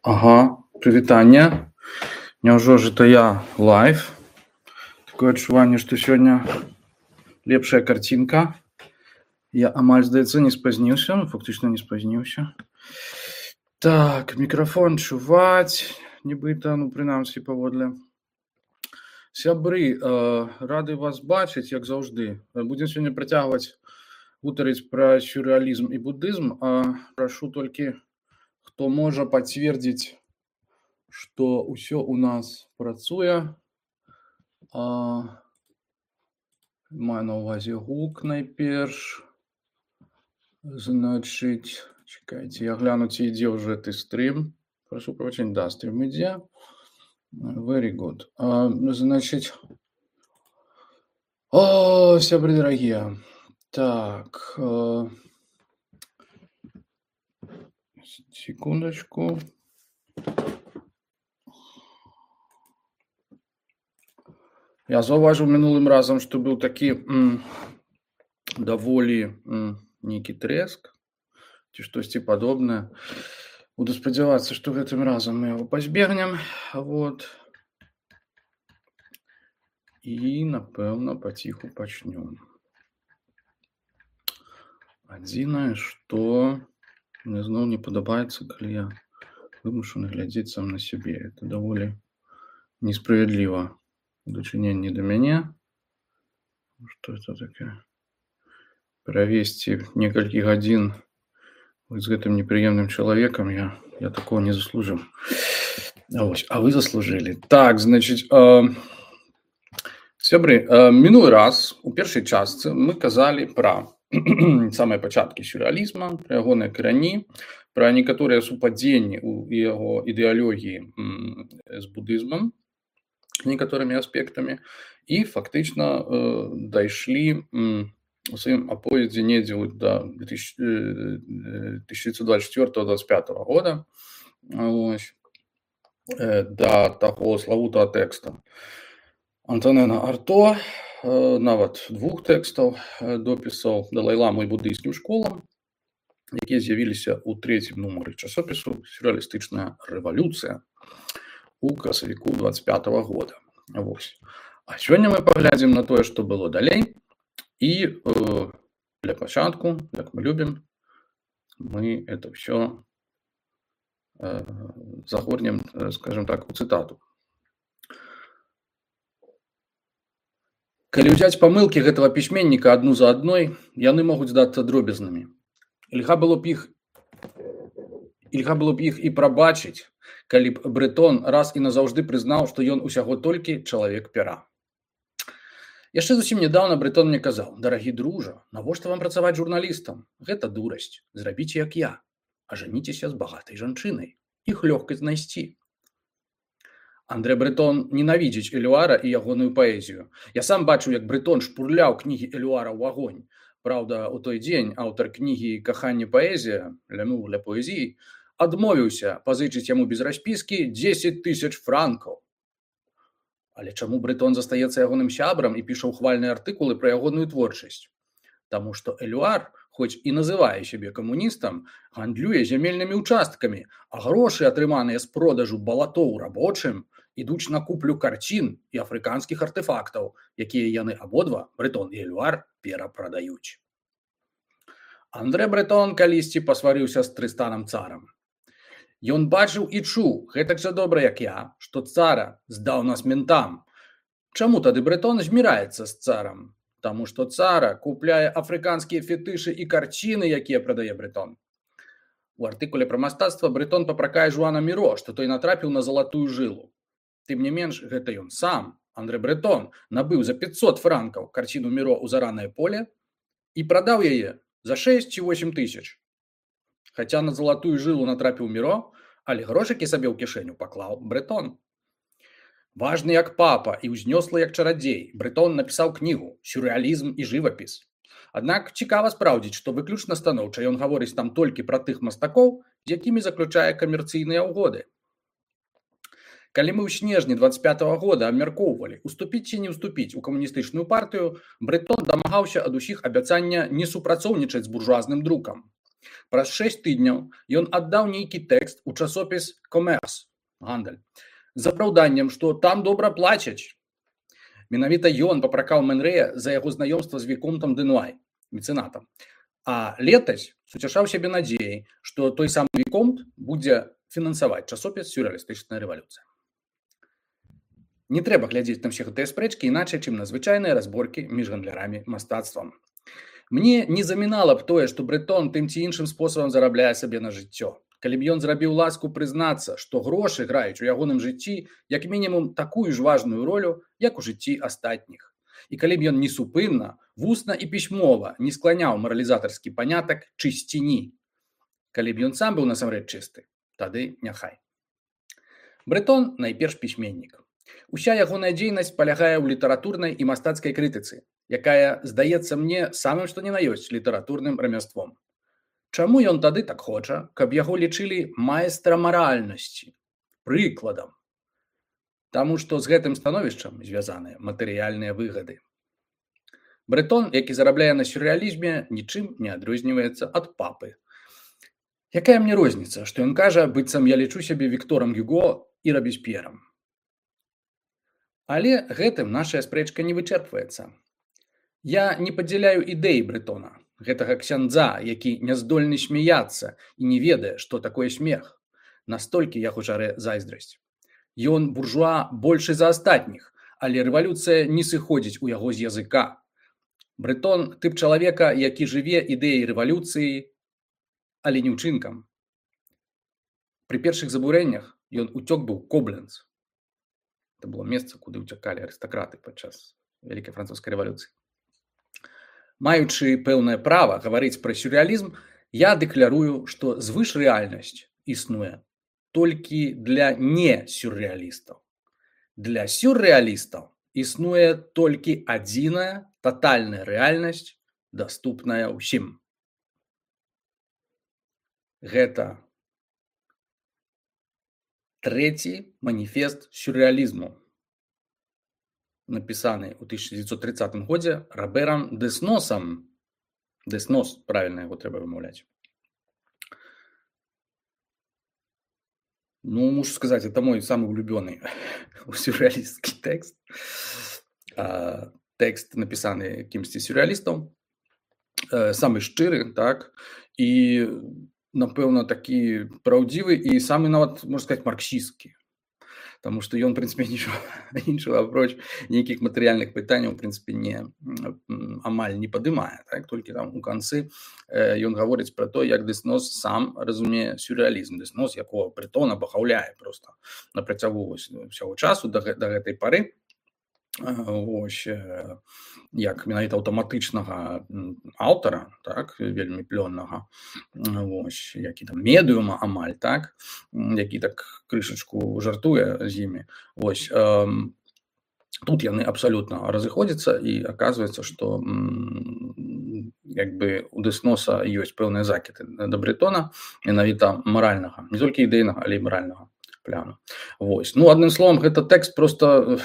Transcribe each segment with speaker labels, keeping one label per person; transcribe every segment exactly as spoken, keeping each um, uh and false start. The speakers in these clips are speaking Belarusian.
Speaker 1: Ага, прывітанне. Няўжо ж это я лайв? Такое адчуванне, што сёння лепшая карцінка. Я амаль, здаецца, не спазніўся, ну, фактычна не спазніўся. Так, мікрафон чуваць, нібыта, ну, прынамсі, паводле. Сябры, э, рады вас бачыць, як заўжды. Будзем сёння працягваць гутарыць пра сюррэалізм і будызм. А прашу толькі, хто можа пацвердзіць, што ўсё ў нас працуе. А, маю на ўвазе гук найперш. Значыць, чекайце, я гляну, ці ідзе ўжо гэты стрым. Прошу прощения, да, стрим ідзе. Very good. А, значыць, о, сябры дарагія. Так, э, секундочку. Я заўважыў мінулым разам, што быў такі м, даволі м, нейкі трэск, ці штосьці падобнае. Буду спадзявацца, што гэтым разам мы яго пазбегнем. Вот. І, напэўна, паціху пачнём. Адзінае, што мне зноў не падабаецца, калі я вымушаны глядзець сам на сябе. Это даволі несправядліва ў дачыненні да мяне. Што это такое? Правесці некалькі гадзін з гэтым непрыемным чалавекам я, я такого не заслужыў. А, вось, а вы заслужылі. Так, значыць, э, сябры, э, мінулы раз у першай частцы мы казалі пра самыя пачаткі сюррэалізма, пра ягоныя карані, пра некаторыя супадзенні ў яго ідэалогіі м, з будызмам, некаторымі аспектамі, і фактычна э, дайшлі м, у сваім аповедзе недзе да тысяча девятьсот двадцать четвёртого — двадцать пятого года, ось, э, да таго славутага тэкста Антонена Арто, э, нават двух тэкстаў э, допісаў Далай-ламы і будыйскім школам, якія з'явіліся ў трэцім нумары часопісу «Сюррэалістычная рэвалюцыя» у красавіку двадцать пятого года. Вось. А сёння мы паглядзім на тое, што было далей, і э, для пачатку, як мы любім, мы это ўсё э, загорнем, скажем так, у цытату. Калі ўзяць памылкі гэтага пісьменніка адну за адной, яны могуць здацца дробязнымі. Льга было б іх Льга было б іх і прабачыць, калі б Брэтон раз і назаўжды прызнаў, што ён усяго толькі чалавек пера. Яшчэ зусім нядаўна Брэтон мне казаў: «Дарагі дружа, навошта вам працаваць журналістам? Гэта дурасць. Зрабіце, як я. Ажаніцеся з багатай жанчынай. Іх лёгка знайсці». Андрэ Брэтон ненавідзіць Элюара і ягоную паэзію. Я сам бачыў, як Брэтон шпурляў кнігі Элюара ў агонь. Праўда, у той дзень аўтар кнігі «Каханне паэзія» «Лямур ля паэзіі» адмовіўся пазычыць яму без распіскі дзесяць тысяч франкаў. Але чаму Брэтон застаецца ягоным сябрам і піша ўхвальныя артыкулы пра ягоную творчасць? Таму што Элюар, хоць і называе сябе камуністам, гандлюе зямельнымі ўчасткамі, а грошы, атрыманыя з продажу балатоў рабочым, ідуць на куплю карцін і афрыканскіх артэфактаў, якія яны абодва, Брэтон і Элюар, перапрадаюць. Андрэ Брэтон калісьці пасварыўся з Трыстанам царам. Ён бачыў і чуў, гэтак жа добра, як я, што цара здаў нас ментам. Чаму тады Брэтон зміраецца з царам? Таму што цара купляе афрыканскія фетышы і карціны, якія прадае Брэтон. У артыкуле пра мастацтва Брэтон папракае Жуана Міро, што той натрапіў на залатую жылу. Тым не менш, гэта ён сам, Андрэ Брэтон, набыў за пятьсот франкаў карціну Міро ў заранае поле і прадаў яе за шэсць ці восем тысяч. Хаця на залатую жылу натрапіў Міро, але грошыкі сабе ў кішэню паклаў Брэтон. Важны як папа і ўзнёслы як чарадзей, Брэтон напісаў кнігу «Сюррэалізм і жывапіс». Аднак цікава спраўдзіць, што выключна станоўча ён гаворыць там толькі пра тых мастакоў, з якімі заключае камерцыйныя ўгоды. Калі мы ў снежні двадцать пятого года абмяркоўвалі, уступіць ці не ўступіць у камуністычную партыю, Брэтон дамагаўся ад усіх абяцання не супрацоўнічаць з буржуазным друкам. Праз шэсць тыдняў ён аддаў нейкі тэкст у часопіс «Комерс» гандаль з апраўданнем, што там добра плацяць. Менавіта ён папракаў Менрэя за яго знаёмства з віконтам Дэнуай, мецэнатам. А летась суцяшаў сябе надзеяй, што той самы віконт будзе фінансаваць часопіс «Сюррэалістычная рэвалюцыя». Не трэба глядзець на ўсе гэтыя спрэчкі іначай, чым на звычайныя разборкі між гандлярамі мастацтвам. Мне не замінала б тое, што Брэтон тым ці іншым спосабам зарабляе сабе на жыццё. Калі б ён зрабіў ласку прызнацца, што грошы граюць у ягоным жыцці як мінімум такую ж важную ролю, як у жыцці астатніх. І калі б ён несупынна, вусна і пісьмова не скланяў маралізатарскі панятак чысціні. Калі б ён сам быў насамрэч чысты, тады няхай. Брэтон найперш пісьменнік. Уся ягоная дзейнасць палягае ў літаратурнай і мастацкай крытыцы, якая, здаецца мне, самым што ні на ёсць літаратурным рамяством. Чаму ён тады так хоча, каб яго лічылі майстрам маральнасці, прыкладам? Таму што з гэтым становішчам звязаныя матэрыяльныя выгады. Брэтон, які зарабляе на сюррэалізме, нічым не адрозніваецца ад папы. Якая мне розніца, што ён кажа, быццам я лічу сябе Вікторам Гюго і Рабесп'ерам? Але гэтым нашая спрэчка не вычэрпваецца. Я не падзяляю ідэі Брэтона, гэтага ксяндза, які не здольны смяяцца і не ведае, што такое смех. Настолькі яго жарэ зайздрасць. Ён буржуа большы за астатніх, але рэвалюцыя не сыходзіць у яго з языка. Брэтон тып чалавека, які жыве ідэяй рэвалюцыі, але не ўчынкам. Пры першых забурэннях ён уцёк быў Кобленц. Это было месца, куды ўцякалі арыстакраты падчас Вялікай французскай рэвалюцыі. Маючы пэўнае права гаварыць пра сюррэалізм, я дэклярую, што звышрэальнасць існуе толькі для не-сюррэалістаў. Для сюррэалістаў існуе толькі адзіная татальная рэальнасць, даступная ўсім. Гэта трэці маніфест сюррэалізму, напісаны ў тысяча дзевяцьсот трыццатым годзе Роберам Десносам. Деснос, правільна яго трэба вымаўляць. Ну, мушу сказаць, это мой самы улюбёны сюррэалістскі тэкст. Тэкст напісаны кімсьці сюррэалістаў, самы шчыры, так, і, напэўна, такі праўдзівы і самы нават, можна сказаць, марксісцкі. Таму што ён, у прынцыпе, нічога іншага апроч нейкіх матэрыяльных пытанняў, у прынцыпе, не, амаль не падымае. Так? Толькі там у канцы ён гаворыць пра то, як Деснос сам разумее сюррэалізм. Деснос, якого Брэтон абахаўляе проста на працягу ўсяго часу да, да гэтай пары. Ось, як менавіта аўтаматычнага аўтара, так, вельмі плённага, ось, які там медыума амаль, так, які так крышачку жартуе з імі. Ось, э, тут яны абсалютна разыходзяцца і аказваецца, што як бы у Десноса ёсць пэўныя закіды да Брэтона, менавіта маральнага, не толькі ідэйнага, але і маральнага пляну. Вось. Ну, адным словам, гэта тэкст просто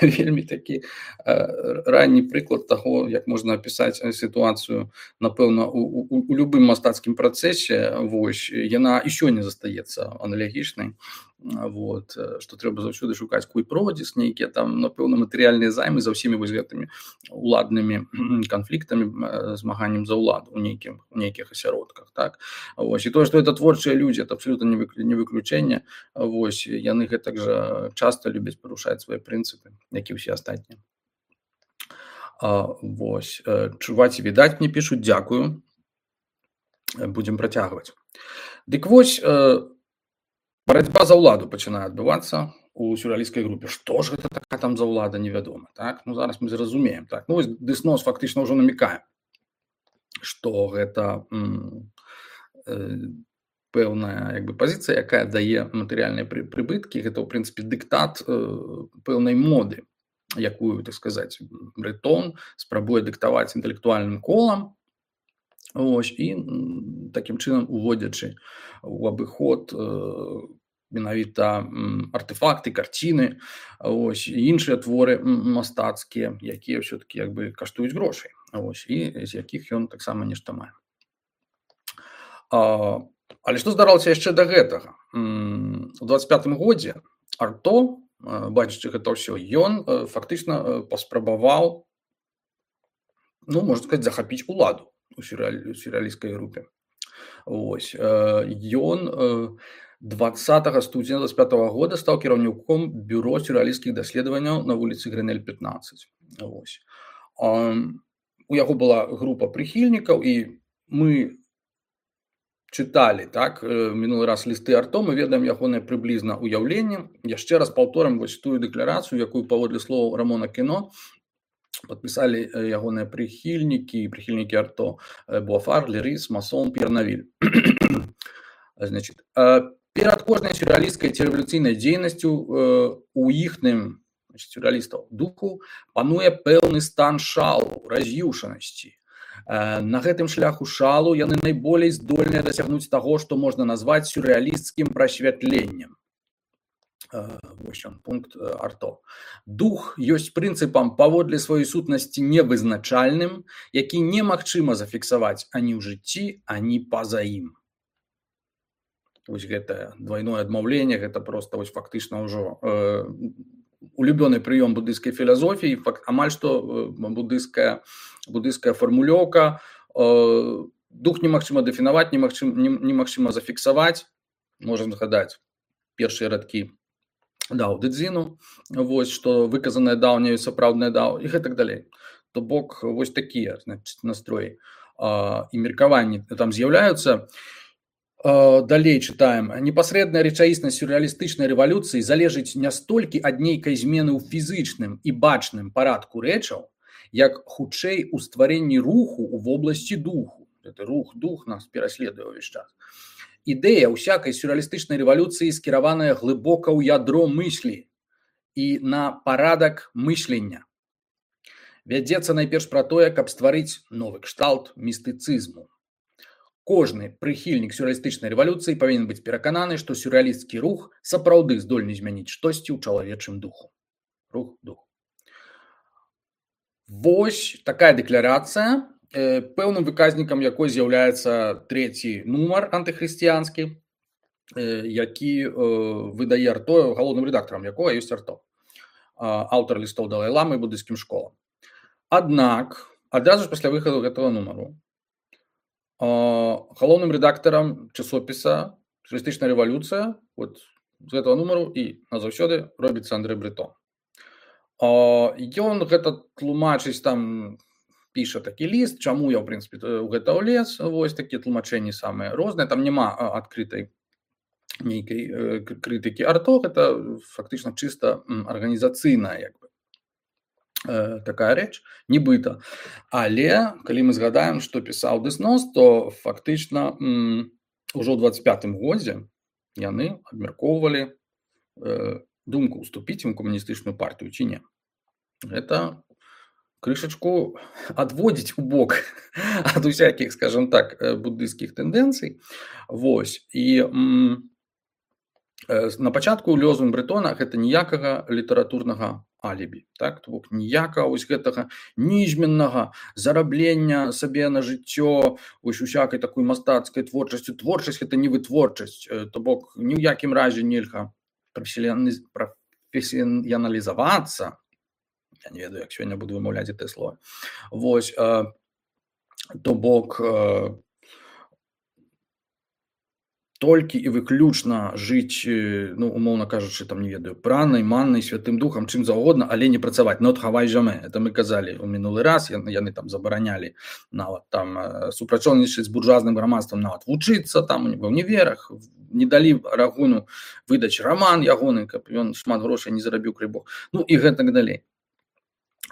Speaker 1: вельмі такі ранні прыклад таго, як можна апісаць сітуацыю, напэўна, у, у, у любым мастацкім працэсе. Вось. Яна і сёння застаецца аналагічнай. Вот, што трэба заўсёды шукаць куй-продзіс, нейкія там, напэўна, матэрыяльныя займы за ўсімі вось гэтымі уладнымі канфліктамі, змаганнем за ўладу ў нейкіх, у нейкіх асяродках. Так? Вось. І тое, што это творчыя людзі, это абсалютна не выключэнне. Вось. Яны гэтак жа часта любяць парушаць свае прынцыпы, як і ўсе астатнія. Вось. Чуваць і відаць, мне пішуць, дзякую. Будзем працягваць. Дык вось, барацьба за ўладу пачынае адбывацца у сюррэалісцкай групе. Што ж гэта такая там за ўлада, невядома. Так? Ну, зараз мы зразумеем. Так? Ну, вось Деснос фактычна ўжо намікае, што гэта м, э, пэўная як бы, пазіцыя, якая дае матэрыяльныя прыбыткі. Гэта, ў прынцыпе, дыктат э, пэўнай моды, якую, так сказаць, Брэтон спрабуе дыктаваць інтэлектуальным колам. Ось, і такім чынам уводзячы у абыход э, менавіта артефакты, карціны, ось, і іншыя творы мастацкія, якія ўсё-такі як бы каштуюць грошай, ось, і з якіх ён таксама нешта мае. А, але што здаралася яшчэ да гэтага? У дваццаць пятым годзе Арто, бачачы гэта ўсё, ён фактычна паспрабаваў, ну, можна сказаць, захапіць уладу у сюррэалісцкай групе. Вось. Ён дваццатага студзеня дваццаць пятага года стаў кіраўніком бюро сюррэалісцкіх даследаванняў на вуліцы Грэнэль пятнаццаць. Вось. У яго была група прыхільнікаў, і мы чыталі, так, мінулы раз лісты Арто, мы ведаем ягонае прыблізна ўяўленне. Яшчэ раз паўторым вось тую дэкларацыю, якую, паводле слоў Рамона Кіно, падпісалі ягоныя прыхільнікі, прыхільнікі Арто: Буафар, Лерыс, Масон, П'ер Навіль. Значит, перад кожнай сюррэалісцкай ці рэвалюцыйнай дзейнасцю у іхным, сюррэалістаў, духу пануе пэўны стан шалу, раз'юшанасці. На гэтым шляху шалу яны найболей здольныя дасягнуць таго, што можна назваць сюррэалісцкім прасвятленнем. Вось ён, пункт Арто. Дух ёсць прынцыпам паводле сваёй сутнасці невызначальным, які немагчыма зафіксаваць ані ў жыцці, ані па-за ім. Вось гэтае двойное адмаўленне, гэта проста вось фактычна ўжо э, улюбёны прыём буддыйскай філасофіі, амаль што буддыйская, буддыйская фармулёўка. Э, дух немагчыма дэфінаваць, немагчыма, немагчыма зафіксаваць. Можна згадаць першыя радкі Дао Дэ Цзіну, вось, што выказанае даўняе сапраўднае дао, і гэтак далей. То бок вось такія, значит, настроі э, і меркаванні там з'яўляюцца. Далей чытаем. Непасрэдная рэчаіснасць сюррэалістычнай рэвалюцыі залежыць не столькі ад нейкай змены ў фізычным і бачным парадку рэчаў, як хутчэй у стварэнні руху ў вобласці духу. Гэты рух, дух нас пераследуе ўвесь час. Ідэя ўсякай сюррэалістычнай рэвалюцыі скіраваная глыбока ў ядро мыслі і на парадак мыслення. Вядзецца найперш пра тое, каб стварыць новы кшталт містыцызму. Кожны прыхільнік сюррэалістычнай рэвалюцыі павінен быць перакананы, што сюррэалісцкі рух сапраўды здольны змяніць штосьці ў чалавечым духу. Рух, дух. Вось такая дэкларацыя, пэўным выказнікам якой з'яўляецца трэці нумар антыхрысціянскі, які выдае Арто, галоўным рэдактарам якога ёсць Арто, аўтар лістоў Далай-ламы і буддыйскім школам. Аднак, адразу ж пасля выхаду гэтага нумару, галоўным рэдактарам часопіса «Сюррэалістычная рэвалюцыя» вот, з гэтага нумару і назаўсёды робіцца Андрэй Бретон. Ён гэта тлумачыць, там піша такі ліст, чаму я, ў прынцыпе, у гэта ўлез, вось такія тлумачэнні самыя розныя, там няма адкрытай нейкай крытыкі Арто, гэта фактычна чыста арганізацыйная, як бы, такая рэч, нібыта. Але, калі мы згадаем, што пісаў Дэснос, то фактычна ўжо ў дваццаць пятым годзе яны абмяркоўвалі думку уступіць ім камуністычную партыю ці не. Гэта крышачку адводзіць у бок ад усякіх, скажем так, буддыйскіх тэндэнцый. Вось. І на пачатку лозунг Бретона гэта ніякага літаратурнага алібі, так, то бок ніякага вось гэтага нізменнага зараблення сабе на жыццё вось усякай такой мастацкай творчасцю. Творчасць гэта не вытворчасць, то бок ні ў якім разе нельга прафесіяналізавацца. Я не ведаю, як сёння буду вымаўляць гэтае слово. Вось, то бок толькі і выключна жыць, ну, умоўна кажучы, там, не ведаю, пранай, маннай, святым духам, чым заўгодна, але не працаваць. Not хавай жаме. Это мы казалі ў мінулы раз, яны, яны там забаранялі нават там супрацоўнічаць з буржуазным грамадствам, нават вучыцца там ва ўніверах, не далі Арагону выдаць раман ягоны, каб ён шмат грошай не зарабіў, край Бог. Ну і гэтак далей.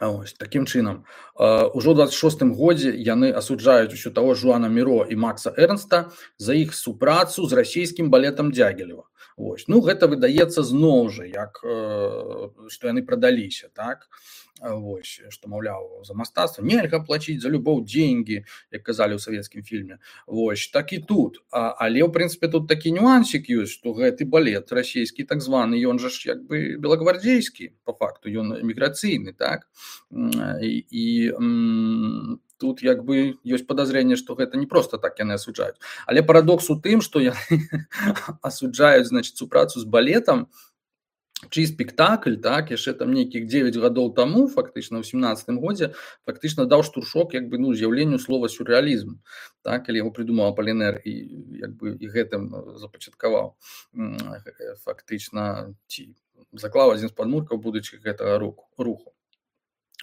Speaker 1: Ось, такім чынам. Ужо ў дваццаць шостым годзе яны асуджаюць усё таго Жуана Міро і Макса Эрнста за іх супрацу з расійскім балетам Дзягілева. Вось. Ну, гэта выдаецца зноў жа, як, што яны прадаліся, так? Вось, што, маўляў, за мастацтва нельга плаціць за любоў деньги, як казалі ў савецкім фільме. Вось, так і тут. А, але, ў прынцыпе, тут такі нюансік ёсць, што гэты балет расійскі, так званы, ён жа ж, як бы, белагвардзейскі, па факту, ён эміграцыйны, так? І, і тут як бы ёсць падазрэнне, што гэта не проста так яны асуджаюць. Але парадокс у тым, што яны асуджаюць, значыць, супрацу з балетам, чый спектакль, так, яшчэ там нейкіх дзевяць гадоў таму, фактычна ў сямнаццатым годзе, фактычна даў штуршок як бы, ну, з'яўленню слова сюррэалізм, так, калі яго прыдумаў Апалінер і як бы і гэтым запачаткаваў фактычна ці заклаў адзін з падмуркаў будучых гэтага руху.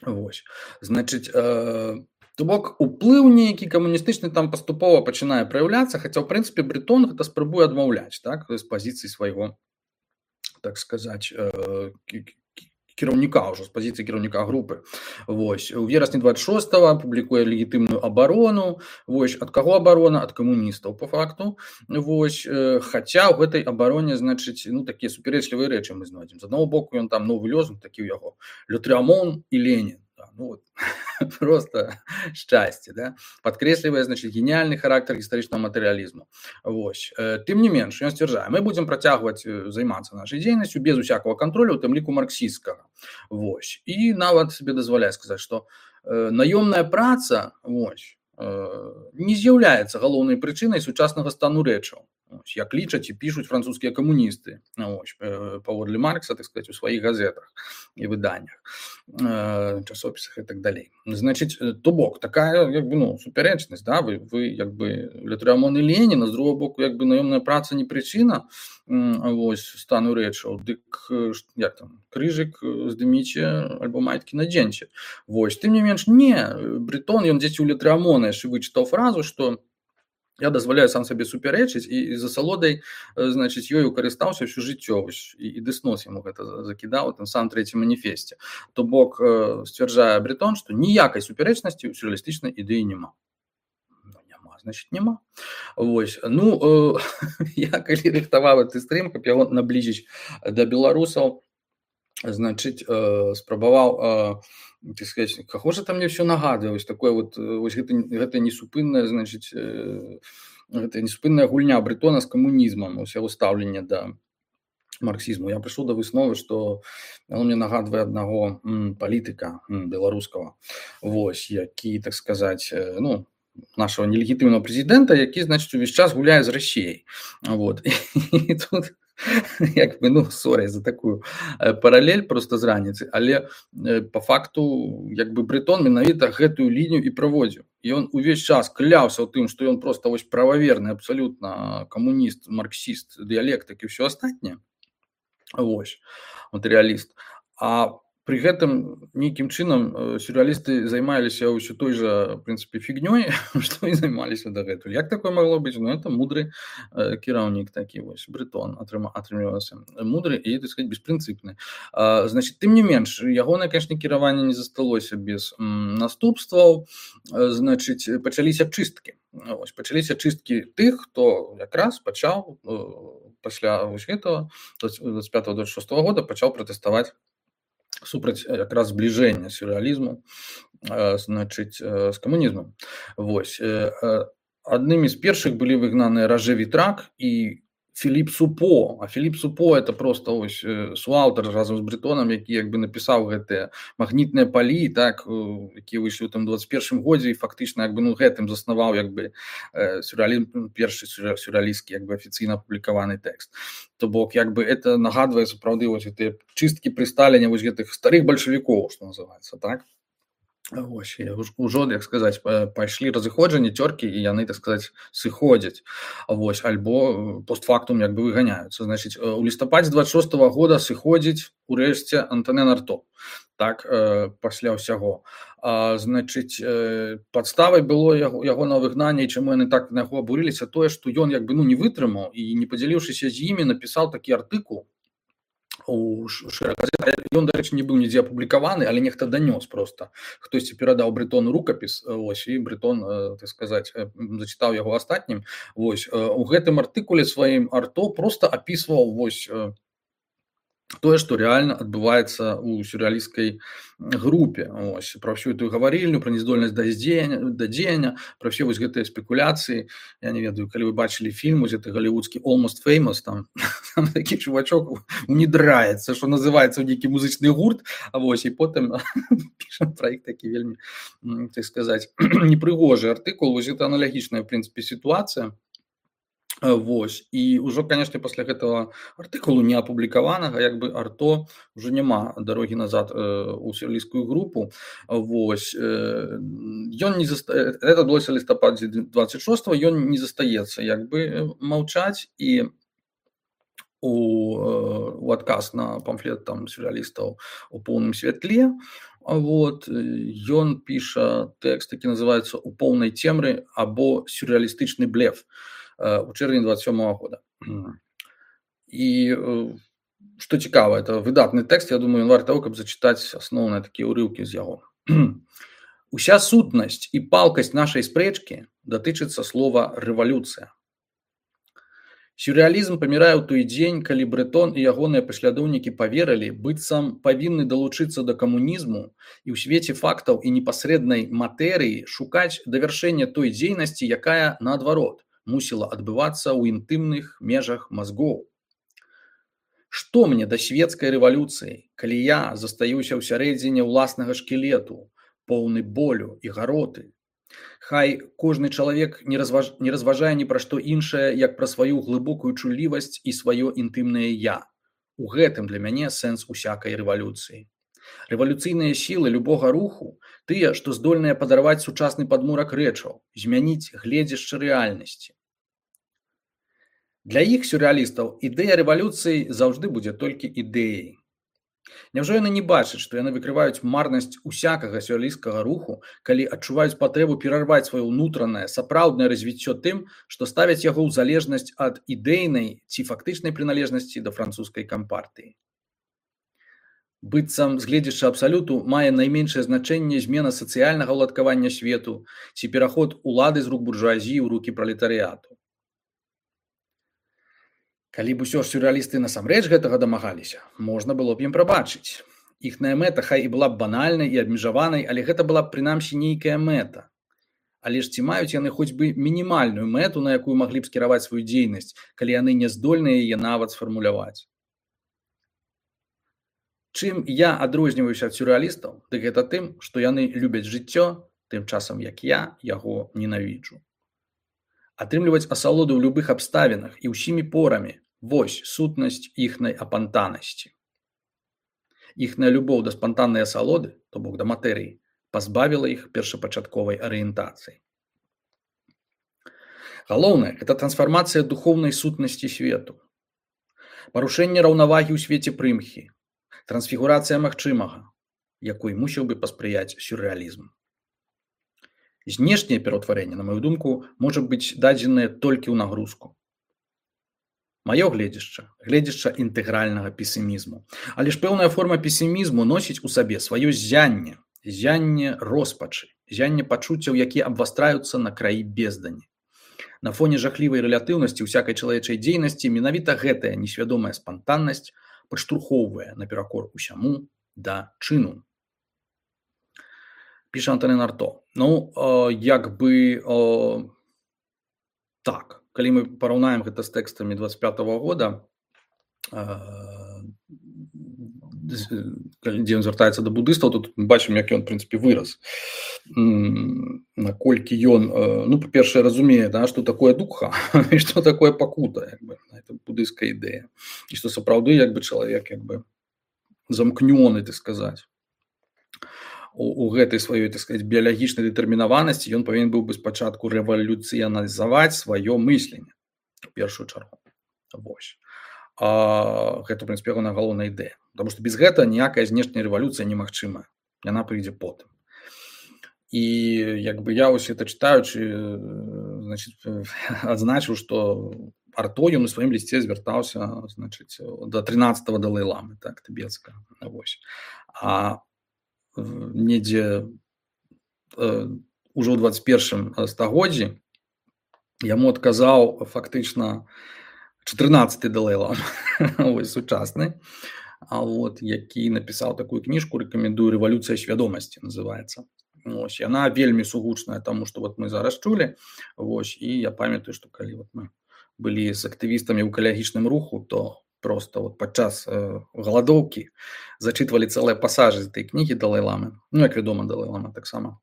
Speaker 1: Вось, значыць, э, то бок уплыў нейкі камуністычны там паступова пачынае праяўляцца, хаця ў прынцыпе Брэтон гэта спрабуе адмаўляць, так, з пазіцыі свайго, так сказаць, кіраўніка ўжо, з пазіцыі кіраўніка групы. Вось, у верасні дваццаць шостага публікуе легітымную абарону. Вось, ад каго абарона? Ад камуністаў, па факту. Вось, хаця ў гэтай абароне, значыць, ну, такія супярэчлівыя рэчы мы знойдзем. З аднаго боку, ён там новы лёзунг такі ў яго: «Le Trianon і Ленін». Ну, вот, просто шчасце, да? Падкрэслівае, значыць, геніяльны характар гістарычнага матэрыялізму. Вось. Тым не менш, ён сцвярджае, мы будзем працягваць займацца нашай дзейнасцю без усякага кантролю, у тым ліку марксісцкага. Вось. І нават сабе дазваляе сказаць, што э, наёмная праца, вось, э, не з'яўляецца галоўнай прычынай сучаснага стану рэчаў. Ось, як лічаць і пішуць французскія камуністы, ось, паводле Маркса, так сказать, у сваіх газетах і выданнях, часопісах і так далей. Значыць, то бок, такая, як бы, ну, супярэчнасць, да, вы, вы як бы, Le Trianon і Ленін, а з другого боку, як бы, наёмная праца не прычына, ось, стану рэчаў, дык, як там, крыжык здыміце, альбо майткі надзеньце. Вось, тым не менш, не, Брэтон, ён дзесьці ў Le Trianon яшчэ вычытаў фразу, што я дазваляю сам сабе супярэчыць, і з асалодай, значыць, ёю карыстаўся ўсё жыццё, і, і Дэснос яму гэта закідаў у тым самым трэцім маніфесце. То бок, сцвярджае Брэтон, што ніякай супярэчнасці ў сюррэалістычнай ідэі няма. Ну, няма, значыць, няма. Вось, ну, я калі рыхтаваў гэты стрым, каб яго набліжыць да беларусаў, значыць, спрабаваў, так сказать, каго ж там мне все нагадвае, вось такое вот, вось гэта, гэта несупынная, значыць, гэта несупынная гульня Брэтона з камунізмам, ось яго стаўленне да марксізму. Я прыйшоў да высновы, што он мне нагадвае аднаго м, палітыка м, беларускага, вось, які, так сказаць, ну, нашего нелегітымнага прэзідэнта, які, значыць, увесь час гуляе з Расіяй. Вот. І тут як бы, ну, сорі за такую паралель просто з раніцы, але по факту, як бы, Брэтон менавіта гэтую лінію і праводзіў. І ён увесь час кляўся ў тым, што ён просто вось прававерны абсалютна камуніст, марксіст, дыялектык і ўсё астатняе. Вось, матэрыяліст. А пры гэтым нейкім чынам сюррэалісты займаліся ўсё той жа, в прынцыпе, фігнёй, што і займаліся дагэтуль. Як такое магло быць? Ну, это мудры э, кіраўнік такі, вось, Брэтон атрымліваўся. Мудры і, так сказать, беспрынцыпны. А, значит, тым не менш, ягонае, конечно, кіраванне не засталося без м, наступстваў. Значыць, пачаліся чысткі. Вось, пачаліся чысткі тых, хто якраз пачаў э, пасля вось гэтага, двадцать пятого двадцать шестого года пачаў пратэставаць супраць якраз збліжэння сюррэалізму, значыць, з камунізмам. Вось, аднымі з першых былі выгнаныя Роже Вітрак і Філіп Супо. А Філіп Супо это просто ось суаўтар разам з Брэтонам, які як бы напісаў гэтыя магнітныя палі, так, якія выйшлі ў тым двадцать першым годзе, і фактычна як бы, ну, гэтым заснаваў як бы сюррэалізм, першы сюррэалістскі як бы афіцыйна апублікаваны тэкст. То бок як бы это нагадвае сапраўды вось гэтыя чысткі пры Сталіне вось гэтых старых бальшавікоў, што называецца, так. Вось, ужо, як сказаць, пайшлі разыходжанні, цёркі, і яны, так сказаць, сыходзяць. Вось, альбо постфактум як бы выганяюцца. Значыць, у лістападзе двадцать шостого года сыходзіць урэшце Антонен Арто, так, пасля ўсяго. А, значыць, падставай было яго, ягонага выгнання, і чаму яны так на яго абурыліся, тое, што ён як бы, ну, не вытрымаў і, не падзяліўшыся з імі, напісаў такі артыкул у шэрагазет. Ён, дарэчы, не быў нідзе апублікаваны, але нехта данёс просто. Хтосьці перадаў Брэтону рукапіс, ось, і Брэтон, так сказаць, зачытаў яго астатнім. Вось, у гэтым артыкуле сваім Арто просто апісваў, вось, тое, што рэальна адбываецца ў сюррэалісцкай групе. Вось пра ўсю эту гаварыльню, пра нездольнасць да здзеяння да дзеяння, пра ўсе вось гэтыя спекуляцыі. Я не ведаю, калі вы бачылі фільм вось гэты галівудскі Almost Famous, там, там такі чувачок унідраецца, што называецца ў нейкі музычны гурт, а вось і потым піша пра іх такі вельмі, так сказаць, непрыгожы артыкул. Вось гэта аналагічная, в прынцыпе, сітуацыя. Вось і ўжо, канешне, пасля гэтага артыкулу не апублікаванага, як бы арто ўжо няма дарогі назад у сюррэалісцкую групу. Вось ён не заста... это адбылося лістападзе двадцать шостого, ён не застаецца як бы маўчаць, і у, у адказ на памфлет там сюррэалістаў у поўным святле, вот ён піша тэкст, які называецца «У поўнай цемры» або «Сюррэалістычны блеф» у чэрвені двадцать сёмага года. І што цікава, это выдатны тэкст, я думаю, варта таго, каб зачытаць асноўныя такія ўрыўкі з яго. Уся сутнасць і палкасць нашай спрэчкі датычыцца слова рэвалюцыя. Сюррэалізм памірае ў той дзень, калі Брэтон і ягоныя паслядоўнікі паверылі, быццам павінны далучыцца да камунізму і ў свеце фактаў і непасрэднай матэрыі шукаць давяршэння той дзейнасці, якая, наадварот, мусіла адбывацца ў інтымных межах мазгоў. Што мне да свецкай рэвалюцыі, калі я застаюся ў сярэдзіне ўласнага шкілету, поўны болю і гароты? Хай кожны чалавек не, разваж... не разважае ні пра што іншае, як пра сваю глыбокую чуллівасць і сваё інтымнае я. У гэтым для мяне сэнс усякай рэвалюцыі. Рэвалюцыйныя сілы любога руху, тыя, што здольныя падарваць сучасны падмурак рэчаў, змяніць гледзішча рэальнасці. Для іх, сюррэалістаў, ідэя рэвалюцыі заўжды будзе толькі ідэяй. Няўжо яны не бачаць, што яны выкрываюць марнасць усякага сюррэалісцкага руху, калі адчуваюць патрэбу перарваць сваё ўнутранае, сапраўднае развіццё тым, што ставяць яго ў залежнасць ад ідэйнай ці фактычнай прыналежнасці да французскай кампартыі. Быццам з гледзяча абсалюту мае найменшае значэнне змена сацыяльнага ўладкавання свету ці пераход улады з рук буржуазіі ў рукі пралетарыяту. Калі б усё ж сюррэалісты насамрэч гэтага дамагаліся, можна было б ім прабачыць. Іхная мэта хай і была б банальнай і абмежаванай, але гэта была б прынамсі нейкая мэта. Але ж ці маюць яны хоць бы мінімальную мэту, на якую маглі б скіраваць сваю дзейнасць, калі яны не здольныя яе нават сфармуляваць? Чым я адрозніваюся ад сюррэалістаў, дык гэта тым, што яны любяць жыццё, тым часам як я яго ненавіджу. Атрымліваць асалоду ў любых абставінах і ўсімі порамі – вось сутнасць іхнай апантанасці. Іхная любоў да спантаннай асалоды, то бок да матэрыі, пазбавіла іх першапачатковай арыентацыі. Галоўнае – гэта трансфармацыя духоўнай сутнасці свету, парушэнне раўнавагі ў свеце прымхі, трансфігурацыя магчымага, якой мусіў бы паспрыяць сюррэалізм. Знешняе пераўтварэнне, на маю думку, можа быць дадзенае толькі ў нагрузку. Маё гледзішча, гледзішча інтэгральнага песімізму. Але ж пэўная форма песімізму носіць у сабе сваё ззянне, ззянне роспачы, ззянне пачуццяў, якія абвастраюцца на краі бездані. На фоне жахлівай рэлятыўнасці ўсякай чалавечай дзейнасці менавіта гэтая несвядомая спантаннасць падштурхоўвае наперакор усяму да чыну. Піша Антонін Арто. Ну, э, як бы э, так, калі мы параўнаем гэта з тэкстамі двадцать пятого года, э, дзе ён звяртаецца да будыстаў, тут мы бачым, як ён, в прынцыпе, вырас. Наколькі ён, э, ну, па-першае, разумее, да, што такое духа і што такое пакута, як бы, гэта будысцкая ідэя. І што сапраўды, як бы, чалавек, як бы, замкнёны, так сказаць. У гэтай сваёй, так сказаць, біялагічнай дэтэрмінаванасці ён павінен быў бы спачатку рэвалюцыянізаваць сваё мысленне, у першую чаргу. Вось. А, гэта, в прынцыпе, ягоная галоўная ідэя. Таму што без гэта ніякая знешняя рэвалюцыя немагчымая. Яна прыйдзе потым. І, як бы, я вось это чытаючы, значыць, адзначыў, што Арто ён у сваім лісце звяртаўся, значыць, да трынаццатага далай-ламы, так, тыбецкага. Вось. А недзе э, ужо ў двадцать першым стагоддзі яму адказаў фактычна чатырнаццаты далай-лама, ось сучасны, а вот які напісаў такую кніжку, рэкамендую, рэвалюцыя свядомасці называецца. Вось, яна вельмі сугучная таму, што вот мы зараз чулі. Вось, і я памятаю, што калі вот мы былі з актывістамі ў экалагічным руху, то просто вот падчас э, галадоўкі зачытвалі цэлыя пасажы з этой кнігі Далай-ламы. Ну, як вядома, Далай-лама таксама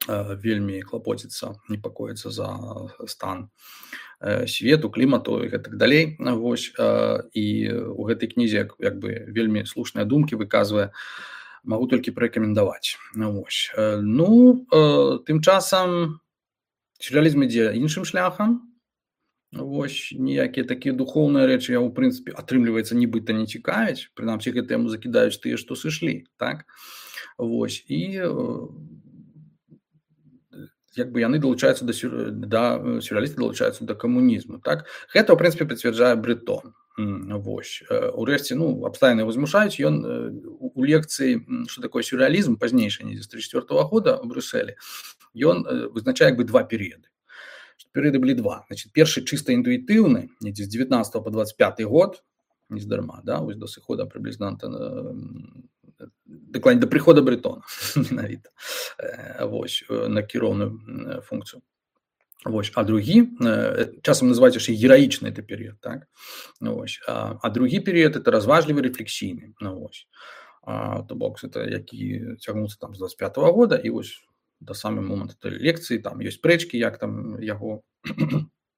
Speaker 1: э, вельмі клапоціцца, непакоіцца за стан э, свету, клімату і гэтак далей. Вось, э, і ў гэтай кнізе як, як бы вельмі слушныя думкі выказвае, магу толькі парэкамендаваць. Вось. Э, ну, э, тым часам сюррэалізм ідзе іншым шляхам. Вось, ніякія такія духоўныя рэчы я, ў прынцыпе, атрымліваецца, нібыта не цікавяць. Прынамсі, гэтыя музыкі даюць тыя, што сышлі, так? Вось, і э, як бы яны далучаюцца да, сюр... да сюррэалісты далучаюцца да камунізму, так? Гэта, ў прынцыпе, пацвярджае Брэтон. Вось. Урэшце, ну, абставіны яго змушаюць. Ён у лекцыі «Што такое сюррэалізм» пазнейшай, недзе з тридцать четвёртого года ў Брюсселі, ён вызначае як бы два перыяды. Перыяды былі два. Значит, першы чыста інтуітыўны, недзе з девятнадцатого по двадцать пятый год, не здарма, да, вось до сыхода прыблізна дакладней да прыхода Брэтона менавіта. Вось, на кіроўную функцыю. Вось, а другі, часам называюць яшчэ гераічны это перыяд, так? Вось, а, а другі перыяд это разважлівы рэфлексійны. Ну, вось. А, то бок это які цягнуцца там з двадцать пятого года і вось да самы момант этой лекцыі, там ёсць спрэчкі, як там яго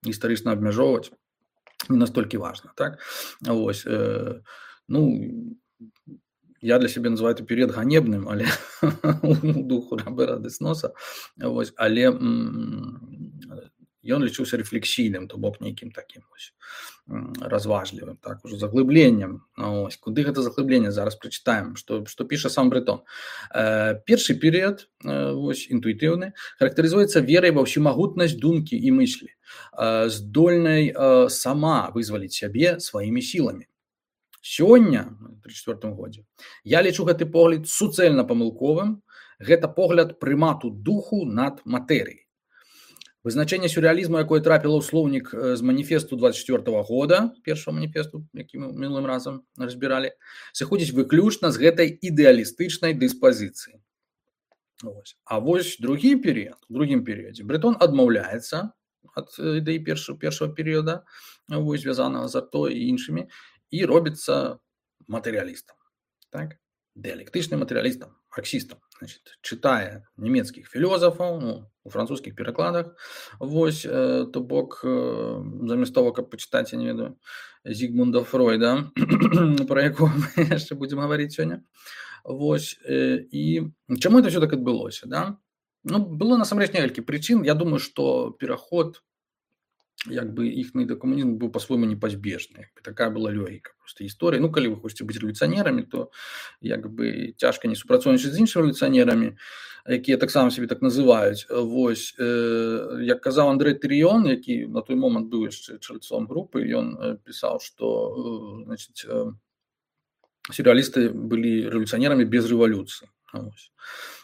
Speaker 1: гістарычна абмяжоўваць, не настолькі важна, так? Вось, э, ну, я для сябе называю этот перыяд ганебным, але у духу Робера Десноса, вось, але ён лічыўся рэфлексійным, то бок нейкім такім вось разважлівым, так, ужо заглыбленнем. Ось, куды гэта заглыбленне, зараз прачытаем, што, што піша сам Брэтон. Э, першы перыяд, э, вось, інтуітыўны, характарызуецца верай ва ўсемагутнасць думкі і мыслі, э, здольнай э, сама вызваліць сябе сваімі сіламі. Сёння, у тридцать четвёртым годзе, я лічу гэты погляд суцэльна памылковым. Гэта погляд прымату духу над матэрыяй. Вызначэнне сюррэалізму, якое трапіла ў слоўнік з маніфесту двадцать четвёртого года, першого маніфесту, які мы мінулым разам разбіралі, сыходзіць выключна з гэтай ідэалістычнай дыспазіцыі. Вось. А вось другі перыяд, у другім перыядзе Брэтон адмаўляецца ад ідэі першого, першого перыяда, вось, звязанага з Арто і іншымі, і робіцца матэрыялістам, так? Дыялектычным матэрыялістам, марксістам. Значит, чытае нямецкіх філёзафаў, ну, у французскіх перакладах, вось, э, то бок, э, замест того, каб пачытаць, я не ведаю, Зігмунда Фройда, про якого мы яшчэ будзем гаварыць сёння. Вось, э, і чаму это ўсё так адбылося, да? Ну, было насамрэч некалькі прычын. Я думаю, што пераход як бы іхні да камунізму быў па-свойму непазбежны. Такая была логіка просто гісторыі. Ну, калі вы хочаце быць рэвалюцыянерамі, то як бы цяжка не супрацоўнічаць з іншымі рэвалюцыянерамі, якія таксама сябе так называюць. Вось, э, як казаў Андрэй Тырыён, які на той момант быў яшчэ чальцом групы, ён пісаў, што э, значит, э, сюррэалісты былі рэвалюцыянерамі без рэвалюцыі. Вось.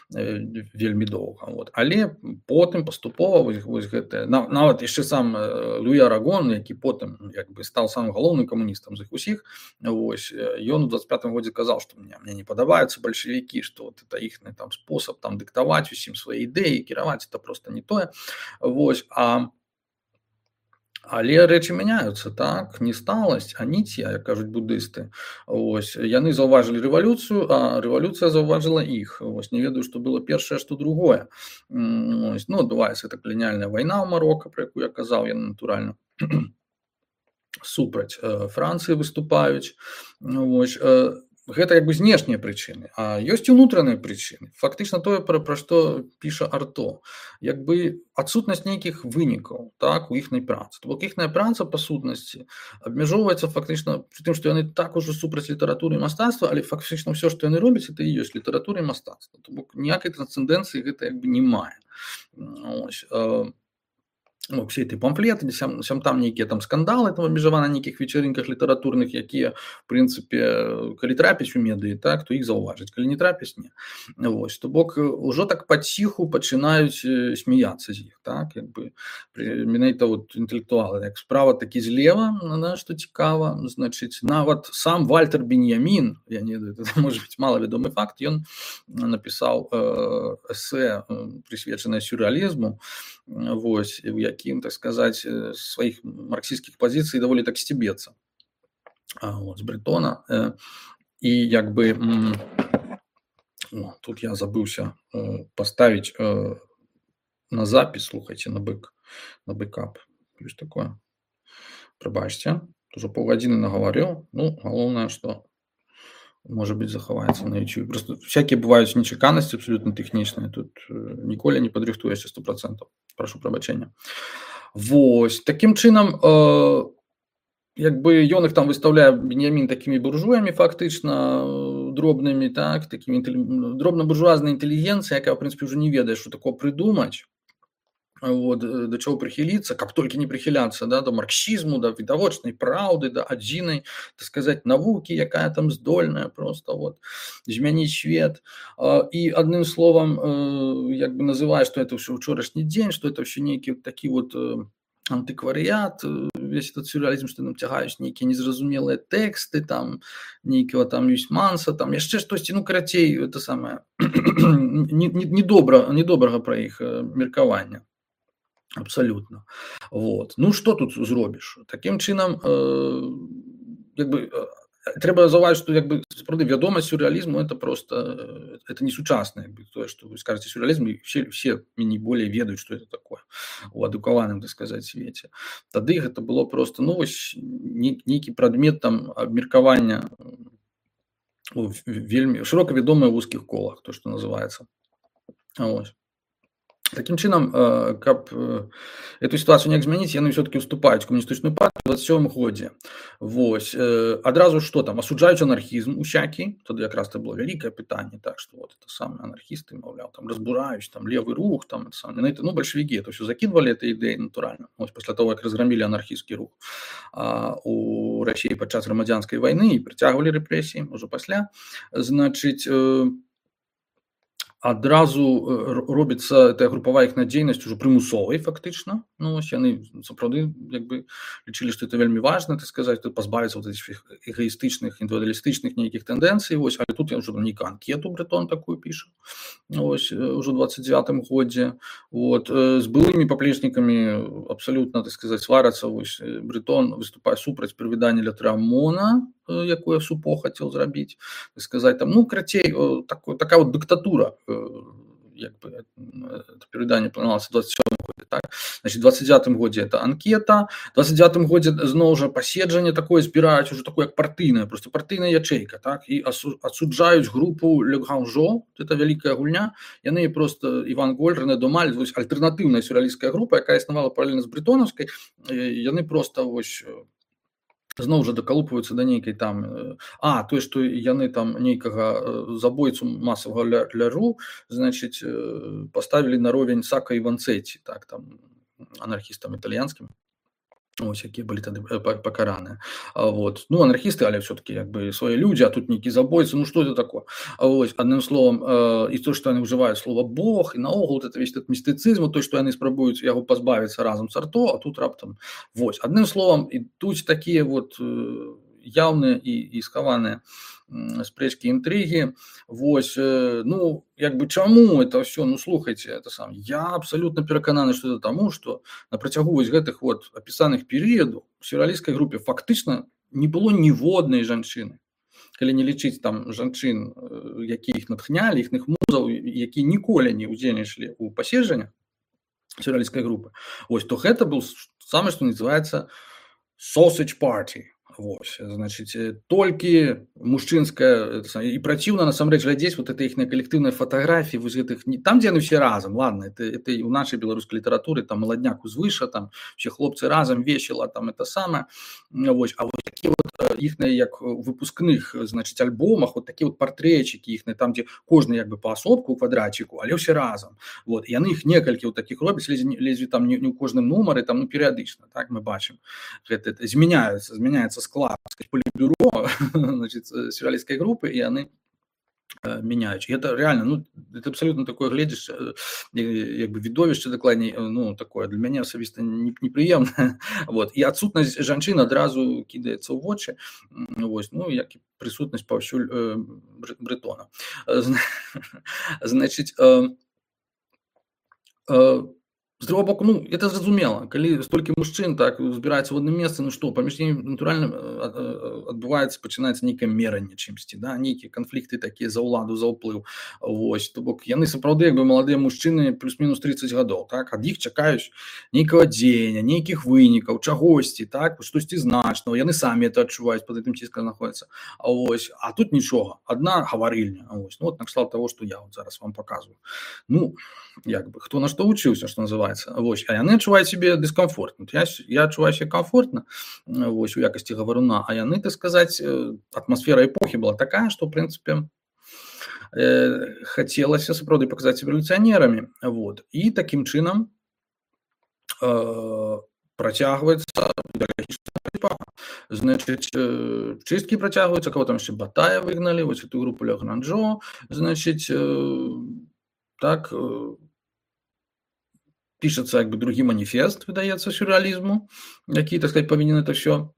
Speaker 1: Вельмі доўга. Вот. Але потым паступова вось, вось гэта, нават яшчэ сам Луі Арагон, які потым як бы стаў самым галоўным камуністам з іх усіх, вось, ён у двадцать пятым годзе казаў, што мне, мне не падабаюцца бальшавікі, што вот это іхны там спосаб там дыктаваць усім свае ідэі, кіраваць, это просто не тое. Вось, а але рэчы мяняюцца, так, не сталасць, а ніцья, як кажуць буддысты. Ось, яны заўважылі рэвалюцыю, а рэвалюцыя заўважыла іх. Ось, не ведаю, што было першае, што другое. Ось, ну, адбываецца гэта каланіяльная вайна ў Марока, пра якую я казаў, яны натуральна супраць э, Францыі выступаюць. Ось, э, гэта як бы знешнія прычыны, а ёсць і ўнутраныя прычыны. Фактычна тое, пра, пра што піша Арто. Як бы адсутнасць нейкіх вынікаў, так, у іхнай працы. То бок іхная праца, па сутнасці, абмяжоўваецца фактычна пры тым, што яны так ужо супраць літаратуры і мастацтва, але фактычна ўсё, што яны робяць, это і ёсць літаратура і мастацтва. То бок ніякай трансцэндэнцыі гэта як бы не мае. Ось, э, Ну, все эти памфлеты, сям, сям там нейкія там скандалы там абмежаваны на нейкіх вечарынках літаратурных, якія в прынцыпе калі трапіць у медыі, так, то іх заўважыць, калі не трапіць, не. Вось, то бок ужо так паціху пачынаюць смяяцца з іх, так, як бы менавіта вот інтэлектуалы, як справа такі злева, на што цікава, значыць, нават сам Вальтер Беньямін, я не ведаю, это можа быць малавядомы факт, ён напісаў э, эсэ прысвечанае сюррэалізму, вось, у якім, так сказаць, сваіх марксісцкіх пазіцый даволі так сцебецца. Вот, з Брэтона. І як бы о, тут я забыўся паставіць на запіс, слухайце, на бэк, на бэкап. Ёсць такое. Прабачце, ужо паўгадзіны нагаварыў. Ну, галоўнае, што может быть захаваецца на YouTube. Просто всякие бываюць нечаканасці абсолютно тэхнічныя. Тут ніколі не падрыхтуешся сто процентов. Прошу прабачэння. Вось. Такім чынам, э, як бы ён іх там выстаўляе, Беньямін, такімі буржуямі фактычна дробнымі, так, такімі дробна-буржуазнай інтэлігенцыяй, якая, в прынцыпе, ўжо не ведае, што такое прыдумаць. Вот, да чаго прыхіліцца, каб толькі не прыхіляцца, да, да марксізму, да відавочнай праўды, да адзінай, так сказаць, навукі, якая там здольная просто вот змяніць свет. І адным словам, як бы называе, што это ўсё ўчорашні дзень, што это ўсё нейкі такі вот антыкварыят, весь этот сюррэалізм, што нам цягаюць нейкія незразумелыя тэксты, там нейкага там Юсьманса, там яшчэ штосьці, ну карацей, это самае недобра, недобрага пра іх меркавання. Абсолютно. Вот. Ну, что тут зробіш? Таким чынам, э, як бы, э, трэба заўважыць, што як бы сапраўды вядомасць сюррэалізму это просто э, это не сучасна, як бы тое, што вы скажаце сюррэалізм, і все все меней болей ведаюць, што это такое у адукаваным, так сказаць, свеце. Тады гэта было просто, ну, вось нейкі прадмет там абмеркавання вельмі шырока вядомыя ў вузкіх колах, то, што называецца. Вось. Таким чынам, каб эту сітуацыю неяк змяніць, яны ўсё-такі ўступаюць у камуністычную партыю ў дваццаць сёмым годзе. Вось. Адразу што там? Асуджаюць анархізм усякі. Тады якраз это было вялікае пытанне, так, што вот это самыя анархісты, маўляў, там разбураюць, там левы рух, там это самае. Ну, бальшавікі это ўсё закідвалі, это ідэі, натуральна. Вось пасля таго, як разграмілі анархісцкі рух а, у Расіі падчас грамадзянскай вайны і прыцягвалі рэпрэсіі ўжо пасля. Значыць, адразу робіцца эта групавая іх надзейнасць ужо прымусовай фактычна. Ну, вось яны сапраўды як бы лічылі, што это вельмі важна, так сказаць, пазбавіцца вот этих эгоістычных, індывідуалістычных нейкіх тэндэнцый. Вось, але тут я ўжо нейкую анкету Брэтон такую піша. Вось, ужо ў дваццаць дзевятым годзе. Вот, з былымі паплечнікамі абсалютна, так сказаць, сварацца. Вось, Брэтон выступае супраць прывядання Лятрамона, якое Супо хацеў зрабіць, так сказаць, там, ну, крацей, так, такая вот дыктатура, як бы, это пераданне планавалася ў дваццаць сёмым годзе, так? Значит, двадцать девятым годзе это анкета, двадцать девятым годзе зноў жа паседжанне такое збіраюць, ужо такое як партыйная, просто партыйная ячэйка, так? І асуджаюць групу Le Grand Jeu, это вялікая гульня, яны просто Іван Голь, Рэне Домаль, вось альтэрнатыўная сюррэалісцкая група, якая існавала паралельна з брэтонаўскай, яны просто вось зноў жа дакалупваюцца да нейкай там, а, тое, што яны там нейкага забойцу масавага Ляру, значыць, паставілі на ровень Сака і Ванцэці, так, там, анархістам італьянскім. Ось, якія былі тады пакараныя. Вот. Ну, анархісты, але все-таки як бы свае людзі, а тут нейкі забойцы, ну што это такое? Ось, адным словам, і то, што яны ўжываюць слова Бог, і наогул это весь этот містыцызм, то, што яны спрабуюць яго пазбавіцца разам з Арто, а тут раптам, вось, адным словам, ідуць такія вот яўныя і, і схаваныя спрэчкі, інтрыгі. Вось, ну, як бы чаму это ўсё? Ну, слухайце, это сам. Я абсалютна перакананы, што это таму, што на працягу вось гэтых вот апісаных перыядаў у сюррэалісцкай групе фактычна не было ніводнай жанчыны. Калі не лічыць там жанчын, якія іх натхнялі, іхных музаў, якія ніколі не ўдзельнічалі ў паседжаннях сюррэалісцкай групы. Вось, то гэта быў самае, што называецца sausage party. Вось, значыць, толькі мужчынская і праціўна насамрэч глядзець вот это іхныя калектыўныя фатаграфіі вось гэтых не там, дзе яны ўсе разам, ладно, это, это і ў нашай беларускай літаратуры там маладняк узвыша, там усе хлопцы разам весела, там это самае, вось, а вот такі вот іхныя як выпускных, значыць, альбомах, вот такі вот партрэчыкі іхныя, там, дзе кожны як бы паасобку ў квадраціку, але ўсе разам, вот, яны іх некалькі вот такіх робяць, ледзьве, ледзьве там не, не ў кожным нумары, там, ну, перыядычна, так, мы бачым, гэта, это змяняецца, змяняецца склад політбюро, значит, сюрреалистской группы, и они э, меняют. И это реально, ну, это абсолютно такое глядишь, э, как бы видовище докладней, ну, такое для меня особисто неприемное. Вот. И отсутность женщин одразу кидается в очи, вот, ну, як и присутность повсюль э, Бретона. Значит, э, э, з другого боку, ну, это зразумела, калі столькі мужчын так збіраецца ў адным месцы, ну што, паміж імі натуральна адбываецца, пачынаецца нейкае меранне чымсьці, да, нейкія канфлікты такія за ўладу, за ўплыў, вось, то бок яны сапраўды як бы маладыя мужчыны плюс-мінус тридцать гадоў, так, ад іх чакаюць нейкага дзеяння, нейкіх вынікаў, чагосьці, так, штосьці значнага, яны самі это адчуваюць, пад гэтым ціскам знаходзяцца, а вось, а тут нічога, адна гаварыльня, вось, ну, вот накшталт таго, што я вот зараз вам паказваю, ну, як бы, хто на што вучыўся, што называецца, вось, а яны адчуваюць сябе дыскамфортна, я, я адчуваю сябе комфортна, вось, у якасці гаваруна, а яны, так сказаць, атмасфера эпохі была такая, што, в прынцыпе, э, хацелася сапраўды паказаць сябе рэвалюцыянерамі, вот, і такім чынам э, працягваецца ідэалагічная барацьба. Значыць, э, чысткі працягваюцца, каго там яшчэ Батая выгналі, вось эту групу Лягранжо, значыць, э, так, э, пишется як бы другі маніфест, выдаецца сюрреалізму, які, так сказать, павінен это все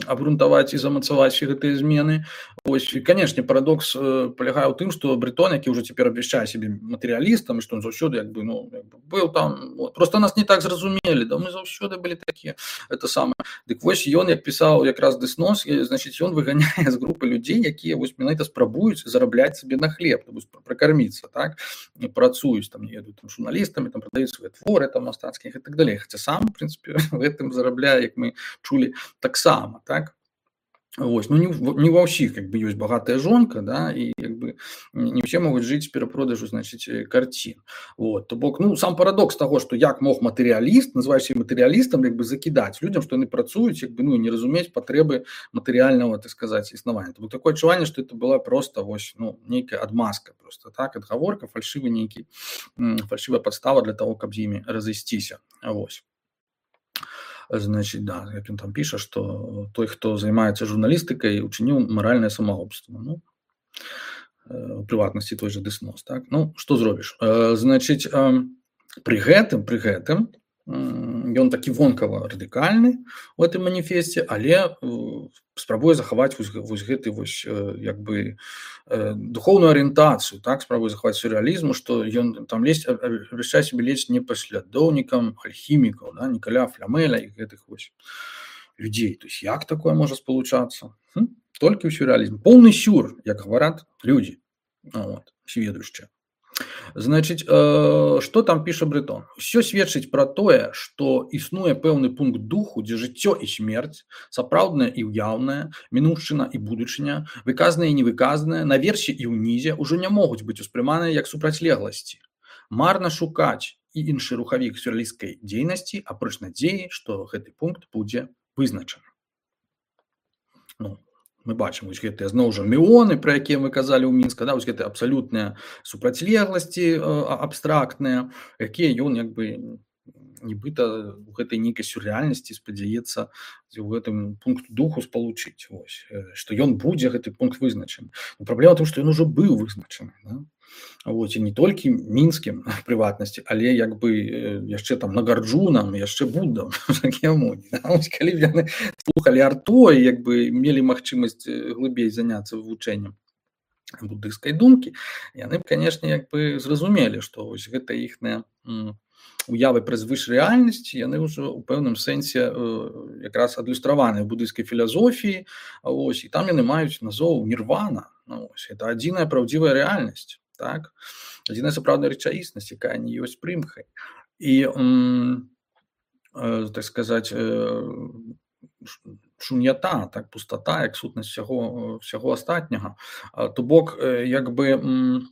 Speaker 1: абгрунтаваць і замацаваць гэтыя змены. Ось, і, канешне, парадокс э, палягае ў тым, што Бретон, які ўжо цяпер абвяшчае сябе матэрыялістам, і што ён заўсёды як бы, ну, як бы быў там, вот. Просто нас не так зразумелі, да мы заўсёды былі такія, это самае. Дык вось ён, як пісаў якраз Дэснос, значыць, ён выганяе з групы людзей, якія вось менавіта спрабуюць зарабляць сабе на хлеб, пракарміцца, так, і працуюць, там, не ведаю, там, журналістамі, там, прадаюць свае творы, там, мастацкіх і так далей. Хаця сам, в прынцыпе, в гэтым зарабляе, як мы чулі, таксама, так? Вось, ну, не, не ва ўсіх, як бы, ёсць багатая жонка, да, і, як бы, не ўсе могуць жыць з перапродажу, значыць, карцін. Вот, то бок, ну, сам парадокс таго, што як мог матэрыяліст, называючы матэрыялістам, як бы, закідаць людзям, што яны працуюць, як бы, ну, не разумець патрэбы матэрыяльнага, так сказаць, існавання. То бок такое адчуванне, што это была проста, вось, ну, нейкая адмазка проста, так, адгаворка, фальшывы нейкі, фальшывая падстава для таго, каб з імі разысціся. Вось. Значит, да, як ён там піша, што той, хто займаецца журналістыкай, учыніў маральнае самагубства. Ну, у прыватнасці той жа Дэснос, так? Ну, што зробіш? Значыць, пры гэтым, пры гэтым, ён такі вонкава радыкальны у гэтым маніфесце, але спрабуе захаваць вось, вось гэты вось, як бы, духоўную арыентацыю, так, спрабуе захаваць сюрреалізму, што ён там лезь, абвяшчае сябе лезь не паслядоўнікам альхімікаў, да, Нікаля Флямэля і гэтых вось людзей. То есть як такое можа спалучацца? Хм? Толькі ў сюрреалізме. Поўны сюр, як гавараць людзі, вот, сведущыя. Значыць, э, што там піша Бретон? Усё сведчыць пра тое, што існуе пэўны пункт духу, дзе жыццё і смерць, сапраўднае і ўяўнае, мінуўшчына і будучыня, выказанае і невыказанае, наверсе і ўнізе ўжо не могуць быць успрыманыя як супрацьлегласці. Марна шукаць і іншы рухавік сюрреалісцкай дзейнасці, апроч надзеі, што гэты пункт будзе вызначаны. Ну, мы бачым вось гэтыя зноў жа меоны, пра якія мы казалі ў Мінска, да, вось гэтыя абсалютныя супрацьлегласці абстрактныя, якія ён як бы нібыта у гэтай нейкай сюррэальнасці спадзяецца у гэтым пункт духу спалучыць, вось, што ён будзе гэты пункт вызначаны. Но праблема ў тым, што ён ужо быў вызначаны, да? Вот, і не толькі мінскім прыватнасці, але як бы яшчэ там Нагарджунам, яшчэ Буддам, Шакьямуні. Калі б яны слухалі Арто і як бы мелі магчымасць глыбей заняцца вывучэннем буддыйскай думкі, яны б, канешне, як бы зразумелі, што вось гэта іхныя уявы пра звышрэальнасць, яны ўжо ў пэўным сэнсе якраз адлюстраваныя ў буддыйскай філазофіі, ось, і там яны маюць назоў нірвана. Ну, ось, это адзіная праўдзівая рэальнасць. Так, адзіная сапраўдная рэчаіснасць, якая не ёсць прымхай. І, м, э, так сказаць, э, шун'ята, так пустата, як сутнасць всяго, всяго астатняга. То бок як бы м,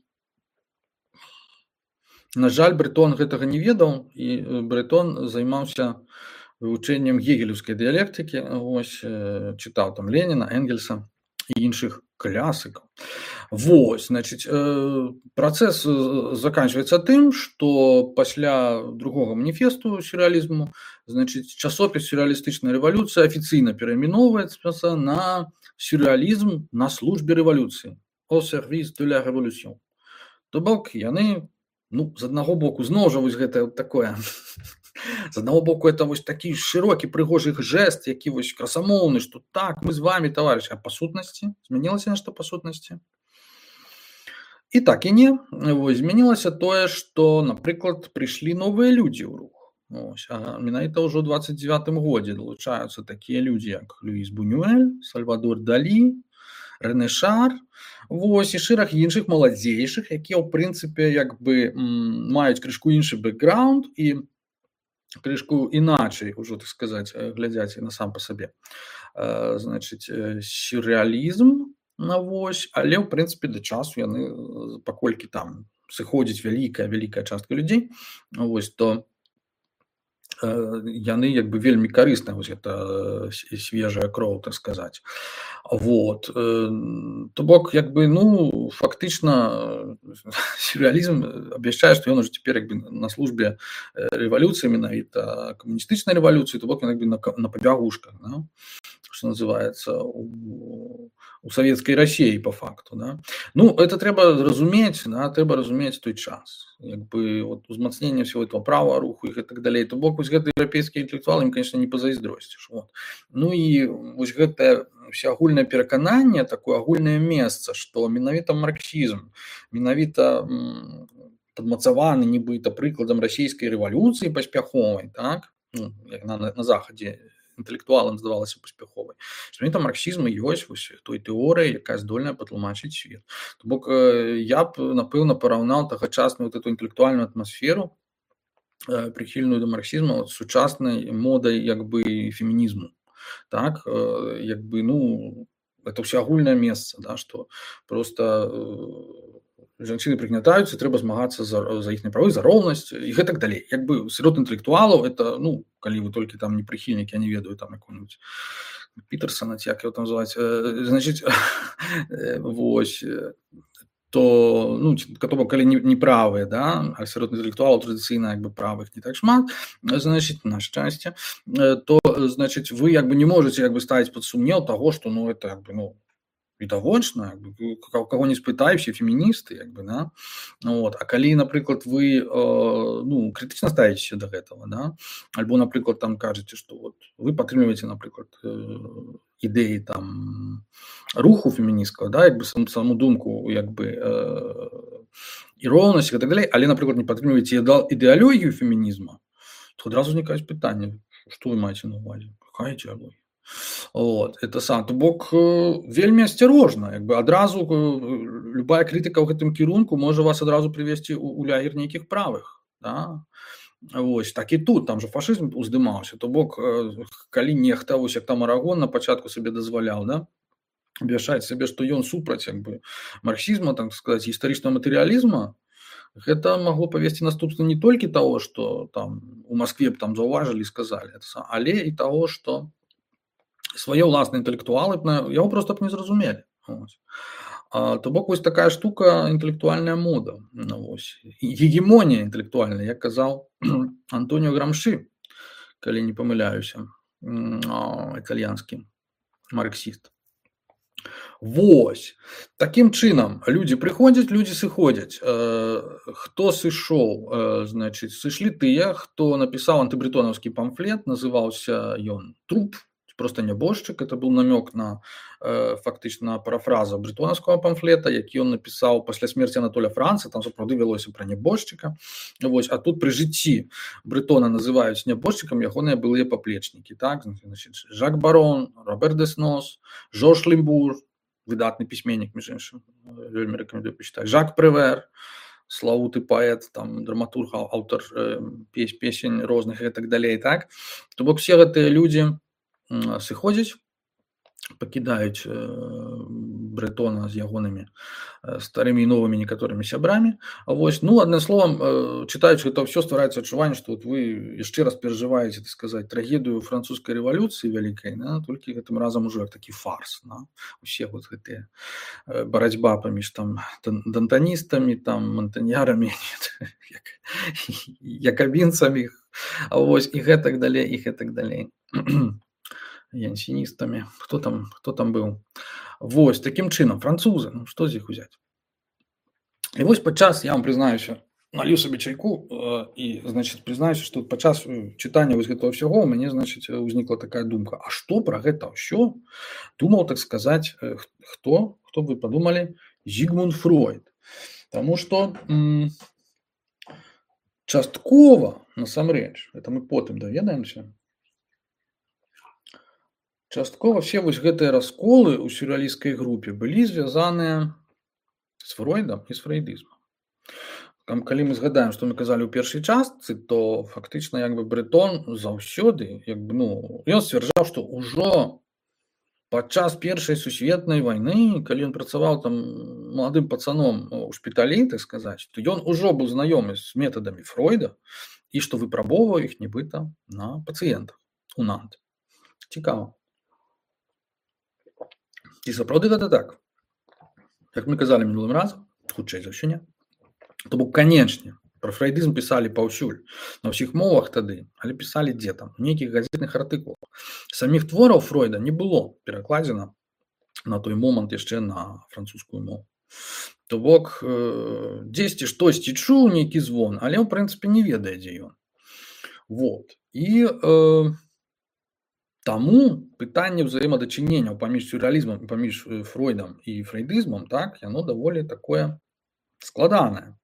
Speaker 1: на жаль, Брэтон гэтага не ведаў, і Брэтон займаўся вывучэннем гегелеўскай дыялектыкі, вось, чытаў там Леніна, Энгельса і іншых класыкаў. Вось, значыць, працэс заканчваецца тым, што пасля другога маніфесту сюррэалізму, значыць, часопіс «Сюррэалістычная рэвалюцыя» афіцыйна перайменоўваецца на «Сюррэалізм на службе рэвалюцыі» «Au service de la révolution». То бок яны, ну, з аднаго боку, зноў жа вось гэта такое, з аднаго боку, это вось такі шырокі прыгожы жэст, які вось красамоўны, што так, мы з вами, таварыш, а па сутнасці? Змянілася нешта па сутнасці? І так і не. Вось, змянілася тое, што, напрыклад, прыйшлі новыя людзі ў рух. Вось, а менавіта ўжо ў дваццаць дзевятым годзе далучаюцца такія людзі, як Луіс Бунюэль, Сальвадор Далі, Рэне Шар, вось, і шэраг іншых маладзейшых, якія, ў прынцыпе, як бы маюць крышку іншы бэкграунд і крышку іначай, ужо, так сказаць, глядзяць на сам па сабе. Значыць, сюррэалізм, вось, але, ў прынцыпе, да часу яны, паколькі там сыходзіць вялікая, вялікая частка людзей, вось, то яны як бы вельмі карысныя, вось гэта свежая кроў, так сказаць. Вот. То бок, як бы, ну, фактычна сюррэалізм абвяшчае, што ён ужо цяпер як бы на службе рэвалюцыі, менавіта камуністычнай рэвалюцыі, то бок ён як бы на, на пабягушках, да? Што называецца, у, у савецкай Расіі па факту. Да? Ну, это трэба разумець, да? Трэба разумець той час. Як бы вот, узмацнення всего этого права руху і так далей. То бок, вось гэты еўрапейскі інтэлектуал ім, конечно, не пазайздросціш. Вот. Ну і вось гэтае всеагульнае перакананне, такое агульнае месца, што менавіта марксізм, менавіта м, падмацаваны нібыта прыкладам расійскай рэвалюцыі паспяховай, так? Ну, як на, на захадзе інтэлектуалам здавалася паспяховай. Што менавіта марксізм і ёсць вось той тэорыяй, якая здольная патлумачыць свет. То бок я б, напэўна, параўнаў тагачасную вот эту інтэлектуальную атмасферу, прыхільную да марксізму, з сучаснай модай як бы фемінізму. Так, як бы, ну, это ўсеагульнае месца, да, што проста жанчыны прыгнятаюцца, трэба змагацца за, за іхныя правы, за роўнасць і гэтак далей. Як бы сярод інтэлектуалаў это, ну, калі вы толькі там не прыхільнікі, я не ведаю там якого-нибудь Пітерсона, ці як його там называць, значыць, вось, то, ну, то бок, калі не, не правыя, да, а сярод інтэлектуалаў традыцыйна як бы правых не так шмат, значыць, на шчасце, то, значыць, вы як бы не можаце як бы ставіць пад сумнеў таго, што, ну, это як бы, ну, відавочна, каго не спытай, все феміністы, як бы, да? Вот. А калі, напрыклад, вы э, ну, крытычна ставіцеся да гэтага, да? Альбо, напрыклад, там кажаце, што вот, вы падтрымліваеце, напрыклад, э, ідэі там руху фемінісцкага, да, як бы сам, саму думку, як бы э, і роўнасць і так далей, але, напрыклад, не падтрымліваеце ідэалогію фемінізма, то адразу ўзнікаюць пытанні, што вы маеце на ўвазе, якая ідэалогія? Вот, это сам, то бок вельмі асцярожна, як бы адразу любая крытыка ў гэтым кірунку можа вас адразу прывесці ў, у лагер нейкіх правых, да? Вось, так і тут, там же фашызм уздымаўся, то бок калі нехта, вось як там Арагон на пачатку сабе дазваляў, да, абвяшчаць сабе, што ён супраць як бы марксізма, так сказаць, гістарычнага матэрыялізма, гэта магло павесці наступства не толькі таго, што там у Маскве б там заўважылі і сказалі, але і таго, што свае ўласныя інтэлектуалы яго проста б не зразумелі. А, то бок вось такая штука інтэлектуальная мода. Вось. Гегемонія інтэлектуальная, як казаў Антоніо Грамши, калі не памыляюся, італьянскі марксіст. Вось. Такім чынам, людзі прыходзяць, людзі сыходзяць. Хто сышоў? Значыць, сышлі тыя, хто напісаў антыбрэтонаўскі памфлет, называўся ён «Труп», просто нябожчык, это быў намёк на э, фактычна парафраза брэтонаўскага памфлета, які ён напісаў пасля смерці Анатоля Франца, там сапраўды вялося пра нябожчыка. Вось, а тут пры жыцці Брэтона называюць нябожчыкам ягоныя былыя паплечнікі, так? Значит, Жак Барон, Робер Деснос, Жорж Лімбур, выдатны пісьменнік, між іншым, вельмі рэкамендую пачытаць, Жак Превер, славуты паэт, там драматург, аўтар э, песень розных і так далей, так? То бок все гэтыя людзі сыходзяць, пакідаюць Брэтона з ягонымі старымі і новымі некаторымі сябрамі. Вось, ну, адным словам, чытаючы гэта ўсё, ствараецца адчуванне, што вот вы яшчэ раз перажываеце, так сказаць, трагедыю французскай рэвалюцыі вялікай, да, толькі гэтым разам ужо як такі фарс, да? Усе вот гэтыя барацьба паміж там дантаністамі, там монтаньярамі, як, якабінцамі, вось, і гэтак далей, і гэтак далей. Янсіністамі, хто там, хто там быў. Вось, такім чынам, французы, ну, што з іх узяць? І вось падчас, я вам прызнаюся, налью сабе чайку і, значыць, прызнаюся, што падчас чытання вось гэтага ўсяго у мяне, значыць, узнікла такая думка, а што пра гэта ўсё думаў, так сказаць, хто, хто б вы падумалі, Зігмунд Фройд. Таму што м- часткова, насамрэч, гэта мы потым даведаемся, часткова все вось гэтыя расколы ў сюррэалісцкай групе былі звязаныя з Фройдам і з фрэйдызмам. Там, калі мы згадаем, што мы казалі ў першай частцы, то фактычна як бы Брэтон заўсёды, як бы, ну, ён сцвярджаў, што ўжо падчас першай сусветнай вайны, калі ён працаваў там маладым пацаном у шпіталі, так сказаць, то ён ужо быў знаёмы з метадамі Фройда і што выпрабоўваў іх нібыта на пацыентах у Нант. Цікава. І сапраўды гэта так. Як мы казалі мінулым разам, хутчэй за ўсё не. То бок, канечне, пра фрэйдызм пісалі паўсюль, на ўсіх мовах тады, але пісалі дзе там, у нейкіх газетных артыкулах. Саміх твораў Фройда не было перакладзена на той момант яшчэ на французскую мову. То бок, дзесьці штосьці чуў нейкі звон, але ў прынцыпе не ведае, дзе ён. Вот. І э, таму пытанне ўзаемадачыненняў паміж сюррэалізмам і паміж Фройдам і фрэйдызмам, так, яно даволі такое складанае.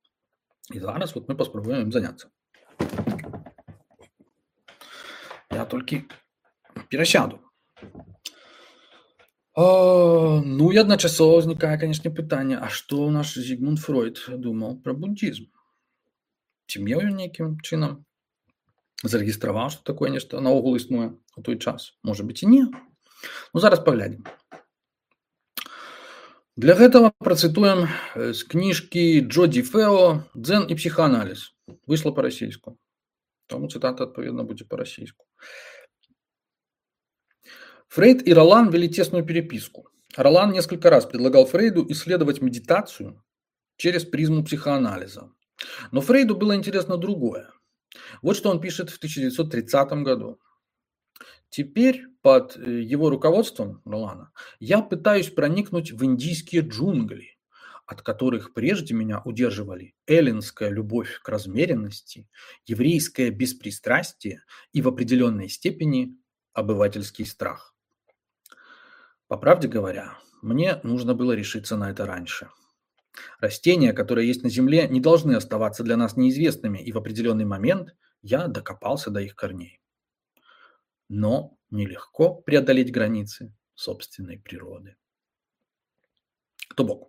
Speaker 1: І зараз вот мы паспрабуем ім заняцца. Я толькі перасяду. А, ну і адначасова ўзнікае, канешне, пытанне, а што наш Зігмунд Фройд думаў пра буддізм? Ці меў ён нейкім чынам зарэгістраваў, што такое нешта наогул існуе у той час? Можа быць і не. Ну, зараз паглядзім. Для гэтага працытуем з кніжкі Джоді Фео «Дзен і психоанализ». Выйшла па-расійску. Таму цытата, адпаведна, будзе па-расійску. Фрейд и Ролан вели тесную переписку. Ролан несколько раз предлагал Фрейду исследовать медитацию через призму психоанализа. Но Фрейду было интересно другое. Вот что он пишет в тысяча девятьсот тридцатом году. Теперь под его руководством, Ролана, я пытаюсь проникнуть в индийские джунгли, от которых прежде меня удерживали эллинская любовь к размеренности, еврейское беспристрастие и в определенной степени обывательский страх. По правде говоря, мне нужно было решиться на это раньше. Растения, которые есть на Земле, не должны оставаться для нас неизвестными, и в определенный момент я докопался до их корней. Но нелегко преодолеть границы собственной природы. То бок.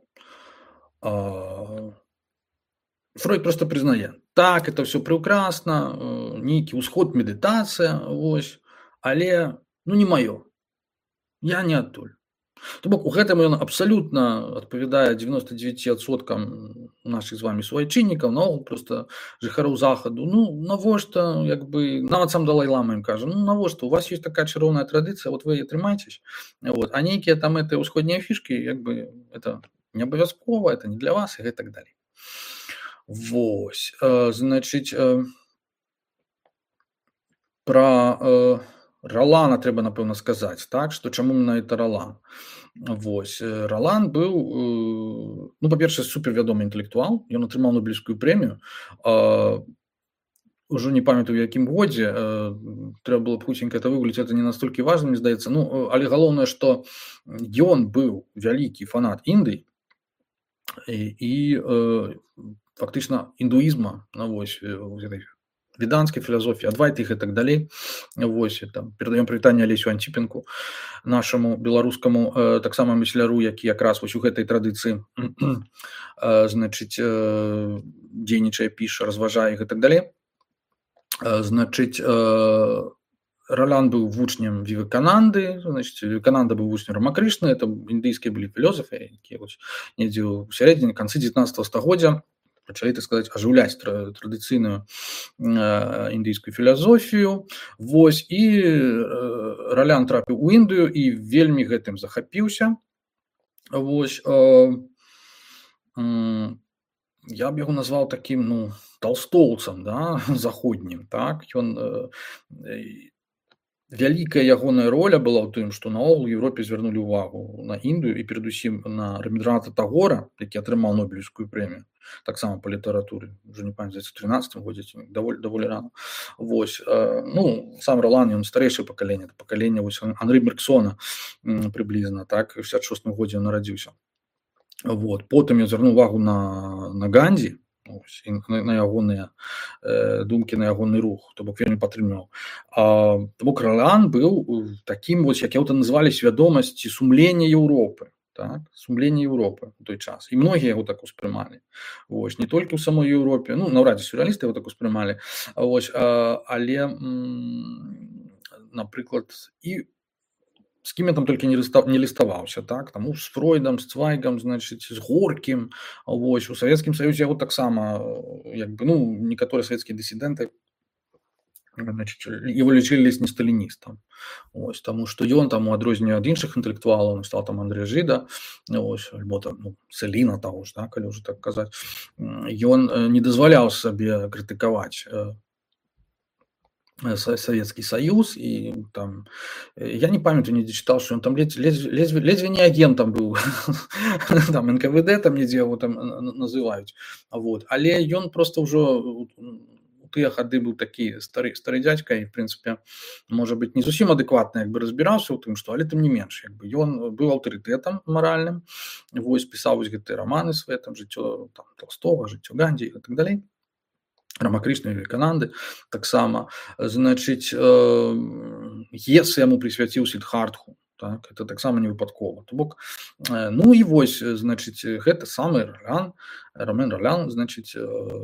Speaker 1: Фройд просто признае, так, это все прекрасно, нейкі ўсход, медитация, вось, але, ну, не маё. Я не адтуль. То бок, у гэтым ён абсалютна адпавядае девяносто девять адсоткам нашых з вами суайчыннікаў, наогул просто жыхароў захаду. Ну, навошта, як бы, нават сам Далай-лама ім кажа, ну, навошта, у вас есть такая чароўная традыцыя, вот вы яе трымайцесь, вот, а нейкія там гэтыя ўсходнія фішкі, як бы, это не абавязкова, это не для вас, і гэтак далей. Вось, значыць, пра Ролана трэба, напэўна, сказаць, так, што чаму менавіта Ролан? Вось, Ролан быў, ну, па-першае, супервядомы інтэлектуал, ён атрымаў Нобелевскую прэмію, ужо не памятаю, у якім годзе, трэба было б хуценька это выгуліць, это не настолькі важна, мне здаецца, ну, але галоўнае, што ён быў вялікі фанат Індыі і, і фактычна індуізма, ну, вось, гэтай веданской философии, адвайты их и так далее. Вось, там, передаем прывітанне Алесю Антипенку, нашему беларускаму э, таксама мысляру, які якраз вось у гэтай традыцыі э, значыць, э, дзейнічае, піша, разважае их и так далее. Э, значыць, э, Ралян быў вучнем Вівекананды, значыць, Вівекананда быў вучнем Рамакрышны, это індыйскія былі філёзафы, якія недзе ў сярэдзіне канцы дзевятнаццатага стагоддзя пачалі, так сказаць, ажыўляць традыцыйную індыйскую філасофію. Вось, і Ралян трапіў у Індыю і вельмі гэтым захапіўся. Вось, я б яго назваў такім, ну, талстоўцам, да, заходнім, так, ён... Вялікая ягоная роля была ў тым, што наогул у Еўропе звярнулі ўвагу на Індыю і перадусім на Рабіндрааната Тагора, які атрымаў Нобелеўскую прэмію, таксама па літаратуры, ўжо не памятаю, у трынаццатым годзе, даволі, даволі рана. Вось, ну, сам Ралан, ён старэйшае пакаленне, пакаленне вось Анры Берксона прыблізна, так, у шэсцьдзесят шостым годзе ён нарадзіўся. Вот, потым ён звярнуў увагу на, на Гандзі, ось, на, на ягоныя э, думкі, на ягоны рух, то бок вельмі падтрымліваў. То бок Ралян быў такім, вось, як яго называлі, свядомасці сумлення Еўропы, так, сумлення Еўропы ў той час. І многія яго так успрымалі. Вось, не толькі ў самой Еўропе, ну, наўрад ці сюррэалісты яго так успрымалі, вось, але, напрыклад, і з кім я там толькі не ліставаўся, так, таму з Фройдам, з Цвайгам, значыць, з Горкім, вось, у Савецкім Саюзе яго таксама, як бы, ну, некаторыя савецкія дысідэнты, значыць, его лічылі ледзь не сталіністам, вось, таму што ён там, у адрозненне ад іншых інтэлектуалаў, стаў там Андрэя Жыда, вось, альбо там, ну, Цэліна таго ж, так, калі ўжо так казаць, ён не дазваляў сабе крытыкаваць Савецкі Саюз, і там, я не памятаю, недзе чытаў, што ён там ледзьве не агентам быў, там эн ка вэ дэ там недзе яго там называюць, вот, але ён проста ўжо у тыя гады быў такі стары, стары дзядзька і, в прынцыпе, можа быць, не зусім адэкватна, як бы, разбіраўся ў тым, што, але тым не менш, як бы, ён быў аўтарытэтам маральным, вось, пісаў вось гэтыя раманы свае, там, жыццё там Толстога, жыццё Гандзі і так далей. Рамакрышны, Вівекананды таксама, значыць, ес яму прысвяціў Сіддхартху, так, это таксама не выпадкова. То бок, ну і вось, значыць, гэта самы Ралян, Ромен Ралян, значыць,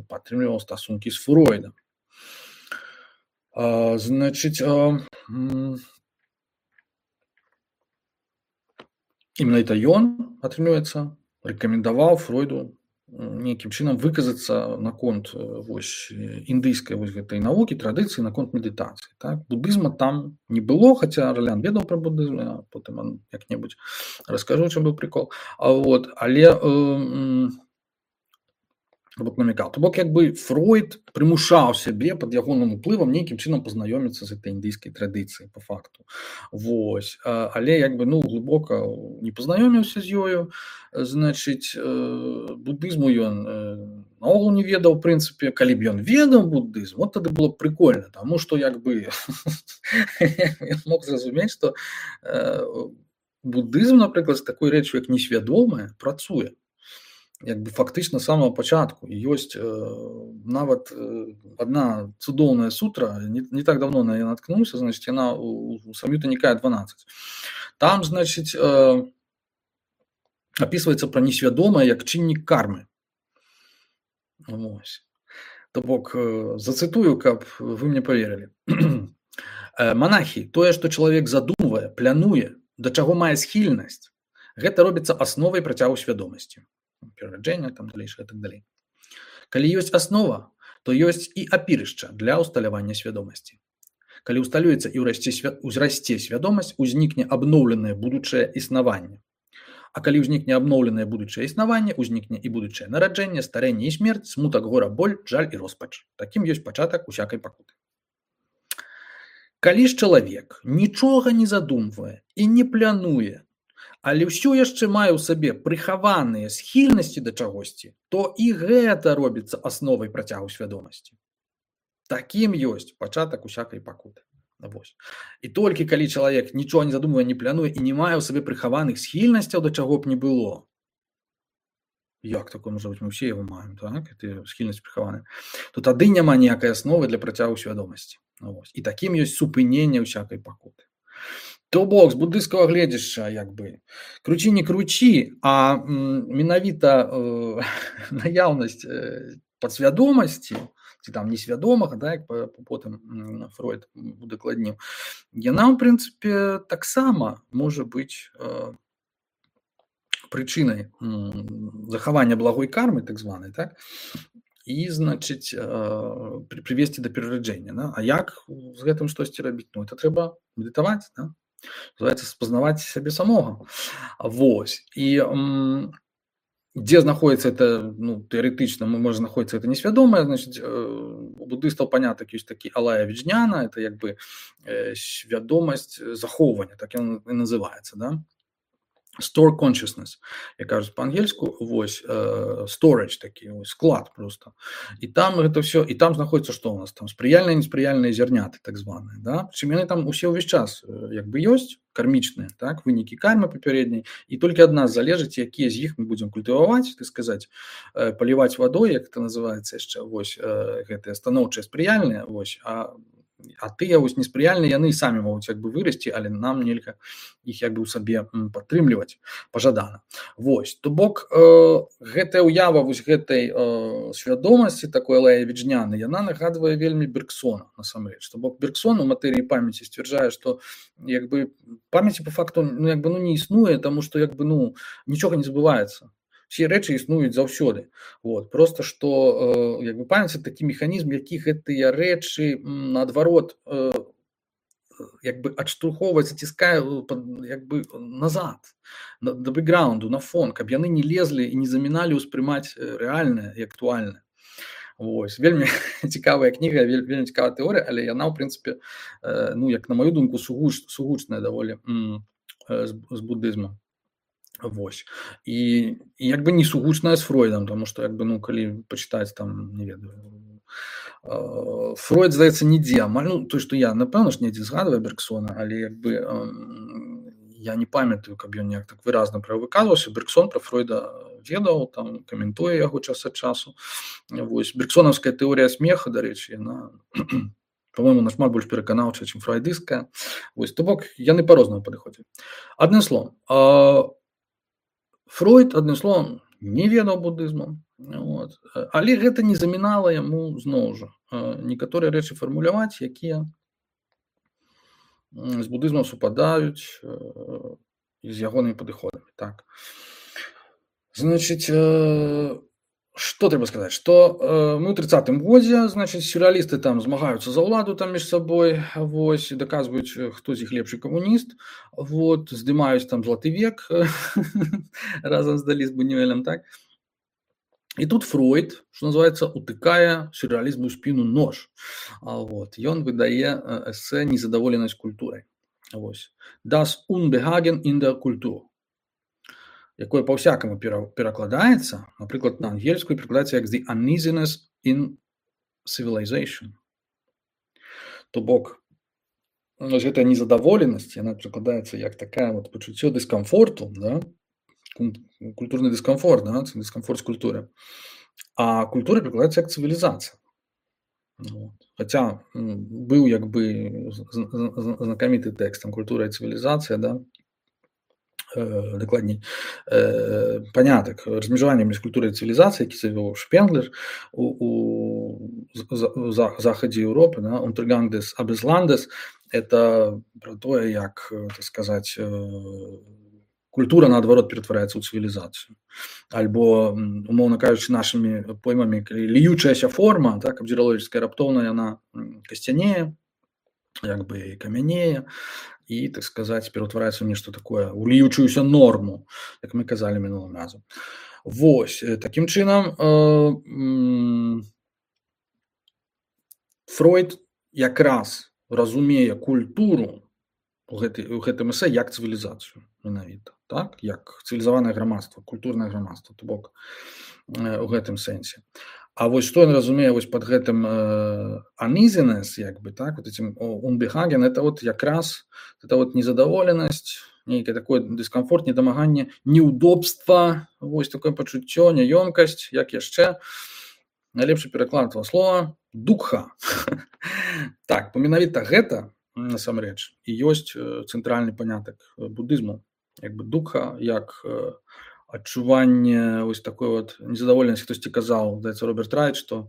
Speaker 1: падтрымліваў стасункі з Фройдам. Значыць, менавіта ён, атрымліваецца, рэкамендаваў Фройду нейкім чынам выказацца наконт вось індыйскай вось гэтай навукі, традыцыі, наконт медытацыі, так. Будызма там не было, хаця Ралян ведаў пра будызм, а потым як-небудзь раскажу, чым быў прыкол. А вот, але то бок намякаў. То бок, як бы, Фройд прымушаў сябе пад ягоным уплывам нейкім чынам пазнаёміцца з гэтай індыйскай традыцыяй, па факту. Вось, але, як бы, ну, глыбока не пазнаёміўся з ёю, значыць, будызму ён наогул не ведаў, у прынцыпе, калі б ён ведаў будызм, вот тады было б прыкольна, таму што, як бы, я мог зразумець, што будызм, напрыклад, з такой рэччю, як несвядомая, працуе. Як бы фактычна з самага пачатку. Ёсць э, нават э, адна цудоўная сутра, не, не так давно на яе наткнуўся, значыць, яна у, у Сам'юта Нікая дванаццаць. Там, значыць, э, апісваецца пра несвядомае як чыннік кармы. Вось. То бок, э, зацытую, каб вы мне паверылі. Манахі, тое, што чалавек задумвае, плануе, да чаго мае схільнасць, гэта робіцца асновай працягу свядомасці. Перараджэння, там далейшае і так далей. Калі ёсць аснова, то ёсць і апірышча для ўсталявання свядомасці. Калі ўсталюецца і ўзрасце свядомасць, узнікне абноўленае будучае існаванне. А калі ўзнікне абноўленае будучае існаванне, узнікне і будучае нараджэнне, старэнне і смерць, смутак, гора, боль, жаль і роспач. Такім ёсць пачатак усякай пакуты. Калі ж чалавек нічога не задумвае і не плануе, але ўсё яшчэ мае ў сабе прыхаваныя схільнасці да чагосьці, то і гэта робіцца асновай працягу свядомасці. Такім ёсць пачатак усякай пакуты. Вось. І толькі калі чалавек нічога не задумвае, не плануе і не мае ў сабе прыхаваных схільнасцяў да чаго б не было. Як такое можа быць? Мы ўсе яго маем, так? Гэта схільнасць прыхаваная. То тады няма ніякай асновы для працягу свядомасці. Вось. І такім ёсць супыненне ўсякай пакуты. То бок, з буддыйскага гледзяшча, як бы, круці не круці, а м, менавіта э, наяўнасць э, падсвядомасці, ці там несвядомага, да, як потым Фройд удакладніў, яна, ў прынцыпе, таксама можа быць прычынай захавання благой кармы, так званай, так, і, значыць, прывесці да перараджэння. Да? А як з гэтым штосьці рабіць? Ну, это трэба медытаваць, да? Называецца спазнаваць сябе самога. Вось. І м, дзе знаходіцца это, ну, тэарэтычна, можа знаходіцца это несвядомае, значыць, у буддыстаў панятак ёсць такі алая віджняна, это як бы свядомасць захоўвання, так ён і называецца, да? Store consciousness, як кажуць па-ангельску, вось, э, storage такі, вось, склад просто. І там гэта ўсё, і там знаходіцца што ў нас? Там спрыяльныя, неспрыяльныя зярняты, так званыя, да? Прычым яны там усе ўвесь час як бы ёсць, кармічныя, так, вынікі кармы папярэдняй, і толькі ад нас залежыць, якія з іх мы будзем культываваць, так сказаць, э, паліваць вадой, як это называецца яшчэ, вось, э, гэтыя станоўчыя спрыяльныя, вось, а А тыя вось неспрыяльныя, яны і самі могуць як бы вырасці, але нам нельга іх як бы ў сабе падтрымліваць пажадана. Вось, то бок э, гэтая ўява вось гэтай э, свядомасці, такой алая віджняны, яна нагадвае вельмі Бергсона, насамрэч. То бок Бергсон у матэрыі памяці сцвярджае, што як бы памяці па факту, ну, як бы, ну, не існуе, таму што як бы, ну, нічога не забываецца. Все рэчы існуюць заўсёды. Вот. Просто што э, як бы памяць такі механізм, які гэтыя рэчы наадварот э, як бы адштурхоўвае, заціскае як бы назад, на, да бэкграунду, на фон, каб яны не лезлі і не заміналі ўспрымаць рэальнае і актуальнае. Вось. Вельмі цікавая кніга, вельмі цікавая тэорыя, але яна, ў прынцыпе, э, ну, як на маю думку, сугуч, сугучная даволі м, з, з буддызмам. Вось. І, і як бы не сугучная з Фройдам, тому што як бы, ну, калі пачытаць там, не ведаю, э, Фройд, здаецца, нідзе амаль, ну, то, што я, напэўна ж, недзе згадваю Бергсона, але як бы э, я не памятаю, каб ён неяк так выразна пра выказваўся. Бергсон пра Фройда ведаў, там каментуе яго час ад часу. Вось. Бергсонаўская тэорыя смеха, дарэчы, яна по-моему, нашмат больш пераканаўчая, чым фройдысцкая. Вось, то бок яны па-рознаму падыходзяць. Адным словам, э, Фройд, адным словам, не ведаў буддызму, вот. Але гэта не замінала яму зноў жа некаторыя рэчы фармуляваць, якія з буддызмам супадаюць з ягонымі падыходамі. Так. Значыць, што трэба сказаць, што мы ў трыццатым годзе, значыць, сюррэалісты там змагаюцца за ўладу там між сабой, вось, і даказваюць, хто з іх лепшы камуніст, вот, здымаюць там златы век разам з Далі з Бунюэлем, так. І тут Фройд, што называецца, утыкае сюррэалізму ў спіну нож. Вот, ён выдае эсэ «Незадаволенасць культурай». Вось. «Das Unbehagen in der Kultur», якое па-ўсякаму перакладаецца, напрыклад, на ангельскую перакладаецца як «the uneasiness in civilization». То бок, гэтая незадаволенасць, яна перакладаецца як такая вот пачуццё дыскамфорту, да? Культурны дыскамфорт, да? Дыскамфорт з культуры. А культура перакладаецца як цывілізацыя. Вот. Хаця быў як бы знакаміты тэкст там «Культура і цывілізацыя», да? Дакладней, э, панятак размежавання між культурай і цывілізацыяй, які завёў Шпенглер у, у, у захадзе Еўропы, да? «Untergang des Abendlandes» – это про тое, як, так сказаць, культура наадварот ператвараецца ў цывілізацыю. Альбо, умоўна кажучы, нашымі поймамі, ліючаяся форма, так, абдзіралогічская, раптоўна яна касцянее, як бы камянее, і, так сказаць, ператвараецца ў нешта такое, у ліючуюся норму, як мы казалі мінулым разам. Вось, такім чынам, э, Фройд якраз разумее культуру у, гэты, у гэтым эсэ як цывілізацыю, менавіта, так, як цывілізаванае грамадства, культурнае грамадства, то бок э, у гэтым сэнсе. А вось што ён разумее вось пад гэтым э, uneasiness, як бы, так, вот этим unbehagen, это вот якраз это вот незадаволенасць, нейкае такое дыскамфорт, недамаганне, неудобства, вось такое пачуццё, няёмкасць, як яшчэ найлепшы пераклад этого слова дукха. Так, менавіта гэта насамрэч і ёсць цэнтральны панятак буддызму, як бы дукха, як адчуванне вось такой вот незадаволенасці. Хтосьці казаў, здаецца, Роберт Райт, што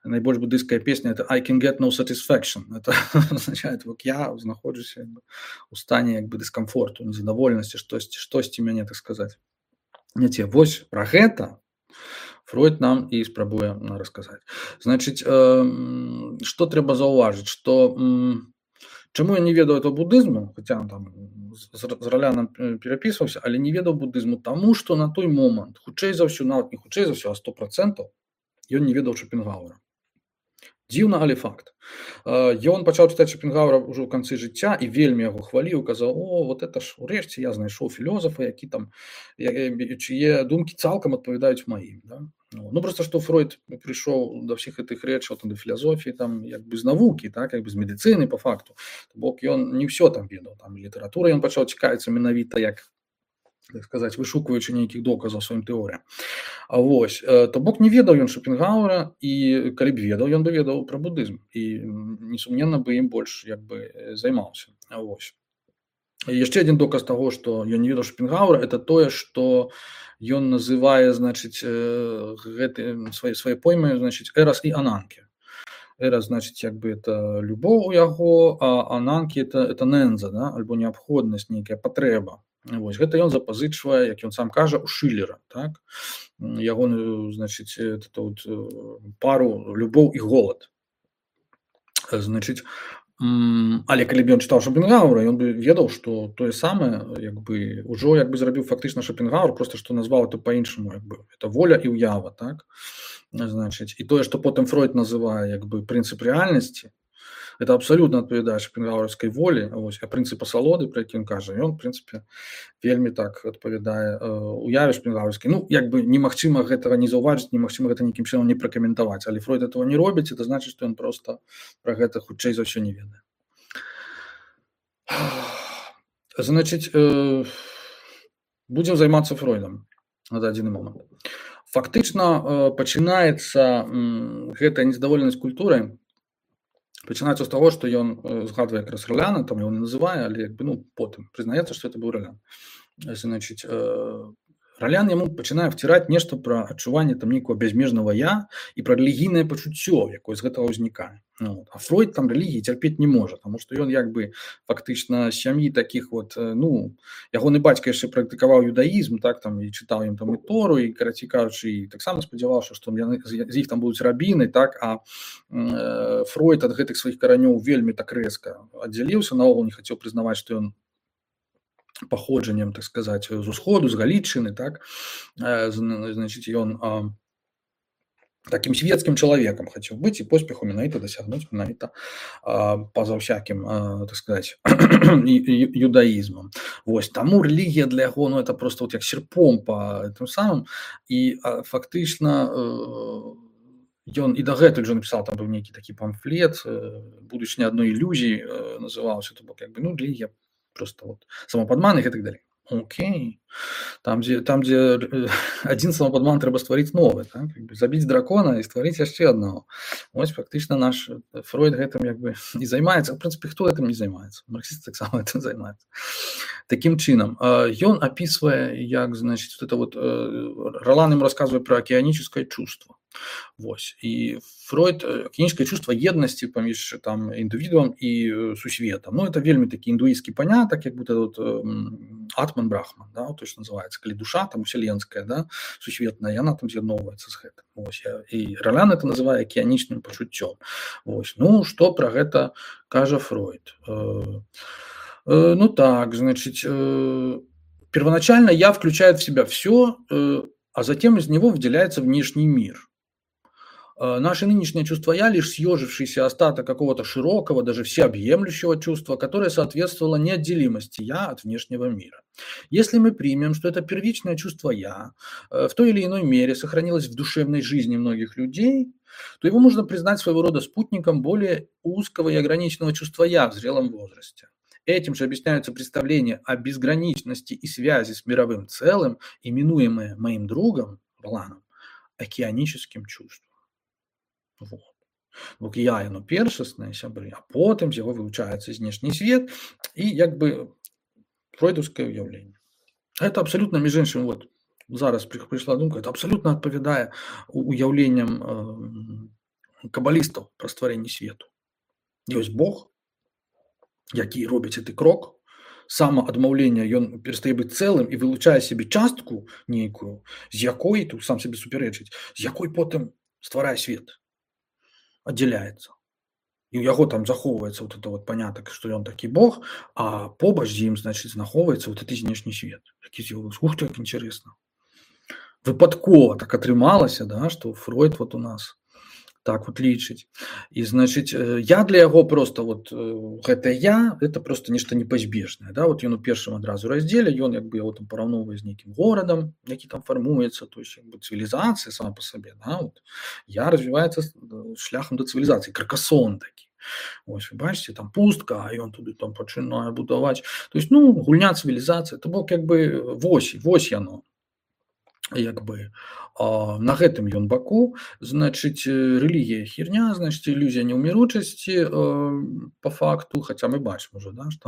Speaker 1: найбольш буддыйская песня это I can get no satisfaction. Это означает, вот я знаходжуся у стане як бы дыскамфорту, незадаволенасці, штосьці, штосьці мяне, так сказаць, не те. Вось пра гэта Фройд нам і спрабуе расказаць. Значыць, э, што трэба заўважыць, што м, чаму я не ведаў этого буддызму, хаця там з, з Раляном перапісваўся, але не ведаў буддызму, таму што на той момант, хутчэй за ўсё, нават не хутчэй за ўсё, а сто процентаў ён не ведаў Шопенгауэра. Дзіўна, але факт. Ён пачаў чытаць Шопенгауэра ўжо ў канцы жыцця і вельмі яго хваліў, казаў: о, вот это ж урэшце я знайшоў філёзафа, які там, чые думкі цалкам адпавядаюць маім. Да? Ну, просто што Фройд прыйшоў да ўсіх гэтых рэчаў, там, да філазофіі, там, як бы з навукі, так, як бы з медыцыны, па факту. Бок ён не ўсё там ведаў, там, літаратура ён пачаў цікавіцца менавіта як, так сказаць, вышукваючы нейкіх доказаў сваім тэорыям. А вось, то бок не ведаў ён Шопенгауэра, і калі б ведаў, ён бы ведаў пра буддызм, і несумненна бы ім больш як бы займаўся. А вось. І яшчэ адзін доказ таго, што ён не ведаў Шопенгауэра, это тое, што ён называе, значыць, гэты свае свае поймы, значыць, эрас і ананкі. Эрас, значыць, як бы это любоў у яго, а ананкі это это ненза, да, альбо неабходнасць, нейкая патрэба. Вось гэта ён запазычвае, як ён сам кажа, у Шылера, так? Ягоную, значыць, тут пару любоў і голад. Значыць, але калі б ён чытаў Шопенгауэра, ён бы ведаў, што тое самае, як бы ўжо як бы зрабіў фактычна Шопенгауэр, просто што назваў это па-іншаму, як бы это воля і ўява, так? Значыць, і тое, што потым Фройд называе як бы прынцып рэальнасці, это абсалютна адпавядае шопенгауэрскай волі, вось, а прынцып асалоды, пра які ён кажа, ён, в прынцыпе, вельмі так адпавядае уяве шопенгауэрскай. Ну, як бы немагчыма гэтага не заўважыць, немагчыма гэта нейкім чынам не пракаментаваць, але Фройд этого не робіць, это значыць, што ён проста пра гэта хутчэй за ўсё не ведае. Значыць, э, будзем займацца Фройдам на дадзены момант. Фактычна э, пачынаецца м, гэтая незадаволенасць культурай, пачынаецца з таго, што ён згадвае якраз Раляна, там ён не называе, але як бы, ну, потым прызнаецца, што это быў Ралян. Значыць, Ралян яму пачынае вціраць нешта пра адчуванне там нейкага бязмежнага я і пра рэлігійнае пачуццё, якое з гэтага ўзнікае. Ну, а Фройд там рэлігіі цярпець не можа, таму што ён як бы фактычна з сям'і такіх вот, ну, ягоны бацька яшчэ практыкаваў юдаізм, так, там, і чытаў ім там і Тору, і, карацей кажучы, і таксама спадзяваўся, што яны, з іх там будуць рабіны, так, а э, Фройд ад гэтых сваіх каранёў вельмі так рэзка аддзяліўся, наогул не хацеў прызнаваць, што ён паходжаннем, так сказаць, з усходу, з Галічыны, так, значыць, ён а, такім свецкім чалавекам хацеў быць і поспеху менавіта дасягнуць менавіта па-за ўсякім, а, так сказаць, юдаізмам. Вось, таму рэлігія для яго, ну, это просто вот як серпом па тым самым, і а, фактычна ён і дагэтуль жа напісаў, там быў нейкі такі памфлет, будучыня адной ілюзіі называўся, то бок як бы, ну, рэлігія просто вот самападман і гэтак далей. Окей. Там, дзе, там, дзе адзін самападман трэба стварыць новы, так? Забіць дракона і стварыць яшчэ аднаго. Вось фактычна наш Фройд гэтым як бы і займаецца. В прынцыпе, хто гэтым не займаецца? Марксіст таксама гэтым займаецца. Такім чынам, ён апісвае, як, значыць, вот это вот, Ролан ім расказвае пра акіянічнае чувство. Вось. І Фройд, акіянічнае чувство еднасці паміж там індывідуам і сусветам. Ну, это вельмі такі індуісцкі панятак, як будто вот атман брахман, да, то, што называецца, калі душа там уселенская, да, сусветная, яна там з'ядноўваецца з гэтым. Вось. І Ролян это называе акіянічным пачуццём. Вось. Ну, што пра гэта кажа Фройд? Ну так, значит, первоначально я включает в себя все, а затем из него выделяется внешний мир. Наше нынешнее чувство «я» лишь съежившийся остаток какого-то широкого, даже всеобъемлющего чувства, которое соответствовало неотделимости «я» от внешнего мира. Если мы примем, что это первичное чувство «я» в той или иной мере сохранилось в душевной жизни многих людей, то его можно признать своего рода спутником более узкого и ограниченного чувства «я» в зрелом возрасте. Этим же объясняются представления о безграничности и связи с мировым целым, именуемые моим другом Роланом океаническим чувством. Вот. Бок я, яно першасне, сябры, а потым з яго вылучаецца знешні свет і як бы фройдаўскае ўяўленне. Это абсолютно, між іншым, вот, зараз прыйшла думка, это абсалютна адпавядае уяўленням кабалістаў пра стварэнне свету. Ёсць Бог, які робіць гэты крок, самаадмаўлення, ён перастае быць цэлым і вылучае сябе частку нейкую, з якой, тут сам сабе супярэчыць, з якой потым стварае свет, аддзяляецца. І ў яго там захоўваецца вот это вот панятак, што ён такі Бог, а побач з ім, значыць, знаходзіцца вот гэты знешні свет. Які з'явіўся, ух ты, як інтарэсна. Выпадкова так атрымалася, да, што Фройд вот у нас так вот лічыць. І, значыць, я для яго просто вот гэта я, это просто нешта непазбежнае, да, вот ён у першым адразу раздзеле, ён як бы яго там параўноўвае з нейкім горадам, які там фармуецца, то есть як бы цывілізацыя сама па сабе, да, вот я развіваецца шляхам да цывілізацыі, Каркасон такі. Ось, вы бачыце, там пустка, а ён туды там пачынае будаваць. То есть, ну, гульня цывілізацыя, то бок як бы вось, вось яно. Як бы а, на гэтым ён баку, значыць, рэлігія херня, значыць, ілюзія неўміручасці по факту, хаця мы бачым ужо, да, што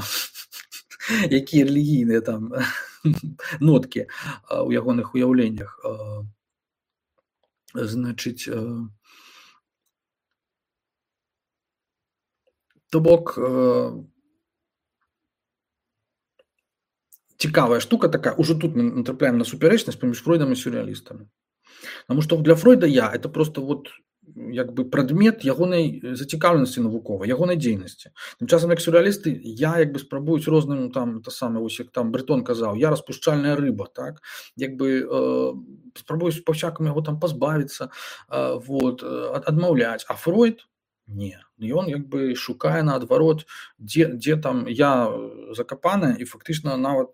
Speaker 1: якія рэлігійныя там ноткі у ягоных уяўленнях. Значыць, то бок цікавая штука такая, уже тут мы натрапляем на супярэчнасць паміж Фройдам і сюррэалістамі. Таму што для Фройда я это просто вот як бы прадмет ягонай зацікаўленасці навуковай, ягонай дзейнасці. Тым часам як сюррэалісты я як бы спрабуюць розным там то самае, вось як там Бретон казаў, я распушчальная рыба, так? Як бы э, спрабуюць па-всякаму яго там пазбавіцца, э, вот, адмаўляць, а Фройд не, ён як бы шукае наадварот, дзе, дзе там я закапаная, і фактычна нават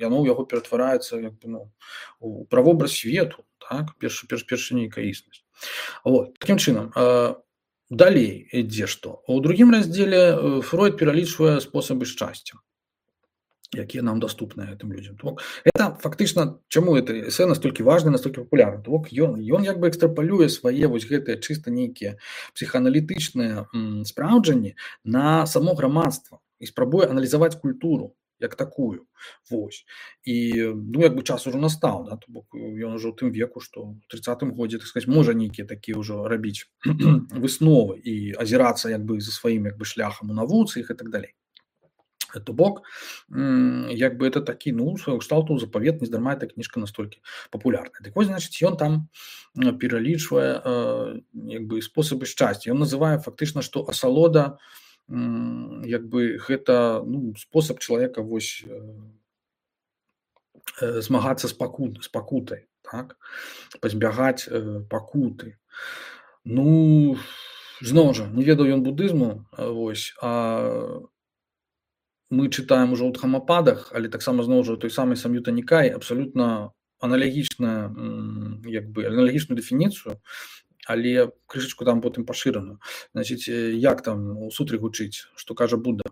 Speaker 1: яно ў яго ператвараецца як бы, ну, у правобраз свету, так, першы, перш, першы нейкая існасць. Вот, такім чынам, э, далей ідзе што? У другім раздзеле Фройд пералічвае спосабы шчасця, якія нам доступны гэтым людзям. Это фактычна, чаму это эсэ настолькі важна, настолькі папулярна? Ён, ён як бы экстрапалюе свае вось гэтыя чыста нейкія псіхааналітычныя спраўджанні на само грамадства і спрабуе аналізаваць культуру як такую. Вось. І ну, як бы час ужо настаў, да? То бок ён ужо ў тым веку, што ў трыццатым годзе, так сказаць, можа нейкія такія ўжо рабіць высновы і азірацца як бы за сваім як бы шляхам у навуцы і так далей. То бок, як бы это такі, ну, свайго кшталту запавет, нездарма эта кніжка настолькі папулярная. Так вось, значыць, ён там пералічвае як бы спосабы шчасця. Ён называе фактычна, што асалода як бы гэта, ну, спосаб чалавека вось змагацца з пакут, з пакутай, так? Пазбягаць пакуты. Ну, зноў жа, не ведаў ён будызму, вось, а мы чытаем ужо ў Дхамападах, але таксама зноў жа той самы Сам'юта Нікай абсалютна аналагічна, як бы аналагічную дэфініцыю, але крышачку там потым пашыраную. Значыць, як там у сутры гучыць, што кажа Будда?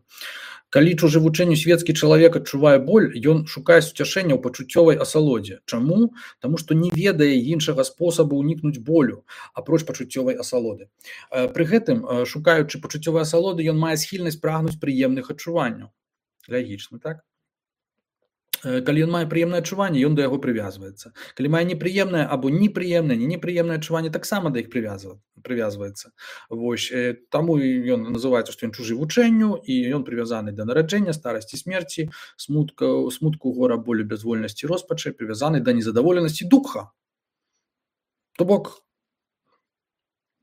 Speaker 1: Калі чужы вучэнню свецкі чалавек адчувае боль, ён шукае суцяшэння ў пачуццёвай асалодзе. Чаму? Таму што не ведае іншага спосабу ўнікнуць болю, апроч пачуццёвай асалоды. Пры гэтым, шукаючы пачуццёвай асалоды, ён мае схільнасць прагнуць прыемных адчуванняў. Логічна, так? Калі ён мае прыемнае адчуванне, ён да яго прывязваецца. Калі мае непрыемнае або непрыемнае, не непрыемнае адчуванне, таксама да іх прывязваецца. Вось, таму ён называецца, што ён чужы вучэнню, і ён прывязаны да нараджэння, старасці, смерці, смутку, смутку, гора, болю, бязвольнасці, роспачы, прывязаны да незадаволенасці дукха. То бок,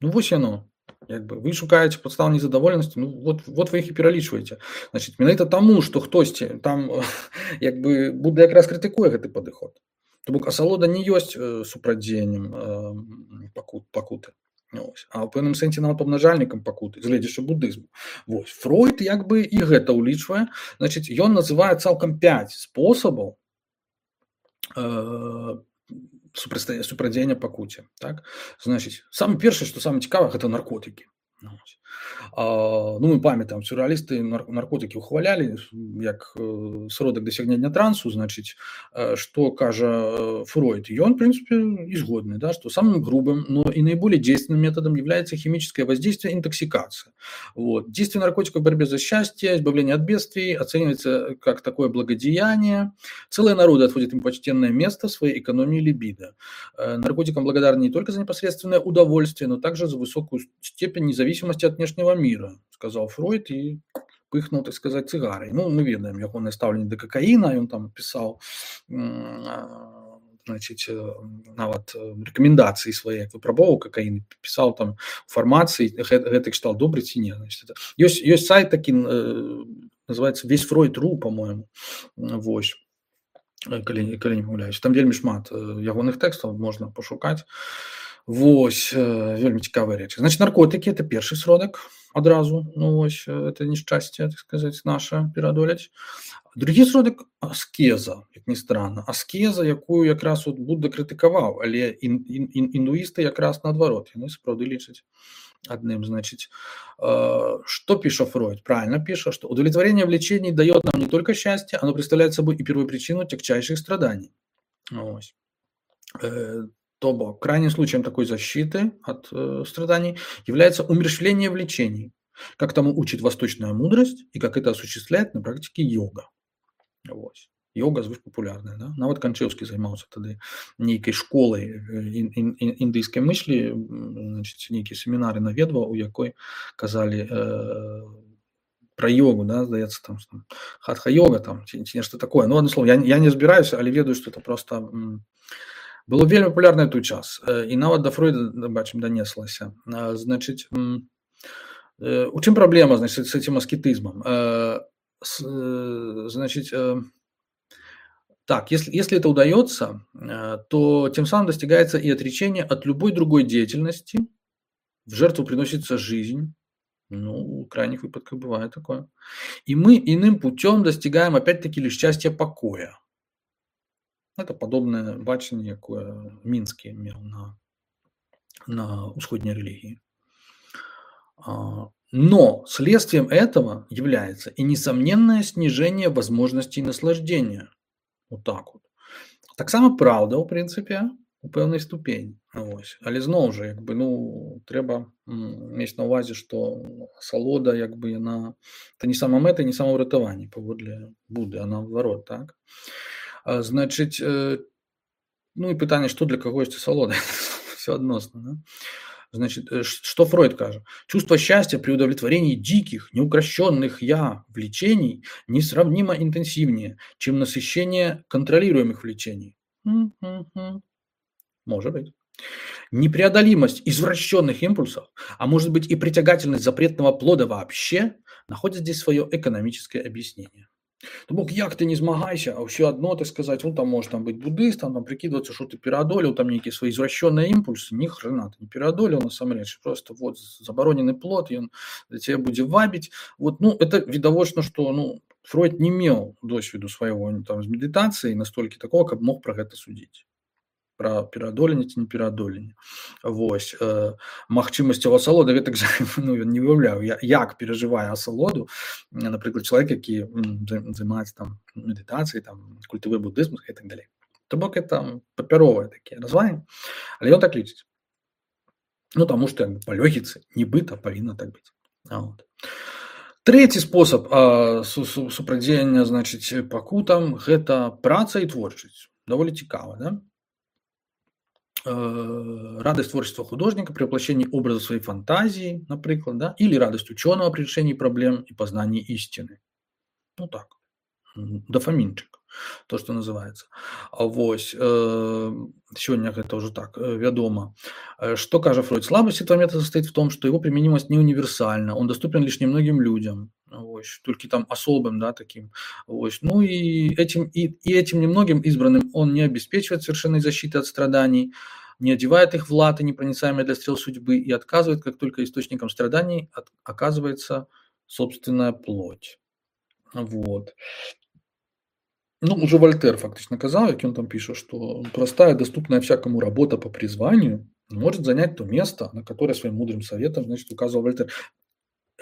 Speaker 1: ну вось яно. Як бы вы шукаеце падстаў незадаволенасці, ну вот, вот вы іх і пералічваеце. Значыць, менавіта таму, што хтосьці там як бы Будда якраз крытыкуе гэты падыход. То бок асалода не ёсць супрадзеяннем пакут, пакуты. Ось. А ў пэўным сэнсе нават памнажальнікам пакуты, гледзячы будызму. Вось. Фройд як бы і гэта ўлічвае. Значыць, ён называе цалкам пяць спосабаў э, супрадзеяння пакуце, так? Значыць, самае першае, што самае цікавае, гэта наркотыкі. Ось. А, ну, мы памятаем, сюрреалісты наркотыкі ухвалялі як сродак дасягнення трансу, значыць, что кажа Фройд. И он, в принципе, и згодны, да, что самым грубым, но и наиболее действенным методом является химическое воздействие, интоксикация. Вот. Действие наркотиков в борьбе за счастье, избавление от бедствий оценивается как такое благодеяние. Целые народы отводят им почтенное место в своей экономии либидо. Наркотикам благодарны не только за непосредственное удовольствие, но также за высокую степень независимости от внешнего мира, сказал Фройд и пыхнул, так сказать, цигарой. Ну, мы ведаем ягонае стаўленне да какаина, он там писал, значит, нават рекомендации свои, выпрабоўваў какаин, писал там фармацыі, гэты кшталт добры ці не. Значит, ёсць, ёсць сайт такі, называется «Весь Фройд точка ру», по-моему, вось. Калі, калі не памыляюсь, там вельмі шмат ягоных тэкстаў можна пашукаць. Вось, вельмі цікавыя рэчы. Значит, наркотыкі – это першы сродак адразу, ну вось, это нешчасце, так сказать, наше пераадолець. Другі сродак – аскеза, як ні странно. Аскеза, якую якраз от Будда крытыкаваў, але ін, ін, ін, індуісты якраз наадварот, яны сапраўды лічаць одним, значит, э, что пишет Фройд? Правильно пишет, что удовлетворение влечений дает нам не только счастье, оно представляет собой и первопричину тягчайших страданий. Ось. Э, то бок, крайним случаем такой защиты от э, страданий является умерщвление влечений, как тому учит восточная мудрость и как это осуществляет на практике йога. Ось. Йога звышпапулярная, да? Нават Канчеўскі займаўся тады нейкай школай індыйскай мыслі, значит, нейкія семінары наведваў, у якой казалі э, пра йогу, да, здаецца, там, там хатха-йога, там, ці, ці нешта такое. Ну, одно слово, я, я не збіраюся, але ведаю, што это просто м, было вельмі папулярна ў той час. І нават да Фройда, бачым, данеслася. Значит, м, э, у чым праблема, значит, с этим аскетизмом? Э, с, э, значит, э, Так, если, если это удается, то тем самым достигается и отречение от любой другой деятельности, в жертву приносится жизнь, ну, в крайних выпадках бывает такое, и мы иным путем достигаем опять-таки лишь счастья покоя. Это подобное бачение, якое Минский имел на, на усходней религии. Но следствием этого является и несомненное снижение возможностей наслаждения. Вот так вот. Таксама праўда, у прынцыпе, у пэўнай ступені. Ось. Але зноў жа, як бы, ну, трэба мець на ўвазе, што асалода, як бы, яна это не самамэта, не самаўратаванне паводле Будды, а наадварот, так? А, значыць, э, ну і пытанне, што для каго ёсць асалода? Всё адносна, да? Значит, что Фройд кажет? Чувство счастья при удовлетворении диких, неукрощенных «я» влечений несравнимо интенсивнее, чем насыщение контролируемых влечений. Может быть. Непреодолимость извращенных импульсов, а может быть и притягательность запретного плода вообще, находят здесь свое экономическое объяснение. То бок, як ты не змагайся, а ўсё адно, так сказать, ну, там можешь там быть буддыстом, там прикидываться, что ты пераадолел, там некие свои извращенные импульсы, ни хрена ты не пераадолел, насамрэч, просто вот забароненный плод, и он для тебя будет вабить. Вот, ну, это відавочна, что, ну, Фройд не меў досведу свайго там з медытацыі настолькі такого, каб мог про гэта судзіць. Про пераадоленне ці не пераадоленне. Вось. Э, магчымасцяў асалоды гэтак жа, ну, ён не выяўляў, як перажывае асалоду, напрыклад, чалавек, які займаецца там медытацыяй, там культывы буддызму і так далей. То бок это папяровыя такія развагі, але ён так лічыць. Ну, таму што як бы па логіцы нібыта павінна так быць. А вот. Трэці спосаб э, супрадзеяння, значыць, пакутам гэта праца і творчасць. Даволі цікава, да? Радость творчества художника при воплощении образа своей фантазии, например, да, или радость ученого при решении проблем и познании истины. Ну так, дофаминчик, то, что называется. Вось, сегодня это уже так, вядома. Что кажа Фройд? Слабость этого метода состоит в том, что его применимость не универсальна, он доступен лишь немногим людям. Ось, только там особым, да, таким. Ось. Ну и этим, и, и этим немногим избранным он не обеспечивает совершенной защиты от страданий, не одевает их в латы, непроницаемые для стрел судьбы, и отказывает, как только источником страданий от, оказывается собственная плоть. Вот. Ну, уже Вольтер фактично казал, как он там пишет, что простая, доступная всякому работа по призванию может занять то место, на которое своим мудрым советом, значит, указывал Вольтер.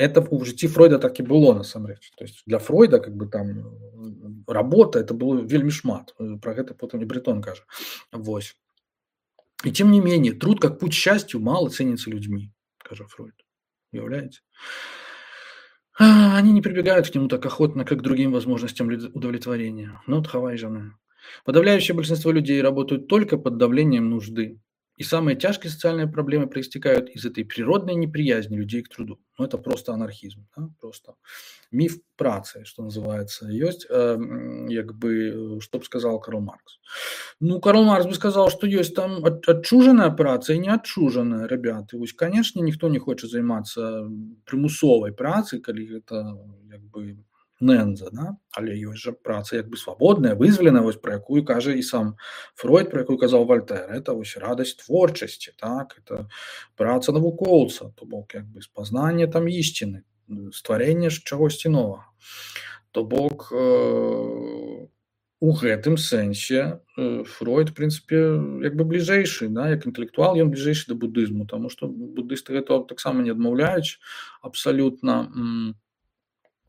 Speaker 1: Это в житті Фройда так і было насамрэч. То есть для Фройда как бы там работа это было вельмі шмат. Про гэта потым і Бретон кажа. Вось. И тем не менее, труд как путь к счастью мало ценится людьми, кажа Фройд. Уявляете? Они не прибегают к нему так охотно, как к другим возможностям удовлетворения. Но тхавайжаны. Подавляющее большинство людей работают только под давлением нужды. И самые тяжкие социальные проблемы проистекают из этой природной неприязни людей к труду. Ну, это просто анархизм, да? Просто миф працы, что называется. Есть, э, как бы, что бы сказал Карл Маркс. Ну, Карл Маркс бы сказал, что есть там отчуженная праца и неотчуженная, ребята. И, конечно, никто не хочет заниматься примусовой працей, коли это, как бы, ненза, да? Але ёсць жа праца як бы свабодная, вызваленая, вось пра якую кажа і сам Фройд, пра якую казаў Вольтер. Это вось радасць творчасці, так? Это праца навукоўца, то бок як бы спазнанне там ісціны, стварэнне чагосьці новага. То бок э, у гэтым сэнсе э, Фройд, в прынцыпе, як бы бліжэйшы, да? Як інтэлектуал ён бліжэйшы да будызму, таму што будысты гэта таксама не адмаўляюць абсалютна.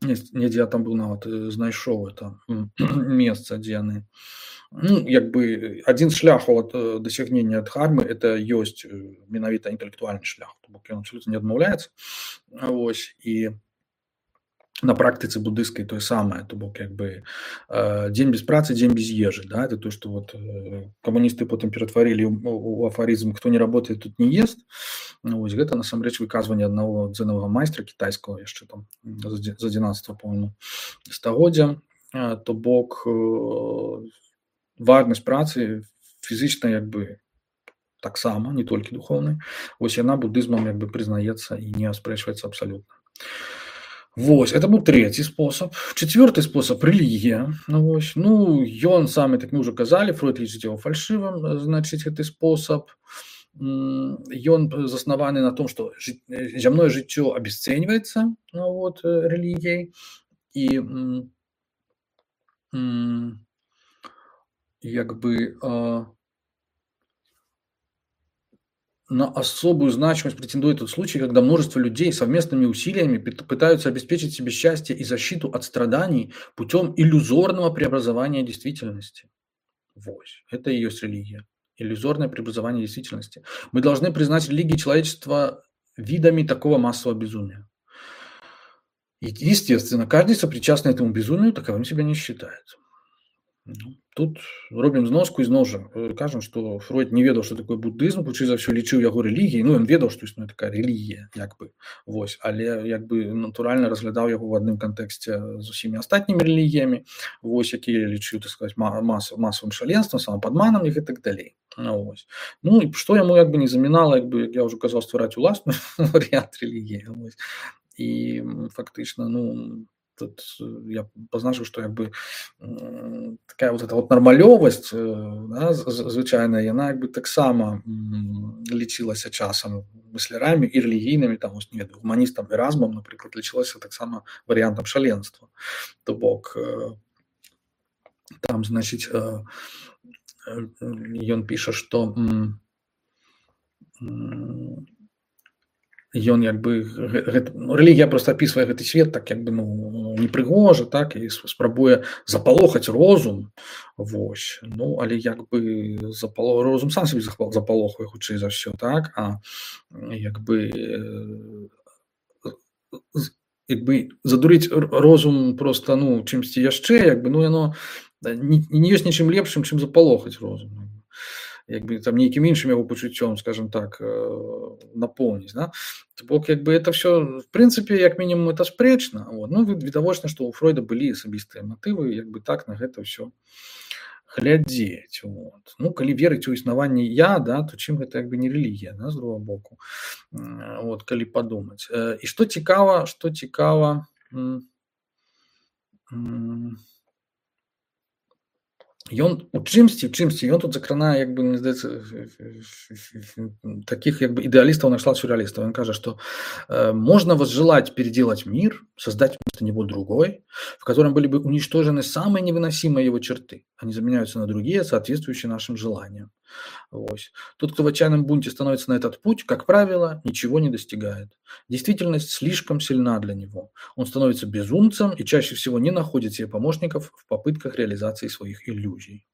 Speaker 1: Недзе я там быў нават знайшоў это месца, дзе яны. Ну, як бы адзін з шляхаў ад дасягнення дхармы это ёсць менавіта інтэлектуальны шлях, то бок ён абсалютна не адмаўляецца. Вось і на практыцы будысцкай тое самае, то бок як бы дзень без працы, дзень без ежы, да, это то, што вот камуністы потым ператварылі у афарызм «кто не работает, тут не ест». Вось гэта насамрэч выказванне аднаго дзенавага майстра кітайскага яшчэ там з адзінаццатага, по-моему, стагоддзя. То бок важнасць працы фізычна як бы таксама, не толькі духоўнай. Вось яна будызмам як бы прызнаецца і не аспрэчваецца абсалютна. Вось, это был третий способ. Четвертый способ – религия. Ну, вось. Ну, ён самый, так мы уже казали, Фройд лічыць его фальшивым, значит, гэты способ. Ён заснаваны на том, что зямное жыццё обесценивается, ну, вот, религией. И як бы на особую значимость претендует тот случай, когда множество людей совместными усилиями пытаются обеспечить себе счастье и защиту от страданий путем иллюзорного преобразования действительности. Вот. Это и есть религия. Иллюзорное преобразование действительности. Мы должны признать религии человечества видами такого массового безумия. И, естественно, каждый сопричастный этому безумию таковым себя не считает. Тут робім зноску і зноў жа кажам, што Фройд не ведаў, што такое будызм, хутчэй за ўсё лічыў яго рэлігіяй. Ну, ён ведаў, што існуе такая рэлігія, як бы. Вось, але як бы натуральна разглядаў яго ў адным кантэксце з усімі астатнімі рэлігіямі, вось, якія лічыў, так сказаць, мас, масавым шаленствам, самападманам і гэтак далей. Ну, вось. Ну, і што яму як бы не замінала, як бы, як я ўжо казаў, ствараць уласны варыянт рэлігіі. Вось. І фактычна, ну, тут я позначив, что як би така вот эта вот нормальовость, да, звичайна, яна як би так само лічилася часом мислярами і релігійними, там, ось, не, гуманістом Еразмом, наприклад, лічилася так само варіантом шаленства. То бок, там, значить, ён піша, що ён як бы гэта, ну, рэлігія просто апісвае гэты свет так як бы ну непрыгожа, так, і спрабуе запалохаць розум. Вось. Ну, але як бы запало... розум сам сабе запалохае хутчэй за ўсё, так, а як бы як бы задурыць розум просто, ну, чымсьці яшчэ, як бы, ну, яно не, не ёсць нічым лепшым, чым запалохаць розум. Як бы там нейкім іншым яго пачуццём, скажем так, напоўніць, да? То бок, як бы это все, в прынцыпе, як мінімум, это спрэчна. Вот. Ну, відавочна, што ў Фройда былі асабістыя матывы, як бы так на гэта ўсё глядзець. Вот. Ну, калі верыць у існаванне я, да, то чым гэта як бы не рэлігія, да, з другого боку. Вот, калі падумаць. І што цікава, што цікава, ён у чымсьці, у чымсьці, ён тут закранае, як бы, мне здаецца, таких, як бы, ідэалістаў на кшталт сюрреалістаў. Он кажа, что э, можно возжелать переделать мир, создать вместо него другой, в котором были бы уничтожены самые невыносимые его черты. Они заменяются на другие, соответствующие нашим желаниям. Вось. Тот, кто в отчаянном бунте становится на этот путь, как правило, ничего не достигает. Действительность слишком сильна для него. Он становится безумцем и чаще всего не находит себе помощников в попытках реализации своих иллюзий.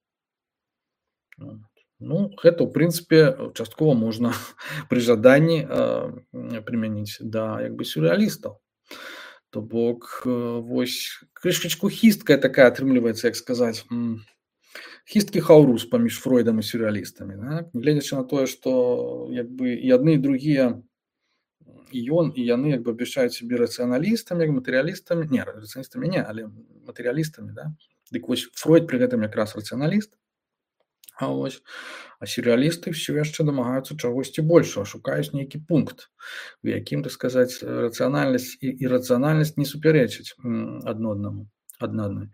Speaker 1: Вот. Ну, гэта, ў прынцыпе, часткова можна пры жаданні э, прымяніць да як бы сюррэалістаў. То бок э, вось крышачку хісткая такая атрымліваецца, як сказаць, м, хісткі хаўрус паміж Фройдам і сюррэалістамі. Так? Гледзячы на тое, што як бы і адны і другія, і ён і яны як бы абвяшчаюць сябе рацыяналістамі, як матэрыялістамі, не рацыяналістамі не, але матэрыялістамі, да? Дык вось Фройд пры гэтым якраз рацыяналіст. А вось а сюррэалісты ўсё яшчэ дамагаюцца чагосьці большага, шукаюць нейкі пункт, у якім, так сказаць, рацыянальнасць і ірацыянальнасць не супярэчаць адно аднаму, адна адной.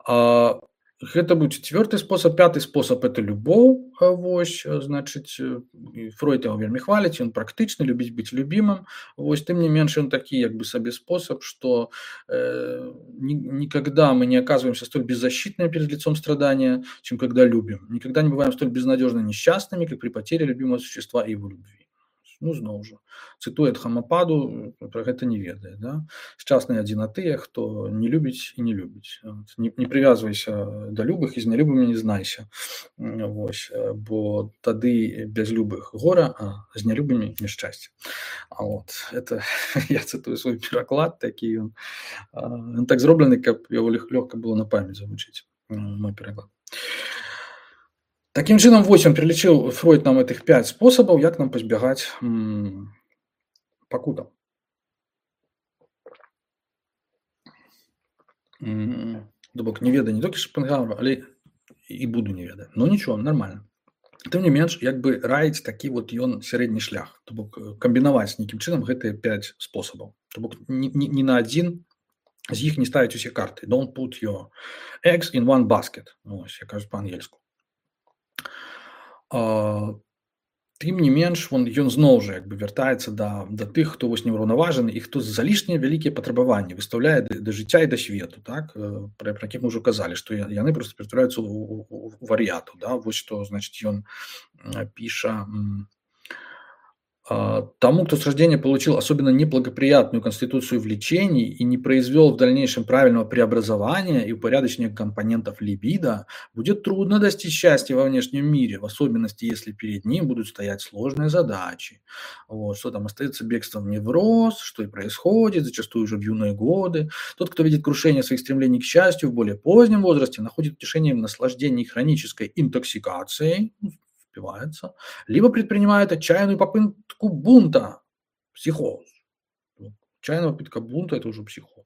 Speaker 1: А гэта быў чацвёрты спосаб. Пяты спосаб это любоў. Вось, значыць, Фройд яго вельмі хваліць, ён практычны, любіць быць любімым. Вось, тым не менш, ён такі як бы сабе спосаб, што э, ни, никогда мы не оказываемся столь беззащитными перед лицом страдания, чем когда любим. Никогда не бываем столь безнадежно несчастными, как при потере любимого существа и его любви. Ну, зноў жа, цытуе Хамападу, пра гэта не ведае. Да? Шчасныя адзіна тыя, хто не любіць і не любіць. Не, не прывязвайся да любых і з нялюбымі не знайся. Вось, бо тады без любых гора, а з нялюбымі няшчасце. А вот, это я цытую свой пераклад, такі ён, ён так зроблены, каб яго лёгка было на памяць завучыць, мой пераклад. Таким чынам, вось ён пералічыў Фройд нам этих пять спосабаў, як нам пазбягаць м, пакутаў. То бок не ведаю не толькі Шопенгауэра, але і буду не ведаю. Ну нічого, нормально. Тым не менш, як бы раіць такі вот ён сярэдні шлях, то бок камбінаваць нейкім чынам гэтыя пять спосабаў. То бок ні, ні, ні на адзін з іх не ставіць усе карты. Don't put your eggs in one basket. Ну, ось, я кажу па-ангельску. А, тым не менш, он, ён зноў жа як бы вяртаецца да, да тых, хто вось неўраўнаважаны і хто залішнія вялікія патрабаванні выстаўляе да, да жыцця і да свету, так? Пра, пра якіх мы ўжо казалі, што яны проста ператвараюцца ў, ў, ў вар'яту, да? Вось што, значыць, ён піша... Тому, кто с рождения получил особенно неблагоприятную конституцию влечений и не произвел в дальнейшем правильного преобразования и упорядочения компонентов либидо, будет трудно достичь счастья во внешнем мире, в особенности, если перед ним будут стоять сложные задачи. Вот, что там остается бегством в невроз, что и происходит, зачастую уже в юные годы. Тот, кто видит крушение своих стремлений к счастью в более позднем возрасте, находит утешение в наслаждении хронической интоксикацией, впивается, либо предпринимает отчаянную попытку бунта, психоз. Отчаянная попытка бунта – это уже психоз.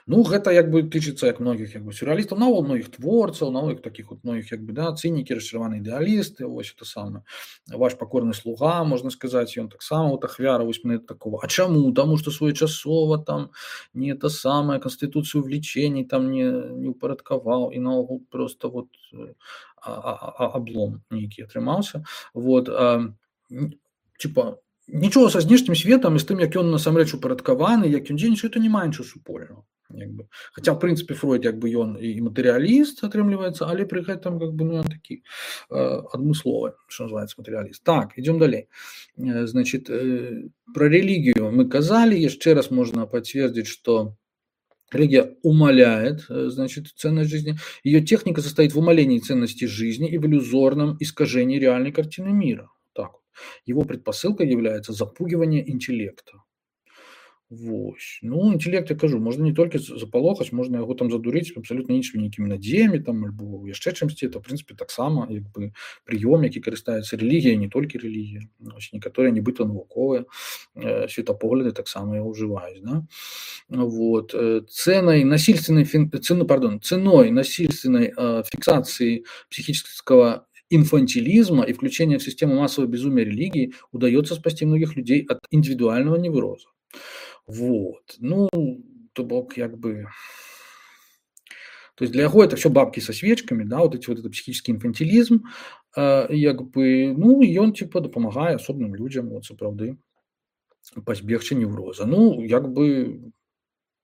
Speaker 1: Ну, гэта як бы тычыцца як многіх як бы сюррэалістаў, нават многіх творцаў, нават таких вот многіх як бы да, цынікі, расчараваныя ідэалісты, вось это самае. Ваш покорны слуга, можна сказаць, ён таксама вот ахвяра вось мене такого. А чаму? Таму што своечасова там не это самае канстытуцыю влечений там не не упарадкаваў і наогул просто вот а, а, облом нейкі атрымаўся. Вот а, типа нічого са знешнім светам і з тым, як ён насамрэч упарадкаваны, як ён дзейнічае, это не мае нічого супольнага. Як бы. Хаця, в прынцыпе, Фройд як бы ён і матэрыяліст атрымліваецца, але пры гэтым как бы, ну, ён такі э, адмысловы, што называецца матэрыяліст. Так, идем далей. Э, значит, э, про религию мы казали, яшчэ раз можно подтвердить, что религия умаляет, значит, ценность жизни. Ее техника состоит в умалении ценности жизни и в иллюзорном искажении реальной картины мира. Так. Его предпосылкой является запугивание интеллекта. Вось. Ну, інтэлект, я кажу, можна не толькі запалохаць, можна яго там задурыць абсалютна іншымі нейкімі надзеямі, там, альбо яшчэ чымсьці, это, в прынцыпе, таксама як бы прыём, які карыстаецца рэлігія, не толькі рэлігія. Ось, некаторыя нібыта навуковыя э, светапогляды таксама яго ўжываюць, да? Вот. Ценой насильственной, цену, пардон, ценой насильственной э, фиксации психического инфантилизма и включения в систему массового безумия религии удается спасти многих людей от индивидуального невроза. Вот, ну, то бок, як бы, то есть для яго это все бабки со свечками, да, вот эти вот это психический инфантилизм, э, як бы, ну, и он типа дапамагае асобным людям, вот, сапраўды, пазбегчы невроза. Ну, як бы,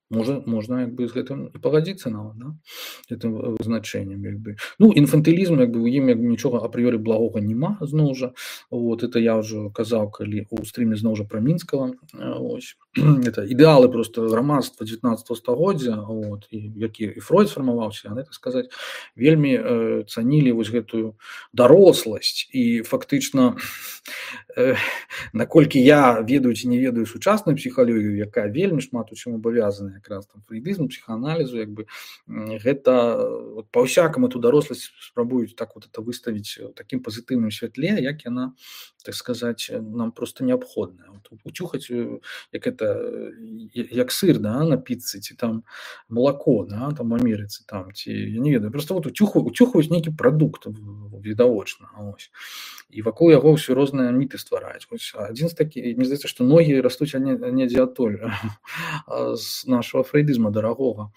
Speaker 1: Можа можна як бы з гэтым і пагадзіцца нават, да, гэтым вызначэннем як бы. Ну, інфантылізм як бы у ім як бы нічога апрыёры благога няма зноў жа. Вот это я ўжо казаў, калі у стрыме зноў жа пра Мінскага, ось. Это ідэалы проста грамадства дзевятнаццатага стагоддзя, вот, і які і Фройд сфармаваўся, яны, так сказаць, вельмі э, цанілі вось гэтую даросласць і фактычна э, наколькі я ведаю ці не ведаю сучасную псіхалогію, якая вельмі шмат у чым абавязана якраз там фрейдызму, псіхааналізу, як бы гэта вот, па-ўсякаму эту даросласць спрабуюць так вот это выставіць у такім пазітыўным святле, як яна, так сказаць, нам просто неабходная. Вот, уцюхаць, як это, як сыр, да, на піцы, ці там молоко, да, там в Амерыцы, там, ці, я не ведаю, просто вот уцюхаюць, уцюхаюць нейкі прадукт відавочна, ось. І вакол яго ўсё розныя міты ствараюць. Вось адзін з такі, мне здаецца, што ногі растуць недзе адтуль з нашага фрейдызма дарагога.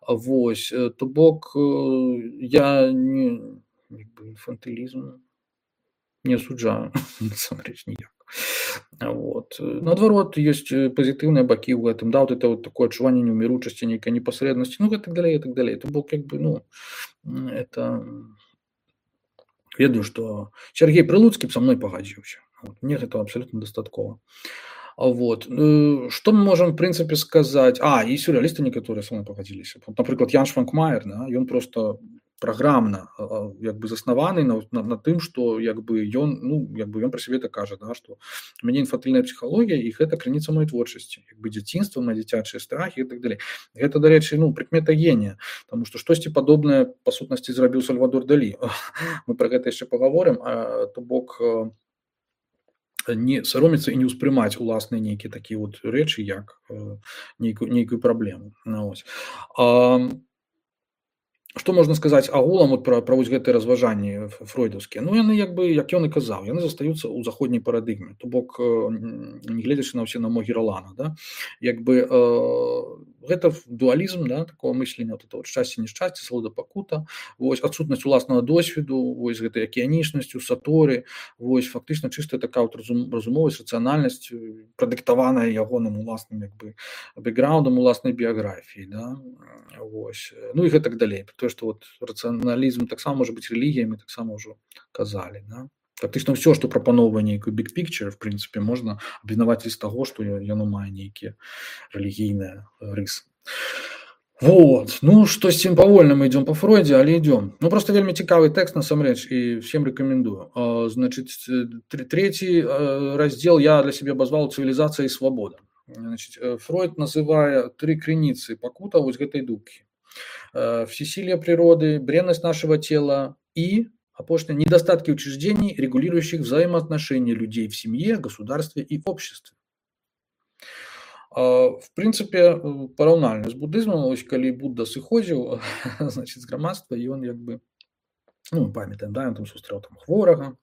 Speaker 1: Вось, то бок я не, як бы, інфантылізм не асуджаю, насамрэч ніяк. Вот. Наадварот, ёсць пазітыўныя бакі ў гэтым, да, вот это вот такое адчуванне неўміручасці, нейкай непасрэднасці, ну, і так далей, і так далей. То бок, як бы, ну, это... Ведаю, што Сергей Прылуцкі б са мной пагадзіўся. Вот. Мне гэта абсалютна дастаткова. Вот. Што мы можам, в прынцыпе, сказаць? А, і сюррэалісты некаторыя са мной пагадзіліся. Напрыклад, Ян Шванкмаер, да, ён проста праграмна як бы заснаваны на, на, на тым, што як бы ён, ну, як бы ён пра сябе так кажа, да, што у мяне інфантыльная псіхалогія, і гэта крыніца маёй творчасці, як бы дзяцінства, на дзіцячыя страхі і так далей. Гэта, дарэчы, ну, прыкмета генія, таму што штосьці падобнае па сутнасці зрабіў Сальвадор Далі. Мы пра гэта яшчэ пагаворым, а, то бок не саромецца і не ўспрымаць уласныя нейкія такія вот рэчы, як нейкую, нейкую праблему. Ну, ось. А, што можна сказаць агулам вот пра, пра вось гэтыя разважанні фройдаўскія? Ну, яны, як бы, як ён і казаў, яны застаюцца ў заходняй парадыгме. То бок, не гледзячы на ўсе намогі Ролана, да? Як бы, э, гэта дуалізм, да, такого мыслення, вот это вот шчасце, нешчасце, свабода, пакута, вось, адсутнасць уласнага досведу, вось, гэтай акіянічнасцю, саторы, вось, фактычна чыстая такая вот разум, разумовасць, рацыянальнасць, прадыктаваная ягоным уласным, як бы, бэкграундам, уласнай біяграфіі, да? Вось. Ну, і гэтак далей. То, што вот рацыяналізм таксама можа быць рэлігіямі, таксама ўжо казалі, да? Фактычна ўсё, што прапаноўвае нейкую big picture, в прынцыпе, можна абвінаваціць з таго, што яно мае нейкія рэлігійныя рысы. Вот. Ну, штосьці павольна мы ідём па Фройдзе, але ідём. Ну, просто вельмі цікавы тэкст, насамрэч, і всем рэкамендую. Значыць, трэці раздзел я для сябе абазваў «Цывілізацыя і свабода». Значыць, Фройд называе тры крыніцы пакута вось гэтай дубкі. Всесилие природы, бренность нашего тела и, опошнее, недостатки учреждений, регулирующих взаимоотношения людей в семье, государстве и обществе. В принципе, параўнальна з буддызмам, ось калі Будда сыходзіў, значит, з грамадства, і он як бы, ну, мы памятаем, да, ён там сустрэў там хворага,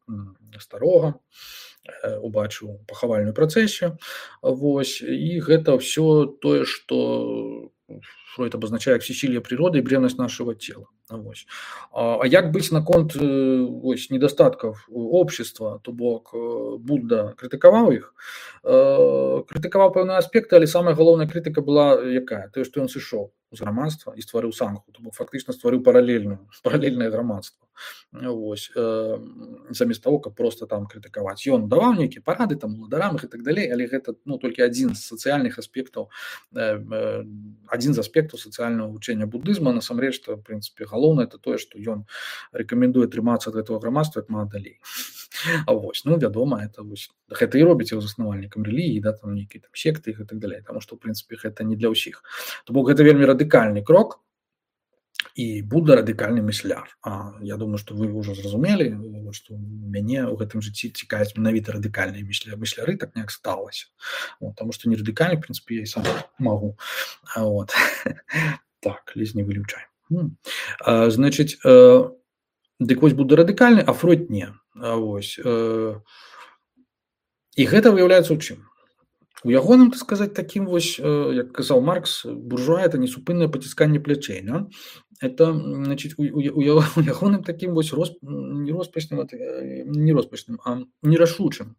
Speaker 1: старога, убачыў пахавальную працэсію, вось, і гэта ўсё тое, што Фройд обозначае всесилие природы и бренность нашего тела. Вось. А, а як быць наконт вось, недостатков общества, то бок Будда крытыкаваў іх, крытыкаваў пэўныя аспекты, але самая галоўная крытыка была якая? Тое, што ён сышоў з грамадства і стварыў сангху, то бок фактычна стварыў паралельную, паралельнае грамадства. Вось. Замест таго, каб проста там крытыкаваць. Ён даваў нейкія парады там уладарам і так далей, але гэта, ну, толькі адзін з сацыяльных аспектаў, адзін з аспектаў сацыяльнага вучэння буддызма. Насамрэч, то, в прынцыпе, галоўнае это тое, што ён рэкамендуе трымацца ад гэтага грамадства як мага далей. А вось, ну, вядома, это вось, гэта і робіць яго заснавальнікам рэлігіі, да, там нейкія там секты і так далей, таму што, в прынцыпе, гэта не для ўсіх. То бок гэта вельмі радыкальны крок, і Будда радыкальны мысляр. А я думаю, што вы ўжо зразумелі, што мяне ў гэтым жыцці цікавяць менавіта радыкальныя мысляры, так неяк сталася. Вот, таму што не радыкальны, в прынцыпе, я і сам магу. Вот. Так, лезь не вылючай. А, значыць, э, дык вось Будда радыкальны, а Фройд не. А, вось. Э, і гэта выяўляецца ў чым? У ягоным, так сказаць, такім вось, як казаў Маркс, буржуа – это несупыннае пацісканне плячэй. Да? Это, значит, у, у, у ягоным такім вось рос, не роспачным, не роспачным, а нерашучым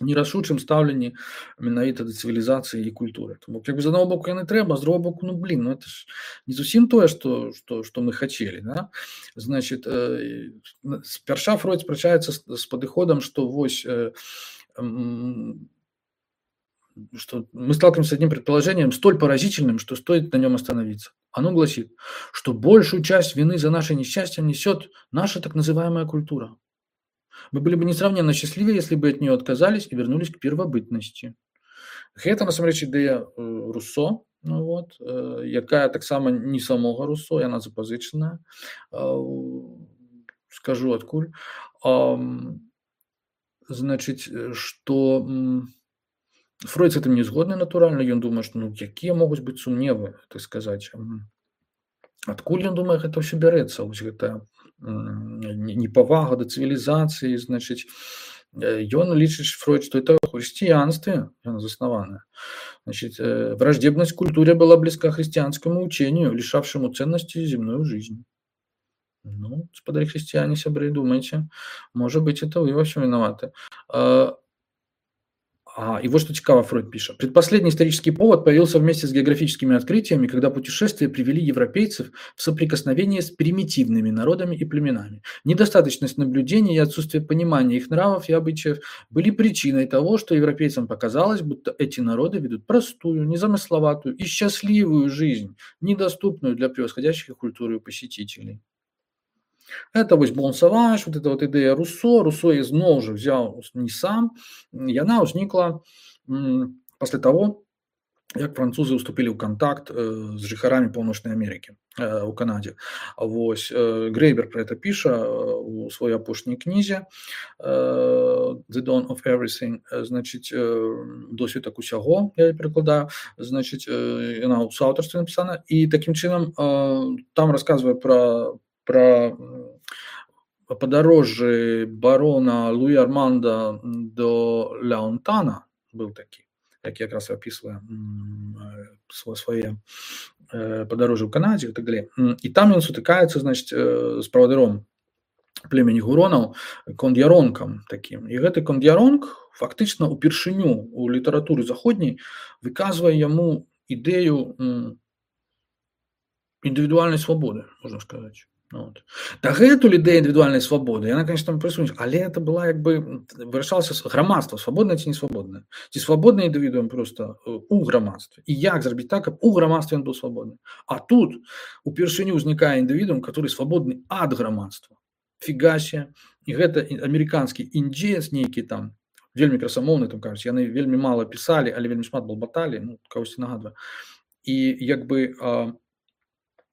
Speaker 1: нерашучым стаўленні менавіта да цывілізацыі і культуры. Тому як бы з аднаго боку яны трэба, з другого боку, ну блин, ну это ж не зусім тое, што што што мы хацелі, да? Значит, э, спярша Фройд спрачаецца з, з падыходам, што вось э, м, что мы сталкиваемся с одним предположением столь поразительным, что стоит на нем остановиться. Оно гласит, что большую часть вины за наше несчастье несет наша так называемая культура. Мы были бы несравненно счастливее, если бы от нее отказались и вернулись к первобытности. Гэта, насамрэч, ідэя Руссо, ну, вот, якая таксама не самога Руссо, яна запазычаная. Скажу адкуль. Значыць, што Фройд з гэтым не згодны, натуральна. Ён думае, што ну, якія могуць быць сумневы, так сказаць. Адкуль, ён думае, гэта ўсё бярэцца, вось гэта непавага да цывілізацыі, значыць, ён лічыць, Фройд, што это в хрысціянстве яна заснаваная. Значит, враждебность к культуре была близка христианскому учению, лишавшему ценности земную жизнь. Ну, господа христиане, сябры, думайте, может быть, это вы во всем виноваты. А, и вот что цікаво Фройд пишет. Предпоследний исторический повод появился вместе с географическими открытиями, когда путешествия привели европейцев в соприкосновение с примитивными народами и племенами. Недостаточность наблюдений и отсутствие понимания их нравов и обычаев были причиной того, что европейцам показалось, будто эти народы ведут простую, незамысловатую и счастливую жизнь, недоступную для превосходящих культуры посетителей. Это вось Бон Саваж, вот эта вот ідэя Руссо. Руссо я зноў жа взял не сам. Яна ўзнікла пасля того, як французы уступілі ў кантакт з жыхарамі Паўночнай Амерыкі у Канадзе. Вось Грэйбер про это піша у сваёй апошняй кнізе The Dawn of Everything. Значыць, досведак усяго, я перакладаю. Значыць, яна ў суаўтарстве напісана. І такім чынам там расказвае пра про подорожжі барона Луі Арманда до Ляонтана, был такі, які якраз описывае свае подорожжі ў Канадзе і так далее. І там ён сутыкаецца, значит, з правадыром племені гуронаў, конд'яронкам такім. І гэты конд'яронк фактычна упершыню у літаратуры заходняй выказвае яму ідэю індывідуальнай свабоды, можна сказаць. Вот. Дагэтуль ідэя індывідуальнай свабоды, яна, конечно, там прысутнічае, але это была, як бы, вырашалася грамадства, свабоднае ці не свабоднае. Ці свабодны індывідуум проста у грамадстве. І як зрабіць так, каб у грамадстве ён быў свабодны. А тут упершыню ўзнікае індывідуум, который свабодны ад грамадства. Фігася. І гэта амерыканскі індзеец нейкі там, вельмі красамоўны, там кажуць, яны вельмі мала пісалі, але вельмі шмат балбаталі, ну, кагосьці нагадвае. І як бы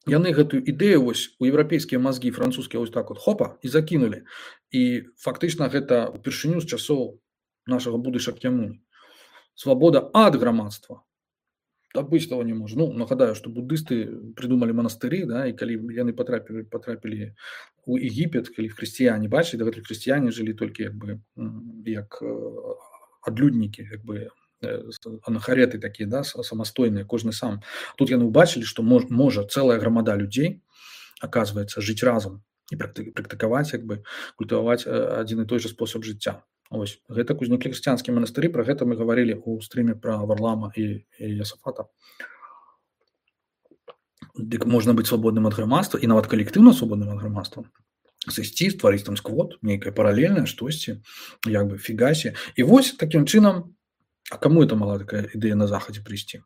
Speaker 1: яны гэтую ідэю вось у еўрапейскія мазгі французскія вось так вот хопа і закінулі. І фактычна гэта упершыню з часоў нашага буды Шакьямуні. Свабода ад грамадства. Так быць того не можа. Ну, нагадаю, што буддысты прыдумалі манастыры, да, і калі яны патрапілі, патрапілі у Егіпет, калі хрысціяне бачылі, дагэтуль хрысціяне жылі толькі як бы як адлюднікі, як бы анахареты такія, да, самастойныя, кожны сам. Тут яны ўбачылі, што мож, можа цэлая грамада людзей, аказваецца, жыць разам і практыкаваць, як бы, культываваць адзін і той жа спосаб жыцця. Ось, гэта узніклі хрысціянскія манастыры, пра гэта мы гаварылі ў стрыме пра Варлама і, і Ясафата. Дык можна быць свабодным ад грамадства і нават калектыўна свабодным ад грамадства. Сысці, стварыць там сквот, нейкае паралельнае штосьці, як бы фігасі. І вось такім чынам. А кому это мала такая ідэя на Захадзе прыйсці?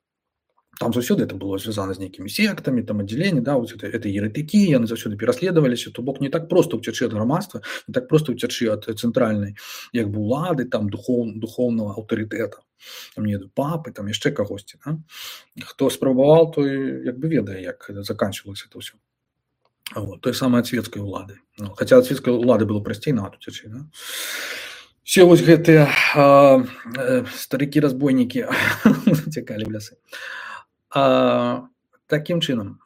Speaker 1: Там заўсёды это было звязана з нейкімі сектамі, там аддзяленні, да, вот это, это еретыкі, яны заўсёды пераследаваліся, то бок не так проста ўцячы ад грамадства, не так проста ўцячы ад цэнтральнай, як бы улады, там духоў, духоўнага аўтарытэта, там не папы, там яшчэ кагосьці, да? Хто спрабаваў, той як бы ведае, як заканчивалася это ўсё. Вот, той самай ад свецкай улады. Ну, хаця ад свецкай улады было прасцей нават уцячы, да? Все вось гэтыя а, а, старыкі-разбойнікі цякалі ў лясы. А, такім чынам,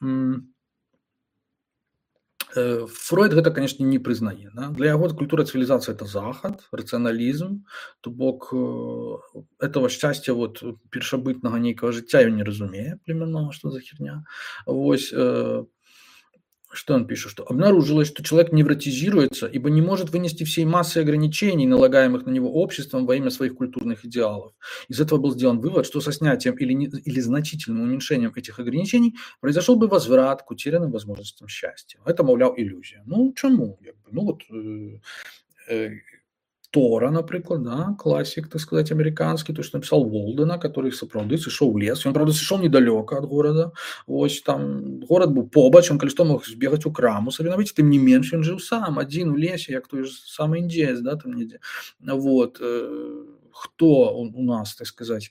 Speaker 1: Фройд гэта, конечно, не прызнае. Да? Для яго культура цывілізацыя это захад, рацыяналізм, то бок этого шчасця вот, першабытнага нейкага жыцця ён не разумее племяннога, што за херня. Вось, Что он пишет? Что обнаружилось, что человек невротизируется, ибо не может вынести всей массы ограничений, налагаемых на него обществом во имя своих культурных идеалов. Из этого был сделан вывод, что со снятием или, не, или значительным уменьшением этих ограничений произошел бы возврат к утерянным возможностям счастья. Это, мовляв, иллюзия. Ну, чему? Ну, вот... Э, э, Тора, наприклад, да, классик, так сказать, американский, то, что написал Волдена, который сапраўды сышоў у лес. Он, правда, сышоў недалёка от города. Вось там город был побач, он, калі што, мог збегаць у краму сабе набыць, тым не менш ён жыў сам, адзін у лесе, як той же самы індзеец, да, там недзе. Вот. Хто у нас, так сказать,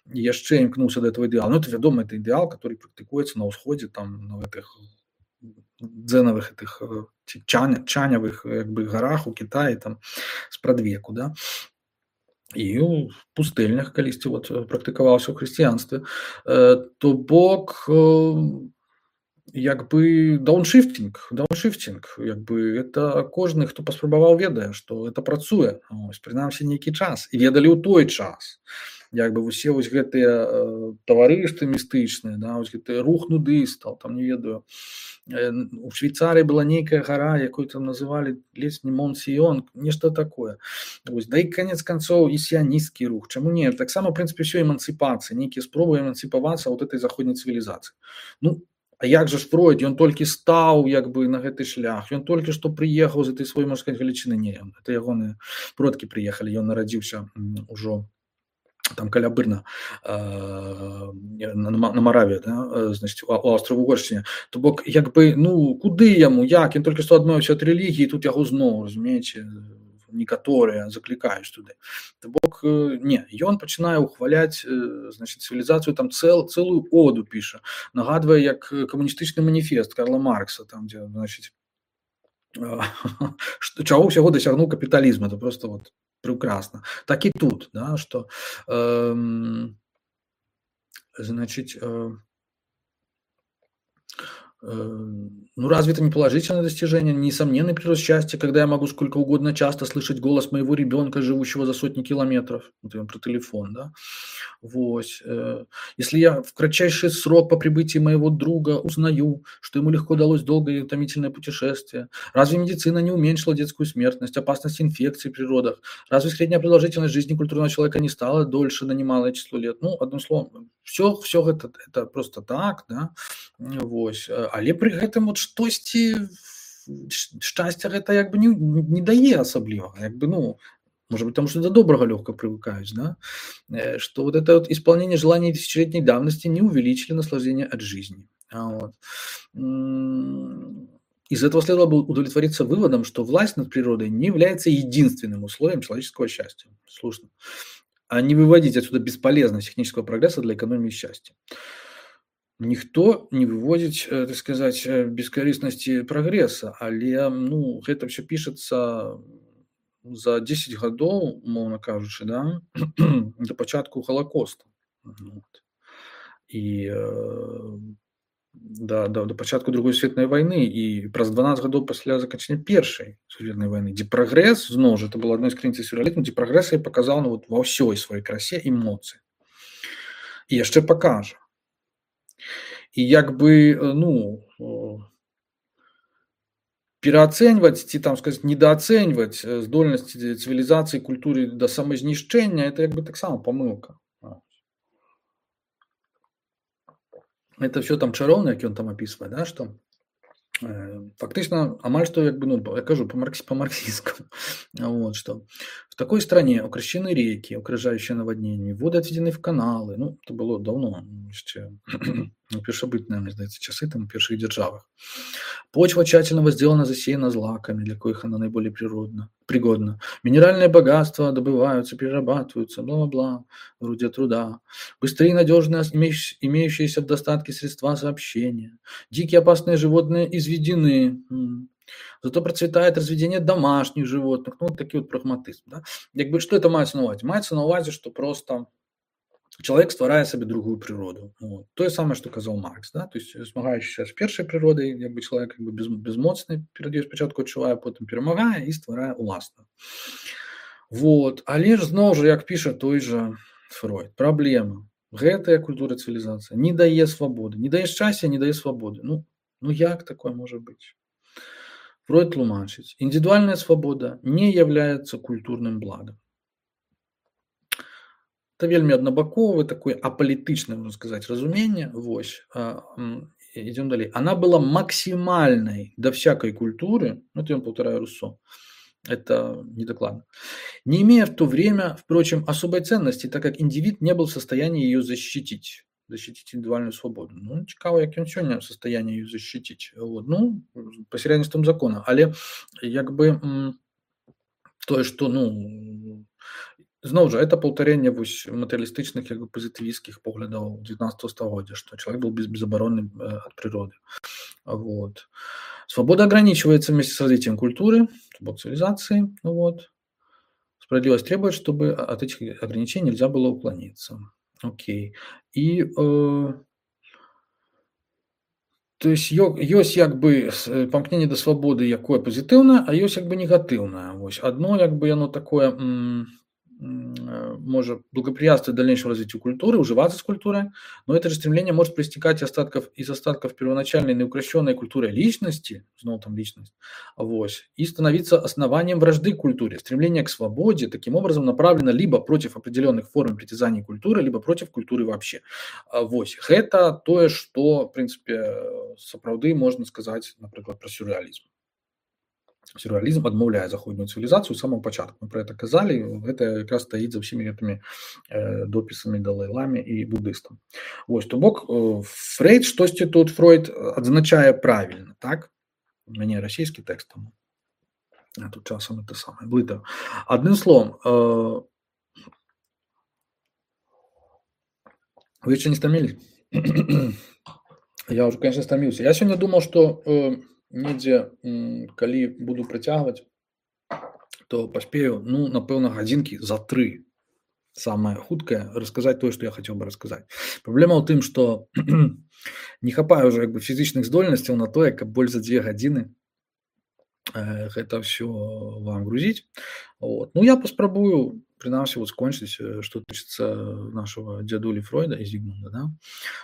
Speaker 1: яшчэ імкнуўся да этого ідэала? Ну, это, вядома, это ідэал, который практыкуецца на ўсходзе, там, на гэтых дзенавых этих чаня, чанявых як бы гарах у Китаі там спрадвеку, да, і ў пустэльнях калісьці вот практыкаваўся ў хрысціянстве, то бок як бы дауншифтинг, дауншифтинг, як бы это кожны, хто паспрабаваў, ведае, што это працуе, ось, прынамсі нейкі час, і ведалі ў той час. Як бы усе вось гэтыя э, таварыствы містычныя, да, вось гэты рух нудыстаў, там не ведаю. Э, у Швейцарыі была нейкая гара, якую там называлі ледзь не Монсіён, нешта такое. Вось, да і канец канцоў і сіянісцкі рух. Чаму не? Таксама, в прынцыпе, ўсё эмансіпацыя, нейкія спробы эмансіпавацца ад этой заходняй цывілізацыі. Ну, а як жа ж Фройд? Ён толькі стаў як бы на гэты шлях. Ён толькі што прыехаў з этой сваёй, можна сказаць, галічыны. Не, это ягоныя продкі прыехалі, ён нарадзіўся ўжо там каля Брна, э, на, на Мараве, да, значит, у, у Аўстра-Угоршчыне. То бок, як бы, ну, куды яму, як? Ён толькі што адмовіўся ад рэлігіі, тут яго зноў, разумееце, некаторыя заклікаюць туды. То бок, не, ён пачынае ухваляць, значит, цывілізацыю, там цэл, цэлую оду піша, нагадвае, як камуністычны маніфест Карла Маркса, там, дзе, значит, чаго ўсяго дасягнуў капіталізм, это просто вот прекрасно. Так и тут, да, что э, значит, э, ну, разве это не положительное достижение, несомненный прирост счастья, когда я могу сколько угодно часто слышать голос моего ребенка, живущего за сотни километров, вот про телефон, да, вот. Если я в кратчайший срок по прибытии моего друга узнаю, что ему легко далось долгое и утомительное путешествие, разве медицина не уменьшила детскую смертность, опасность инфекций в природах, разве средняя продолжительность жизни культурного человека не стала дольше на немалое число лет, ну, одним словом, все, все это, это просто так, да, вот. Але пры гэтым вот штосьці шчасця гэта як бы не, не дае асабліва, як бы, ну, может быть, потому что до доброго легко привыкаешь, да, что вот это вот исполнение желаний тысячелетней давности не увеличили наслаждение от жизни. Вот. Из этого следовало бы удовлетвориться выводом, что власть над природой не является единственным условием человеческого счастья. Слушно. А не выводить отсюда бесполезность технического прогресса для экономии счастья. Никто не выводит, так сказать, бескорыстности прогресса, але, ну, это все пишется за десять гадоў, умоўна кажучы, да, до пачатку Холокоста. Вот. И э, до, до, до пачатку Другой светлай войны, и праз дванаццаць гадоў пасля заканчэння Першай светлай войны, дзе прагрэс, зноў жа, это было адной з крыніц сюррэалізму, дзе прагрэс я паказаў, ну, вот, ва ўсёй сваёй красе і моцы. І яшчэ пакажа. І як бы, ну, пераацэньваць ці, там сказаць, недаацэньваць здольнасці цывілізацыі, культуры да самазнішчэння, это як бы таксама памылка. Это все там чароўна, як ён там апісвае, да, што фактично, амаль что, як бы, ну, я кажу по-марксистскому, вот, что в такой стране укрощены реки, окружающие наводнениями, воды отведены в каналы, ну, это было давно, еще, ну, першабытные, мне здаецца, часы там, в перших державах. Почва тщательно возделана, засеяна злаками, для коих она наиболее природна, пригодна. Минеральные богатства добываются, перерабатываются, бла-бла-бла, вроде труда. Быстрее и надежные имеющиеся в достатке средства сообщения. Дикие опасные животные изведены. Зато процветает разведение домашних животных. Ну, вот такие вот прагматизм. Да? Якби, что это мається на увазі? Мається на увазі, що просто человек стварае себе другую природу. Вот. То же самое, что казал Маркс. Да? То есть, змагаючыся з першай природой, якби человек как бы без, безмоцны, перад ёй спачатку адчувае, потым перамагае і стварае уласную. Вот. Але ж зноў жа, як піша той же Фройд, праблема. Гэтая культура цывілізацыя не дае свабоды, не дае шчасця, не дае свабоды. Ну, Ну як такое может быть? Фройд тлумачыць: індывідуальная свабода не является культурным благом. Это вельмі аднабаковы такой апалітычны, можно сказать, разуменне. Вось. А, м, идем далей. Она была максимальной до всякой культуры, ну это я повторяю Руссо, это недокладно, не имея в то время, впрочем, особой ценности, так как индивид не был в состоянии ее защитить. Защитить индивидуальную свободу. Ну, цікаво, як ён сёння в состоянии ее защитить. Вот. Ну, пасярядніцтвам закона. Але як бы м, тое, што ну зноў жа это паўтарэнне вось матэрыялістычных як бы пазітывісцкіх поглядаў дзевятнадцатого стагоддзя, што чалавек был без, безоборонным э, от природы. Вот. Свобода ограничивается вместе с развитием культуры, цивилизации. Вот. Справедливость требует, чтобы от этих ограничений нельзя было уклониться. Окей. И э, то есть ёсць як бы памкненне да свабоды, якое пазітыўнае, а ёсць як бы негатыўнае. Вось адно як бы яно такое м, может благоприятствовать дальнейшему развитию культуры, уживаться с культурой, но это же стремление может проистекать остатков, из остатков первоначальной неукрощенной культуры личности, снова там личность, авось, и становиться основанием вражды к культуре. Стремление к свободе таким образом направлено либо против определенных форм притязаний культуры, либо против культуры вообще. Авось. Это то, что, в принципе, сапраўды можно сказать, например, про сюрреализм. Сюрреализм адмаўляе заходнюю цывілізацыю з самого пачатку. Мы про это казалі, гэта якраз стаіць за ўсімі гэтымі э, допісамі далай-ламе і буддыстам. Вось, то бок э, Фрейд штосьці тут Фройд адзначае правільна, так? У мяне расійскі тэкст там. А тут часам это самае блытаю. Адным словом, э, вы яшчэ не стамілі? Я уже, конечно, стаміўся. Я сёння думал, што э, недзе, калі буду працягваць, то паспею, ну, напэўна, гадзінкі за тры. Самае хуткае расказаць тое, што я хацеў бы расказаць. Праблема ў тым, што не хапае ўжо як бы фізічных здольнасцяў на тое, каб больш за дзве гадзіны э, гэта ўсё вам грузіць. Вот. Ну, я паспрабую, прынамсі, вот скончыць, што тычыцца нашего дзядулі Фройда і Зігмунда, да?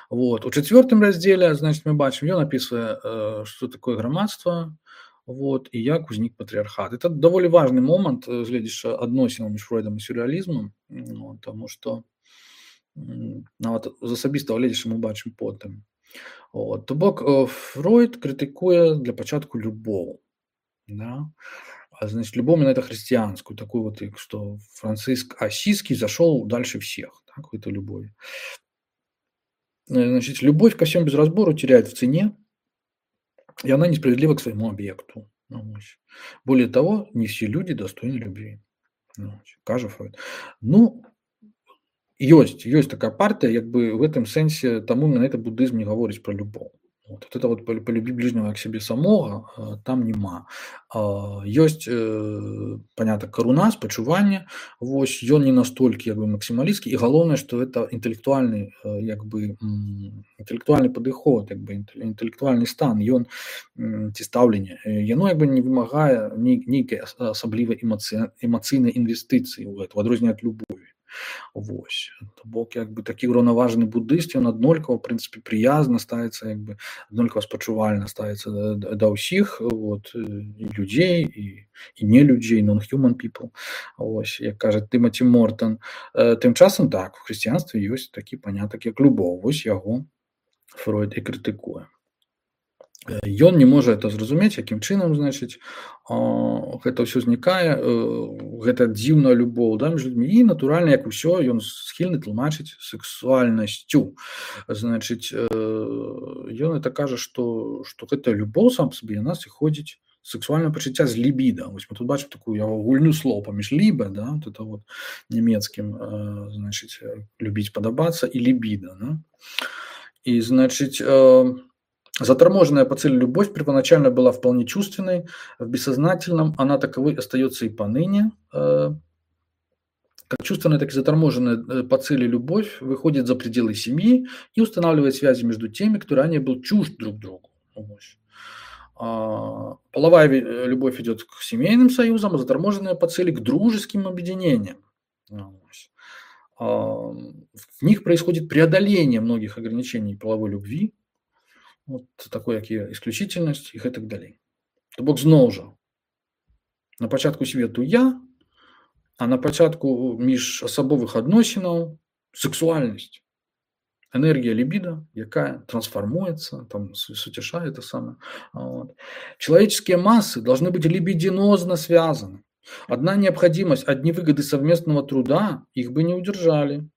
Speaker 1: Вот. У чацвёртым раздзеле, значит, мы бачым, ён апісвае, э, што такое грамадства, вот, і як узнік патрыархат. Это даволі важны момант, гледзячы адносінаў між Фройдам і сюрреалізмам, ну, таму што нават з асабістага гледзячы мы бачым потым. Вот. То бок Фройд крытыкуе для пачатку любоў, да? А, значит, любовь именно это христианскую, такую вот, что Франциск Ассизский зашел дальше всех, так, в этой любови. Значит, любовь ко всем без разбору теряет в цене, и она несправедлива к своему объекту. Более того, не все люди достойны любви. Кажа Фройд. Ну, ёсць, ёсць такая партия, как бы в этом сенсе, тому на это буддизм не говорит про любовь. Вот, вот это вот полюби ближнего как себе самого, там нема. Ёсць, понятно, каруна, спачуванне, вось, ён не настолькі як бы максімалістскі, і галоўнае, што это інтэлектуальны як бы інтэлектуальны падыход, як бы інтэлектуальны стан, ён ці стаўленне, яно як бы не вымагае нейкай асаблівай эмацыйнай інвестыцыі ў гэта, у адрозненне ад любові. Вось. То бок як бы такі ўраўнаважаны буддыст, ён аднолькава, в прынцыпе, прыязна ставіцца, як бы аднолькава спачувальна ставіцца да, да ўсіх, вот, і людзей, і, і не людзей, non-human people. Вось, як кажа Тымаці Мортон. Тым часам так, у хрысціянстве ёсць такі панятак, як любоў. Вось яго Фройд і крытыкуе. Ён не можа это зразумець, якім чынам, значыць, гэта ўсё знікае, гэта дзіўная любоў, да, між людзьмі, і натуральна, як усё, ён схільны тлумачыць сексуальнасцю. Значыць, ён это кажа, што, што гэта любоў сам па сабе, яна сыходзіць сексуальнае пачуцця з лібіда. Вось мы тут бачым такую яго гульню слоў паміж ліба, да, вот это вот нямецкім, значыць, любіць, падабацца, і лібіда, да. І, значыць, заторможенная по цели любовь первоначально была вполне чувственной, в бессознательном она таковой остается и поныне. Как чувственная, так и заторможенная по цели любовь выходит за пределы семьи и устанавливает связи между теми, кто ранее был чужд друг другу. Половая любовь идет к семейным союзам, а заторможенная по цели к дружеским объединениям. В них происходит преодоление многих ограничений половой любви. вот такой, як є ісключительнасць і гэтак далей. То бок зноў жа на пачатку свету я, а на пачатку міжасабовых адносінаў сексуальнасць, энергія либидо, якая трансформуется, там суцяшает это самое. Вот. Человеческие массы должны быть либидинозно связаны. Одна необходимость, одни выгоды совместного труда их бы не удержали.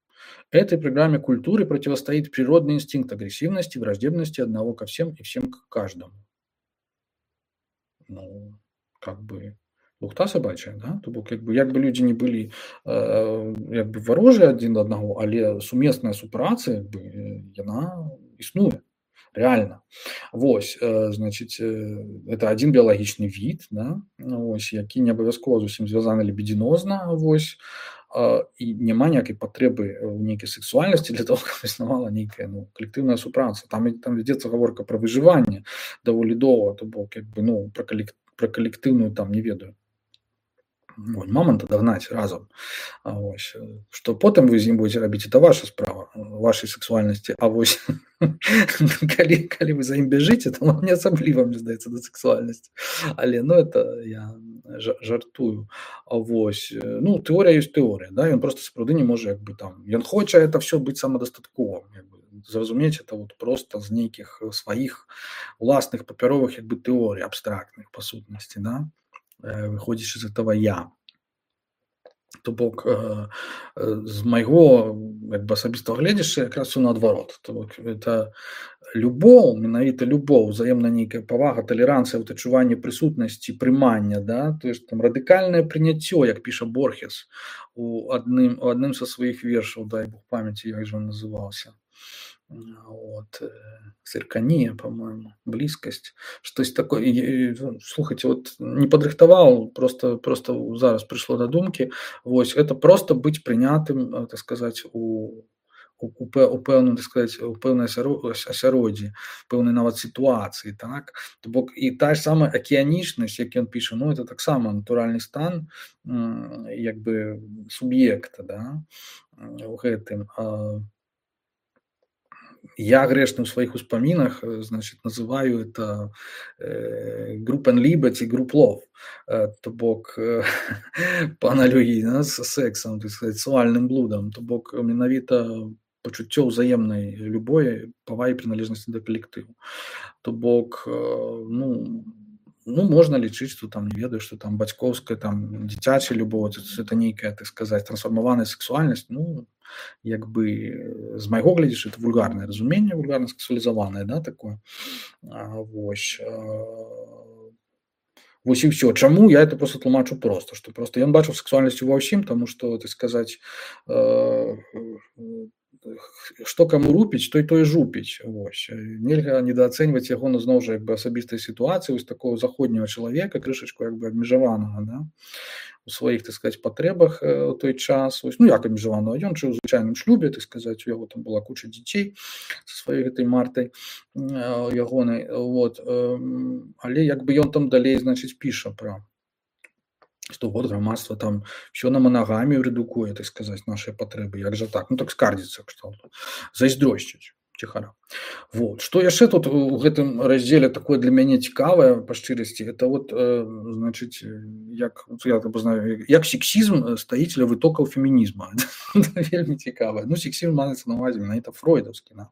Speaker 1: Этой программе культуры противостоит природный инстинкт агрессивности, враждебности одного ко всем и всем к каждому. Ну, как бы лухта собачая, да? То бок, як бы, як бы люди не были э, як бы варожыя адзін да аднаго, але сумесная супраца, як бы, яна існуе. Реально. Вось, э, значит, э, это один биологичный вид, да? Вось, які не абавязкова зусім звязаны либидинозна, вось, э, і няма ніякай патрэбы ў нейкай сексуальнасці для того, каб існавала нейкая, ну, калектыўная супраца. Там, там вядзецца гаворка пра выжыванне даволі доўга, то бок, як бы, ну, пра, калек, пра калектыўную там не ведаю. Вон, мамонта догнать разом. Ось. Что потом вы з ім будете рабіць, это ваша справа, вашей сексуальности. А вось калі, калі вы за ім бяжыце, то вам не асабліва, мне здаецца, да сексуальнасці. Але, ну, это я жартую. А вось, ну, тэорія ёсць тэорія, да, ён просто сапраўды не можа, як бы, там, ён хоча это все быць самадастатковым, як бы, зразумець это вот просто з нейкіх сваіх уласных папяровых, як бы, тэорый абстрактных, па сутнасці, да, выходзіш из этого я. То бок э, э, з майго, як бы, асабістага гледзяшча якраз усё наадварот. То бок это любоў, менавіта любоў, узаемная нейкая павага, талеранцыя, вот адчуванне прысутнасці, прымання, да, то есть там радыкальнае прыняццё, як піша Борхес у адным, у адным са сваіх вершаў, дай Бог памяці, як жа он называўся. Вот, циркания, по-моему, близкость, что-то такое. И, слухайте, вот не подрыхтовал, просто, просто зараз пришло до думки. Вот, это просто быть принятым, так сказать, у, у, у, у певної, так сказать, у певної асяроддзі, певної нават ситуації, так? Тобто і та ж сама океанічність, як він пише, ну, це так само натуральний стан, якби, суб'єкта, да, у гэтым. Я грешно в своих успоминах, значит, называю это э, Group and Liberty, Group Love, э, то бок э, по аналогии, да, с сексом, так сказать, сексуальным блудом, то бок менавіта пачуццё ўзаемнай любой павагі прыналежнасці да калектыву. То бок, э, ну, ну, можна лічыць, што там, не ведаю, што там бацькоўская, там, дзіцячая любоў, это нейкая, так сказать, трансфармаваная сексуальнасць, ну, як бы, з майго глядзяш, это вульгарнае разуменне, вульгарна сексуалізаванае, да, такое. А, вось. А, вось і ўсё. Чаму я это просто тлумачу просто, што просто ён бачыў сексуальнасць ва ўсім, таму што, так сказаць, э, што каму рупіць, той той жупіць. Вось. Нельга недаацэньваць яго, ну, зноў жа, як бы, асабістай сітуацыі, вось такого заходняга чалавека, крышачку, як бы, абмежаванага, да, у сваіх, так сказать, патрэбах у той час. Ось, ну, як абмежаванага, ён жыў у звычайным шлюбе, так сказаць, у яго там была куча дзяцей са сваёй гэтай Мартай ягонай. Вот. Але як бы ён там далей, значыць, піша пра што вот грамадства там все на манагамію рэдукуе, так сказаць, нашыя патрэбы. Як жа так? Ну, так скардзіцца кшталту. Зайздросціць ціхара. Вот. Што яшчэ тут у гэтым раздзеле такое для мяне цікавае, па шчырасці, это вот, э, значыць, як, я знаю, як сексізм стаіць ля вытокаў фемінізма. Вельмі цікавае. Ну, сексізм маецца на ўвазе менавіта фройдаўскі, да?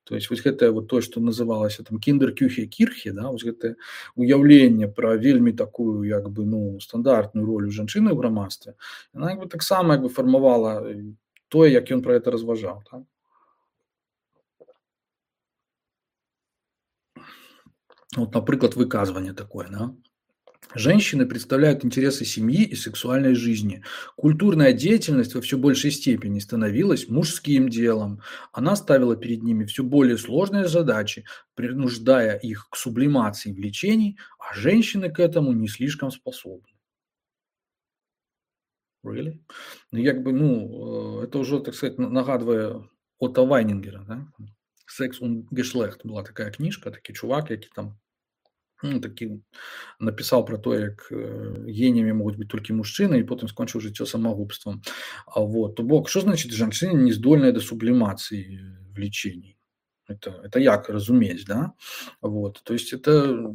Speaker 1: То есть вот гэта вот то, что называлася там кіндер-кюхе кірхе, да, вот гэта уяўленне пра вельмі такую, як бы, ну, стандартную ролю жанчыны ў грамадстве, яна як бы таксама, як бы, фармавала тое, як ён пра гэта разважаў, так? Вот, например, выказывание такое, да? Женщины представляют интересы семьи и сексуальной жизни. Культурная деятельность во все большей степени становилась мужским делом. Она ставила перед ними все более сложные задачи, принуждая их к сублимации влечений, а женщины к этому не слишком способны. Really? Ну, як бы, ну, это уже, так сказать, нагадывая Отто Вайнингера, да? «Секс und Geschlecht» была такая книжка, такий чувак, який там, ну, такі напісаў пра тое, як геніямі могуць быць толькі мужчыны, і потым скончыў жыццё самагубствам. А вот, то бок, што значыць жанчыны не здольныя да сублімацыі влечений? это, это як разумець, да? Вот, то есть это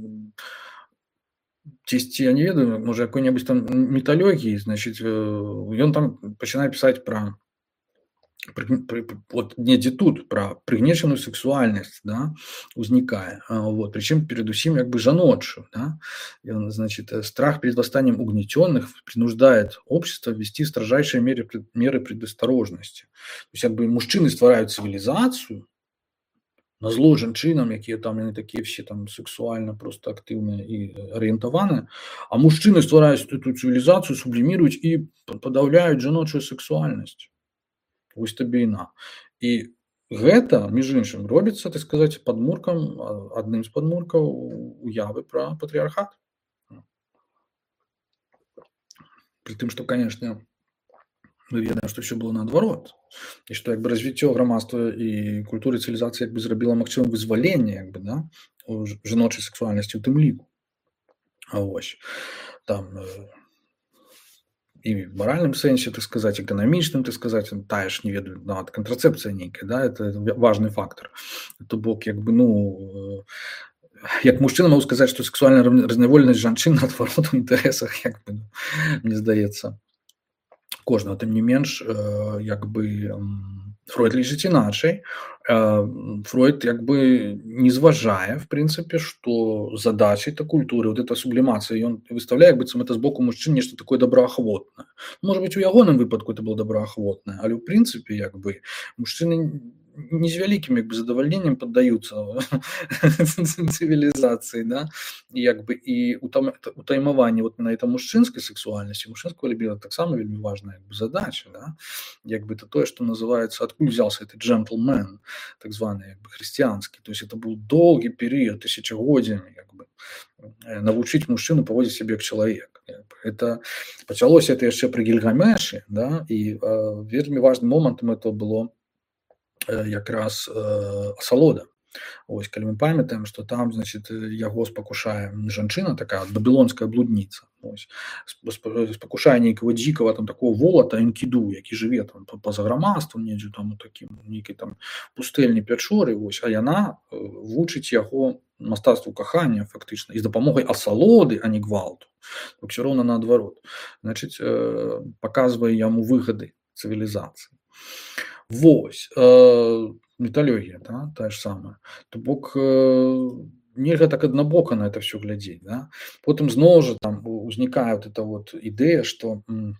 Speaker 1: цісьці, я не ведаю, можа якой-небудзь там міталогіі, значыць, ён там пачынае пісаць пра вот недзе тут пра прыгнечаную сексуальнасць, да, узнікае, вот, причем передусім як бы жаночую, да, и он, значит, страх перед восстанием угнетенных принуждает общество ввести строжайшие меры, меры предосторожности. То есть, как бы мужчины ствараюць цивилизацию, на зло жанчынам, якія там яны такія все там сексуальна просто актыўныя і арыентаваныя, а мужчыны ствараюць эту цивилизацию, субліміруюць і падаўляюць жаночую сексуальнасць. Вось табе і на. І гэта, між іншым, робіцца, так сказаць, падмуркам, адным з падмуркаў уявы пра патрыархат. Пры тым, што, канешне, мы ведаем, што ўсё было наадварот. І што як бы развіццё грамадства і культуры цывілізацыі як бы зрабіла магчымым вызваленне як бы, да, жаночай сексуальнасці ў тым ліку. А вось там і в маральным сэнсе, так сказаць, эканамічным, так сказаць, тая ж, не ведаю, нават кантрацэпцыя нейкая, да, это важны фактор. То бок, як бы, ну, як мужчына могу сказаць, што сексуальная разняволенасць жанчын наадварот у інтарэсах, як бы, мне здаецца, кожного, тым не менш, як бы Фройд лічыць іначай. Фройд як бы не зважае, в прынцыпе, што задачай та культуры, вот эта сублімацыя, ён выставляе, як быццам это з боку мужчын нешта такое добраахвотнае. Можа быць, у ягоным выпадку это было добраахвотнае, але ў прынцыпе, як бы, мужчыны не з вялікім як бы задавальненнем паддаюцца цывілізацыі, да, і як бы і утаймаванне вот на это мужчынскай сексуальнасці, мужчынского лібіда таксама вельмі важная як бы задача, да, як бы это тое, што называецца, адкуль взялся этот джентльмен, так званы як бы хрысціянскі, то есть это был доўгі перыяд, тысячагоддзямі, як бы навучыць мужчыну паводзіць сябе як чалавек. Это пачалося это яшчэ пры Гільгамешы, да, і э, вельмі важным момантам это было якраз э, асалода. Ось, калі мы памятаем, што там, значит, яго спакушае жанчына, такая бабілонская блудніца. Ось, спакушае нейкага дзікага там такого волата Энкіду, які жыве там па-за грамадствам, недзе там у такім нейкай там пустэльні пячоры, ось, а яна вучыць яго мастацтву кахання фактычна і з дапамогай асалоды, а не гвалту. Усё роўна наадварот. Значыць, э, паказвае яму выгады цывілізацыі. Вось, э, металлогія, да, тая ж самая. То бок э, нельга так аднабока на это все глядзець, да. Потым зноў жа там узнікае вот эта вот ідэя, што м,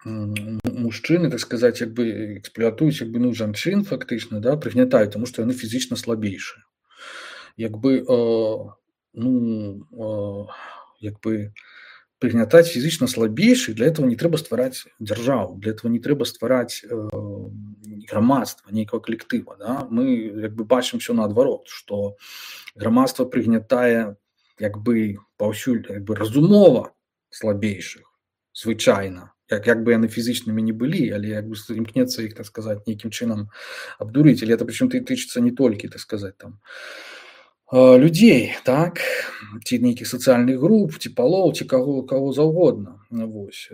Speaker 1: м, мужчыны, так сказаць, як бы эксплуатуюць як бы ну жанчын фактычна, да, прыгнятаюць, таму што яны фізічна слабейшыя. Як бы э, ну э, як бы прыгнятаць фізічна слабейшых, для этого не трэба ствараць дзяржаву, для этого не трэба ствараць э, грамадства, нейкага калектыва, да? Мы як бы бачым все наадварот, што грамадства прыгнятае як бы паўсюль як бы разумова слабейшых, звычайна, як, як бы яны фізічнымі не былі, але як бы імкнецца іх, так сказаць, нейкім чынам абдурыць, але это прычым тычыцца не толькі, так сказаць, там людзей, так, ці нейкіх сацыяльных груп, ці палоў, ці каго, каго заўгодна. Вось.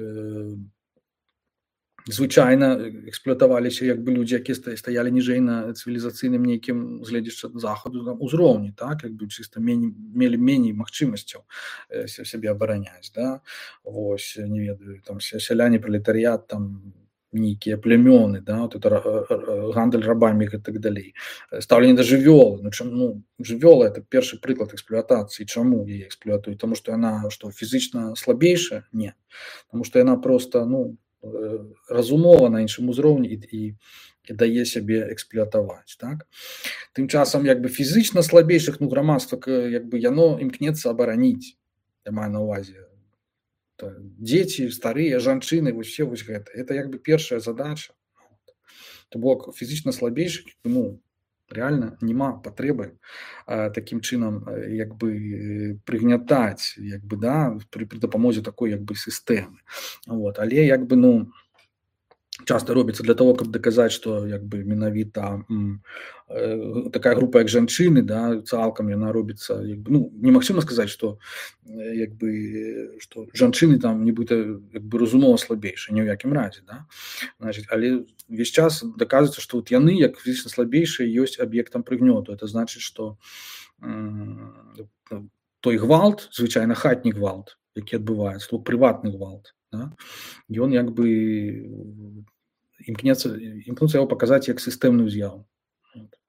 Speaker 1: Звычайна эксплуатаваліся як бы людзі, якія стаялі ніжэй на цывілізацыйным нейкім гледзячы захаду узроўні, так, як бы чыста мені, мелі меней магчымасцяў сябе абараняць, да. Вось, не ведаю, там сяляне, пралетарыят, там нейкія племёны, да, вот это гандаль рабамі і так далей. Стаўленне да жывёлы, ну, чым, ну, жывёла это першы прыклад эксплуатацыі. Чаму яе эксплуатуюць? Таму што яна што фізічна слабейшая? Не. Таму што яна проста, ну, разумова на іншым узроўні і, і, і дае сябе эксплуатаваць, так? Тым часам як бы фізічна слабейшых, ну, грамадства як бы яно імкнецца абараніць. Я маю на ўвазе дзеці, старыя, жанчыны, вось все вось гэта. Это як бы першая задача. То бок фізічна слабейшых, ну, реально няма патрэбы а, такім чынам як бы прыгнятаць, як бы, да, пры, пры дапамозе такой як бы сістэмы. Вот. Але як бы, ну, часта робіцца для того, каб даказаць, што як бы менавіта такая група як жанчыны, да, цалкам яна робіцца як бы, ну, немагчыма сказаць, што як бы што жанчыны там нібыта як бы разумова слабейшыя, ні ў якім разе, да? Значит, але увесь час даказваецца, што вот яны як фізічна слабейшыя ёсць аб'ектам прыгнёту. Это значыць, што той гвалт, звычайна хатні гвалт, які адбываецца, то прыватны гвалт, да? Ён як бы імкнецца імкнуцца яго паказаць як сістэмную з'яву,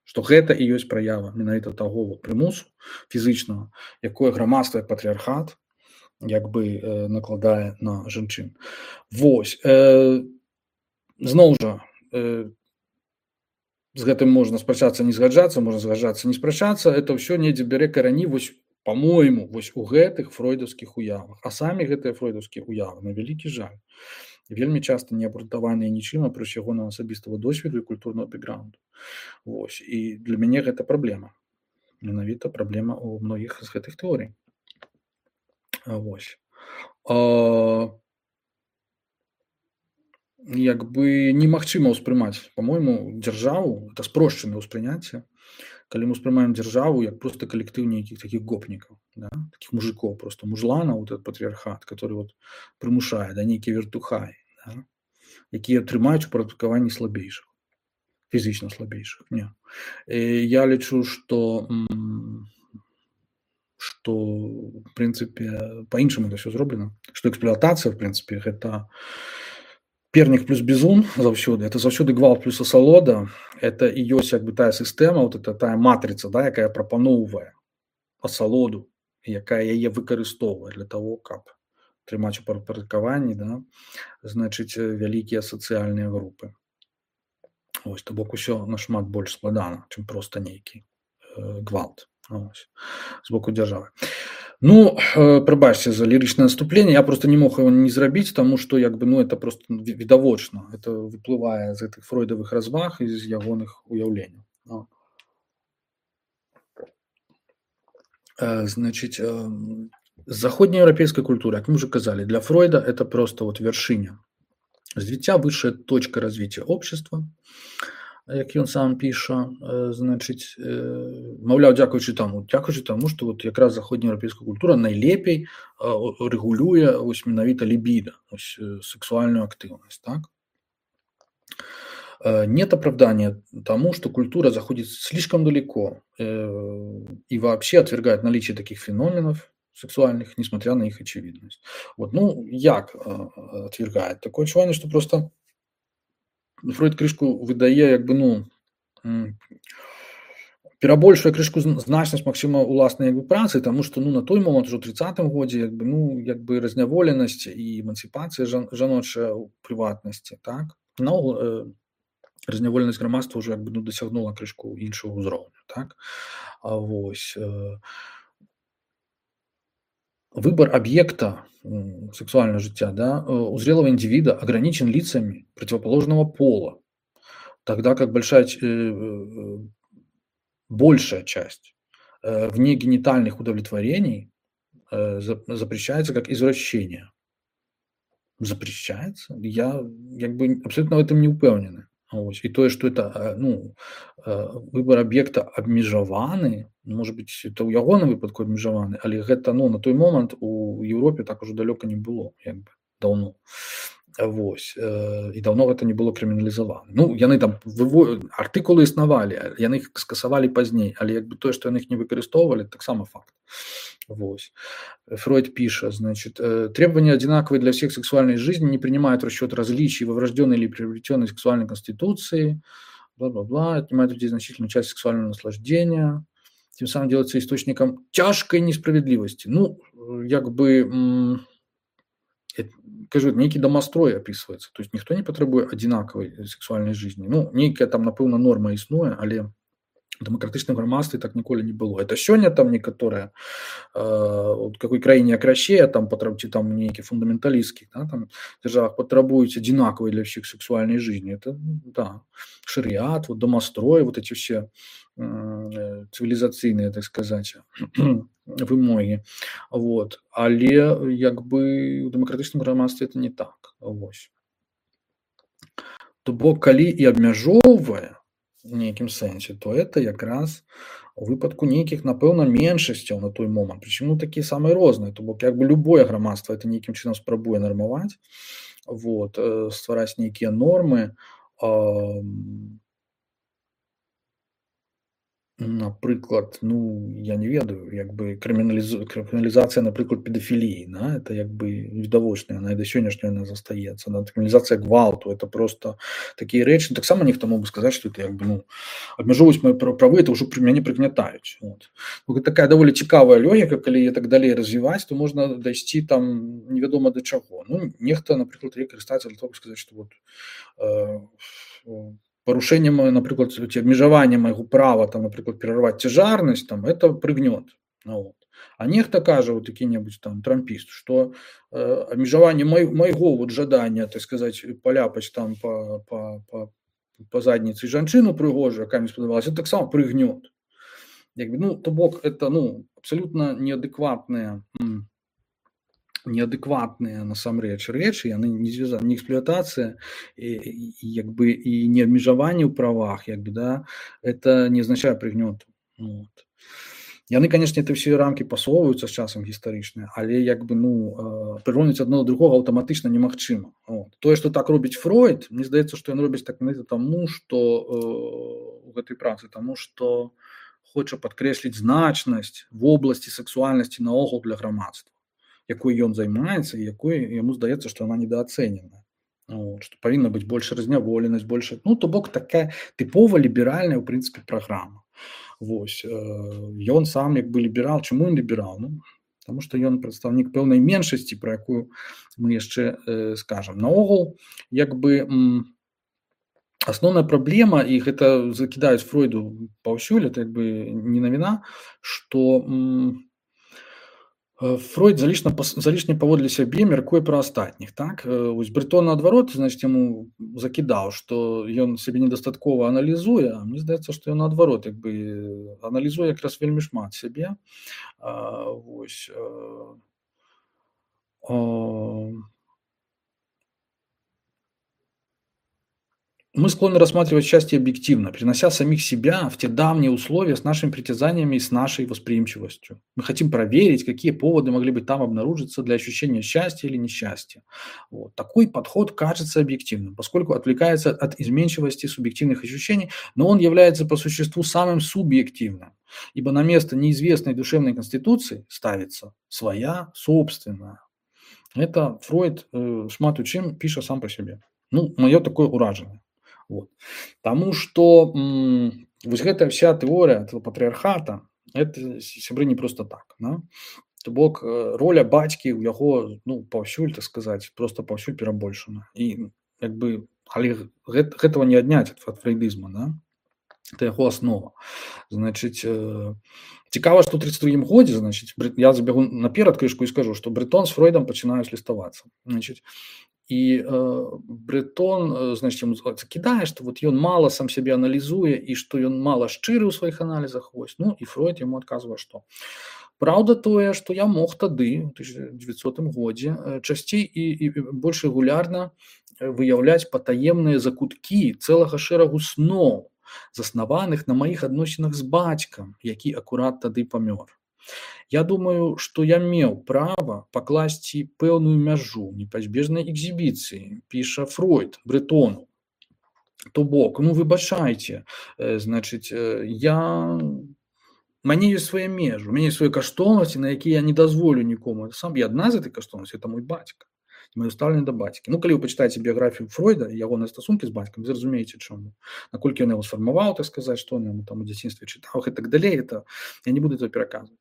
Speaker 1: што гэта і ёсць праява менавіта таго прымусу фізічнага, якое грамадства як патрыархат як бы э, накладае на жанчын. Вось э, зноў жа э, з гэтым можна спрачацца, не згаджацца, можна згаджацца, не спрачацца, это ўсё недзе бярэ карані вось по-мойму вось у гэтых фройдаўскіх уявах, а самі гэтыя фройдаўскія уявы на вялікі жаль вельмі часта не абрунтаваныя нічым апроч ягонага асабістага досведу і культурнага бэкграунду. Вось і для мяне гэта праблема, менавіта праблема ў многіх з гэтых тэорый. Вось а, як бы немагчыма ўспрымаць, по-мойму, дзяржаву, это спрошчанае ўспрыняцце, калі мы ўспрымаем дзяржаву як просто калектыў нейкіх такіх гопнікаў, да? Такіх мужикоў, просто мужланаў, вот этот патрыархат, который вот прымушае, да, нейкія вертухаі, да? Якія трымаюць у падпарадкаванні слабейшых, фізічна слабейшых. Не. І я лічу, што што в прынцыпе па-іншаму это ўсё зроблена, што эксплуатацыя в прынцыпе гэта пернік плюс бізун заўсёды, это заўсёды гвалт плюс асалода, это і ёсць як бы тая сістэма, вот это тая матрыца, да, якая прапаноўвае асалоду, якая яе выкарыстоўвае для того, каб трымаць у падпарадкаванні, да, значыць вялікія сацыяльныя групы. Ось, то бок усё нашмат больш складана, чым проста нейкі э, гвалт. Ось, з боку дзяржавы. Ну, э, прабачце за лірычнае наступленне, я просто не мог его не зрабіць, таму што як бы, ну, это просто відавочна, это выплывае з гэтых фройдавых разваг і з ягоных уяўленняў. No. Э, значыць, э, заходнееўрапейская культура, як мы уже казалі, для Фройда это просто вот вяршыня развіцця, высшая точка развития общества, як ён сам піша, значыць, маўляў, дзякуючы таму, дзякуючы таму, што вот якраз заходнееўрапейская культура найлепей рэгулюе вось менавіта лібіда, вось сексуальную актыўнасць, так? Нет оправдания тому, что культура заходит слишком далеко и вообще отвергает наличие таких феноменов сексуальных, несмотря на их очевидность. Вот, ну, як отвергает? Такое ощущение, что просто Фройд крышку выдае, як бы, ну, перабольшвае крышку значнасць магчыма уласнай як бы працы, таму што, ну, на той момант ужо ў трыццатым годзе, як бы, ну, як бы разняволенасць і эмансіпацыя жан, жаночая ў прыватнасці, так? Наогул э, разняволенасць грамадства ўжо як бы, ну, дасягнула крышку іншага ўзроўню, так? А вось э, выбор объекта сексуального життя, да, у зрелого индивида ограничен лицами противоположного пола, тогда как большая, большая часть внегенитальных удовлетворений запрещается как извращение. Запрещается? Я как бы абсолютно в этом не упевнены. Ось. І тое, што это, ну, выбор аб'екта абмежаваны, может быть, это ў ягоным выпадку абмежаваны, але гэта, ну, на той момант у Еўропе так ужо далёка не было, як бы, даўно. Вось. І даўно гэта не было крыміналізавана. Ну, яны там выво... артыкулы існавалі, яны іх скасавалі пазней, але як бы тое, што яны іх не выкарыстоўвалі, таксама факт. Вось. Фройд пишет, значит, требования одинаковые для всех сексуальной жизни, не принимают в расчет различий во врожденной или приобретенной сексуальной конституции, бла-бла-бла, отнимают у людей значительную часть сексуального наслаждения, тем самым делается источником тяжкой несправедливости. Ну, як бы, кажу, некий домострой описывается, то есть никто не потребует одинаковой сексуальной жизни. Ну, некая там, напэўна, норма існуе, але дэмакратычным грамадстве так ніколі не было. Это сёння там некаторыя э, от какой краіне як Расія, там патрабуюць там нейкі фундаменталісткі, да, там дзяржавах патрабуюць одинаковой для всех сексуальной жизни. Это, да, шариат, вот домострой, вот эти все э, цивилизацыйныя, так сказать, вымоги. Вот. Але як бы у дэмакратычным грамадстве это не так. Вось. То бок калі і абмяжоўвае у нейкім сэнсе, то это якраз у выпадку нейкіх, напэўна, меншасцяў на той момант. Прычым ну, такія самыя розныя, то бок як бы любое грамадства это нейкім чынам спрабуе нармаваць, вот, э, ствараць нейкія нормы. А, напрыклад, ну я не ведаю, як бы крыміналізу крыміналізацыя, напрыклад, педафіліі, да, это як бы відавочная, яна і да сённяшняга яна застаецца. Да, крыміналізацыя гвалту это просто такія рэчы. Таксама нехта мог бы сказаць, што это як бы ну абмяжоўваць мае правы, это ўжо пры мяне прыгнятаюць. Вот. Ну, такая даволі цікавая логіка, калі так далей развіваць, то можна дайсці там невядома да чаго. Ну, нехта, напрыклад, яе карыстаецца для того, сказаць, што вот э, парушэннем, напрыклад, ці абмежаванне майго права там, напрыклад, перарваць цяжарнасць, там это прыгнёт. Ну, вот. А нехта кажа вот які-небудзь там трампіст, што э, абмежаванне май, майго вот жадання, так сказаць, паляпаць там па, па, па, па задніцы жанчыну прыгожую, якая мне спадабалася, это таксама прыгнёт. Як бы, ну, то бок это ну абсалютна неадэкватныя неадэкватныя насамрэч рэчы, яны не звязаны, не эксплуатацыя і, і як бы і не абмежаванне ў правах, як бы, да, это не азначае прыгнёту. Вот. Яны, конечно, это все рамкі пасоўваюцца з часам гістарычныя, але як бы ну прыраўніць адно да другога аўтаматычна немагчыма. Вот. Тое, што так робіць Фройд, мне здаецца, што ён робіць так таму, што э, у гэтай працы, таму што хоча падкрэсліць значнасць вобласці сексуальнасці наогул для грамадства, якой ён займаецца і якой яму здаецца, што яна недаацэнена. Вот, што павінна быць больш разняволенасць, больш, ну то бок такая тыпова ліберальная ў прынцыпе праграма. Вось, ён сам як бы ліберал. Чаму ён ліберал? Ну, таму што ён прадстаўнік пэўнай меншасці, пра якую мы яшчэ э, скажам. Наогул, як бы м, асноўная праблема, і гэта закідаюць Фройду паўсюль, это як бы не навіна, што м, Фройд залішне, залішне паводле сябе мяркуе пра астатніх. Так? Вось Брэтон наадварот, значит, яму закідаў, што ён сябе недастаткова аналізуе, а мне здаецца, што ён наадварот як бы аналізуе якраз вельмі шмат сябе. А, вось, а, а, Мы склонны рассматривать счастье объективно, перенося самих себя в те давние условия с нашими притязаниями и с нашей восприимчивостью. Мы хотим проверить, какие поводы могли бы там обнаружиться для ощущения счастья или несчастья. Вот. Такой подход кажется объективным, поскольку отвлекается от изменчивости субъективных ощущений, но он является по существу самым субъективным, ибо на место неизвестной душевной конституции ставится своя собственная. Это Фройд э, шмат у чым піша сам по себе. Ну, маё такое уражанне. Вот. Таму што м, вось гэтая вся тэорыя патрыархата, это сябры не просто так. Да? То бок роля бацькі ў яго ну, паўсюль, так сказаць, просто паўсюль перабольшана. І як бы, але гэт, гэтага не адняць ад фрейдызма. Да? Это яго аснова. Значыць, э, цікава, што ў тридцать другім годзе, значыць, я забягу наперад крышку і скажу, што Брэтон з Фройдам пачынаюць ліставацца. Значыць, і э, Брэтон, значыць, яму закідае, што вот ён мала сам сябе аналізуе і што ён мала шчыры ў сваіх аналізах. Вось. Ну і Фройд яму адказвае, што праўда тое, што я мог тады, у тысяча дзевяцьсотым годзе, часцей і, і больш рэгулярна выяўляць патаемныя закуткі цэлага шэрагу сноў, заснаваных на маіх адносінах з бацькам, які акурат тады памёр. Я думаю, што я меў права пакласці пэўную мяжу непазбежнай экзібіцыі, піша Фройд Брэтону. То бок, ну выбачайце, э, значыць, э, я... Мяне ёсць свае межы, у мяне ёсць свае каштоўнасці, на якія я не дазволю нікому. Сам я адна з этой каштоўнасці, это мой бацька. Маё стаўленне да бацькі. Ну, калі вы пачытаеце біяграфію Фройда і ягоныя стасункі з бацькам, вы зразумееце, чаму. Наколькі ён яго сфармаваў, так сказаць, што ён там у дзяцінстве чытаў і так далей, это я не буду этого пераказваць.